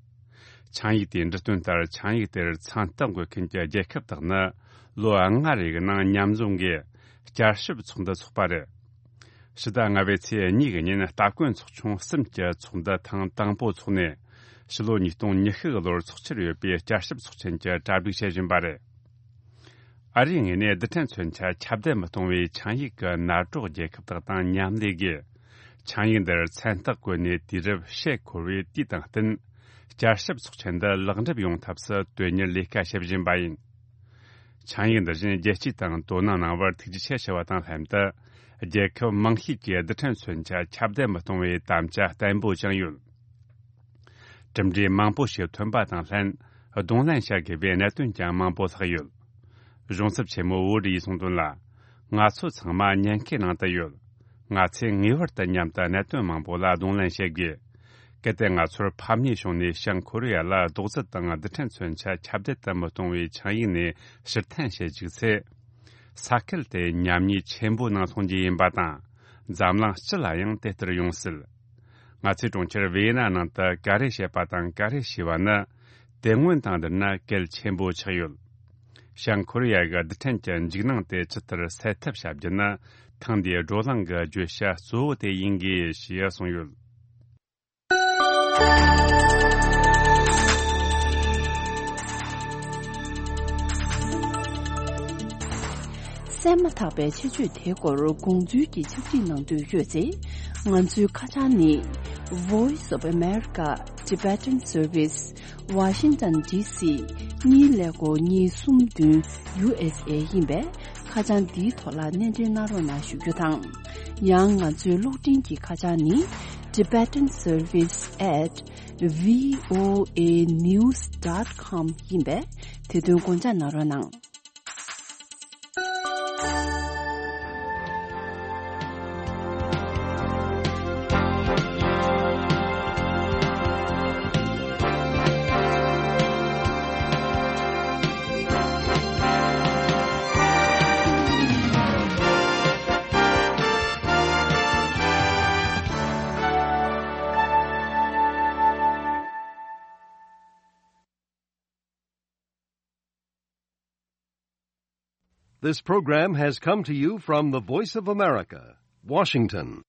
ཆིངས་ཡིག་དེའི་འབྲི་དོན་ལྟར། ཆིངས་ཡིག་དེར་མཚན་རྟགས་འགོད་མཁན་གྱི་རྒྱལ་ཁབ་དག་ནི་ལོ་ལྔ་རེའི་ནང་མཉམ་འཛོམས་ཀྱིས་བསྐྱར་ཞིབ་ཚོགས་འདུ་འཚོགས་པ་རེད། ཕྱི་ཟླ་ལྔ་པའི་ཚེས་གཉིས་ཀྱི་ཉིན་སྟ་གོན་ཚོགས་ཆུང་གསུམ་གྱི་ཚོགས་འདུ་ཐེངས་དང་པོ་འཚོགས་ནས། ཕྱི་ལོ་ཉིས་སྟོང་ཉི་ཤུ་གི་ལོར་འཚོགས་འཆར་ཡོད་པའི་བསྐྱར་ཞིབ་ཚོགས་ཆེན་གྱི་གྲ་སྒྲིག་བྱེད་བཞིན་པ་རེད། ཨ་རིའི་ངོས་ནས་རྡུལ་ཕྲན་མཚོན་ཆ་ཁྱབ་གདལ་མི་གཏོང་བའི་ཆིངས་ཡིག་གི་ནང་གྲོགས་རྒྱལ་ཁབ་དག་དང་མཉམ་ལས་ཀྱིས། ཆིངས་ཡིག་འདིར་མཚན་རྟགས་བཀོད་ནས་དུས་རབས་ཕྱེད་འཁོར་བའི་དུས་དང་བསྟུན། བསྐྱར་ཞིབ་ཚོགས་ཆེན་འདི་ལེགས་འགྲུབ་ཡོང་ཐབས་སུ་དོན་གཉེར་ལས་ཀ་བྱེད་བཞིན་པ་ཡིན། ཆིངས་ཡིག་འདི་བཞིན་རྒྱལ་སྤྱིའི་སྟེང་དོ་སྣང་གནང་བར་ཐུགས་རྗེ་ཆེ་ཞུ་བ་དང་ལྷན་དུ། རྒྱལ་ཁབ་མང་ཤོས་ཀྱིས་རྡུལ་ཕྲན་མཚོན་ཆ་ཁྱབ་གདལ་མི་གཏོང་བའི་དམ་བཅའ་བརྟན་པོ་བཅངས་ཡོད། གྲུབ་འབྲས་མང་པོ་ཞིག་ཐོན་པ་དང་ལྷན། གདོང་ལེན་བྱ་དགོས་པའི་གནད་དོན་ཀྱང་མང་པོ་ལྷག་ཡོད། གཞུང་ཚབ་ཆེན་མོ་ཝུ་ཌི་ཡིས་གསུངས་དོན་ལ། ང་ཚོ་ཚང་མ་ཉེན་ཁའི་ནང་དུ་ཡོད། ང་ཚོས་ངེས་པར་དུ་མཉམ་དུ་གནད་དོན་མང་པོ་ལ་གདོང་ལེན་བྱེད་དགོས། གལ་ཏེ་ང་ཚོར་ཕམ་ཉེས་བྱུང་ནས་བྱང་ཁོ་རེ་ཡ་ལ་རྡོག་རྫིས་དང་རྡུལ་ཕྲན་མཚོན་ཆ་ཁྱབ་གདལ་དུ་མི་གཏོང་བའི་ཆིངས་ཡིག་ནས་ཕྱིར་འཐེན་བྱེད་བཅུག་ཚེ། ས་ཁུལ་དེ་ཉམས་ཉེས་ཆེན་པོའི་ནང་ལྷུང་རྒྱུ་ཡིན་པ་དང་། འཛམ་གླིང་སྤྱི་ལ་ཡང་དེ་ལྟར་ཡོང་སྲིད། ང་ཚོས་གྲོང་ཁྱེར་ཝི་ཡེ་ན་ནང་དུ་ག་རེ་བཤད་པ་དང་ག་རེ་བྱས་པ་ནི། དེ་སྔོན་དང་བསྡུར་ན་གལ་ཆེན་པོ་ཆགས་ཡོད། བྱང་ཁོ་རེ་ཡ་གི་རྡུལ་ཕྲན་གྱི་འཇིགས་སྣང་དེ་ཇི་ལྟར་སེལ་ཐབས་བྱ་རྒྱུ་ནི། ཐེངས་འདིའི་བགྲོ་གླེང་གི་བརྗོད་བྱ་གཙོ་བོ་དེ་ཡིན་དགོས་ཞེས་གསུངས་ཡོད། གསན་མ་ཐག་པའི་ཆེད་བརྗོད་དེའི་སྐོར་དགོངས་ཚུལ་གྱི་ཕྱག་བྲིས་གནང་འདོད་ཡོད་ཚེ། ང་ཚོའི་ཁ་བྱང་ནི། Voice of America Tibetan Service, Washington D C གཉིས་ཀླད་ཀོར་གཉིས་གསུམ་བདུན་U S A ཡིན་པས། ཁ་བྱང་འདིའི་ཐོག་ལ་སྣེ་འདྲེན་གནང་རོགས་གནང་ཞུ་རྒྱུ་དང་། ཡང་ང་ཚོའི་གློག་འཕྲིན་གྱི་ཁ་བྱང་ནི། Tibetan Service at V O A news dot com ཡིན་པས། དེ་དོན་དགོངས་འཇགས་གནང་རོགས་གནང་། This program has come to you from the Voice of America, Washington.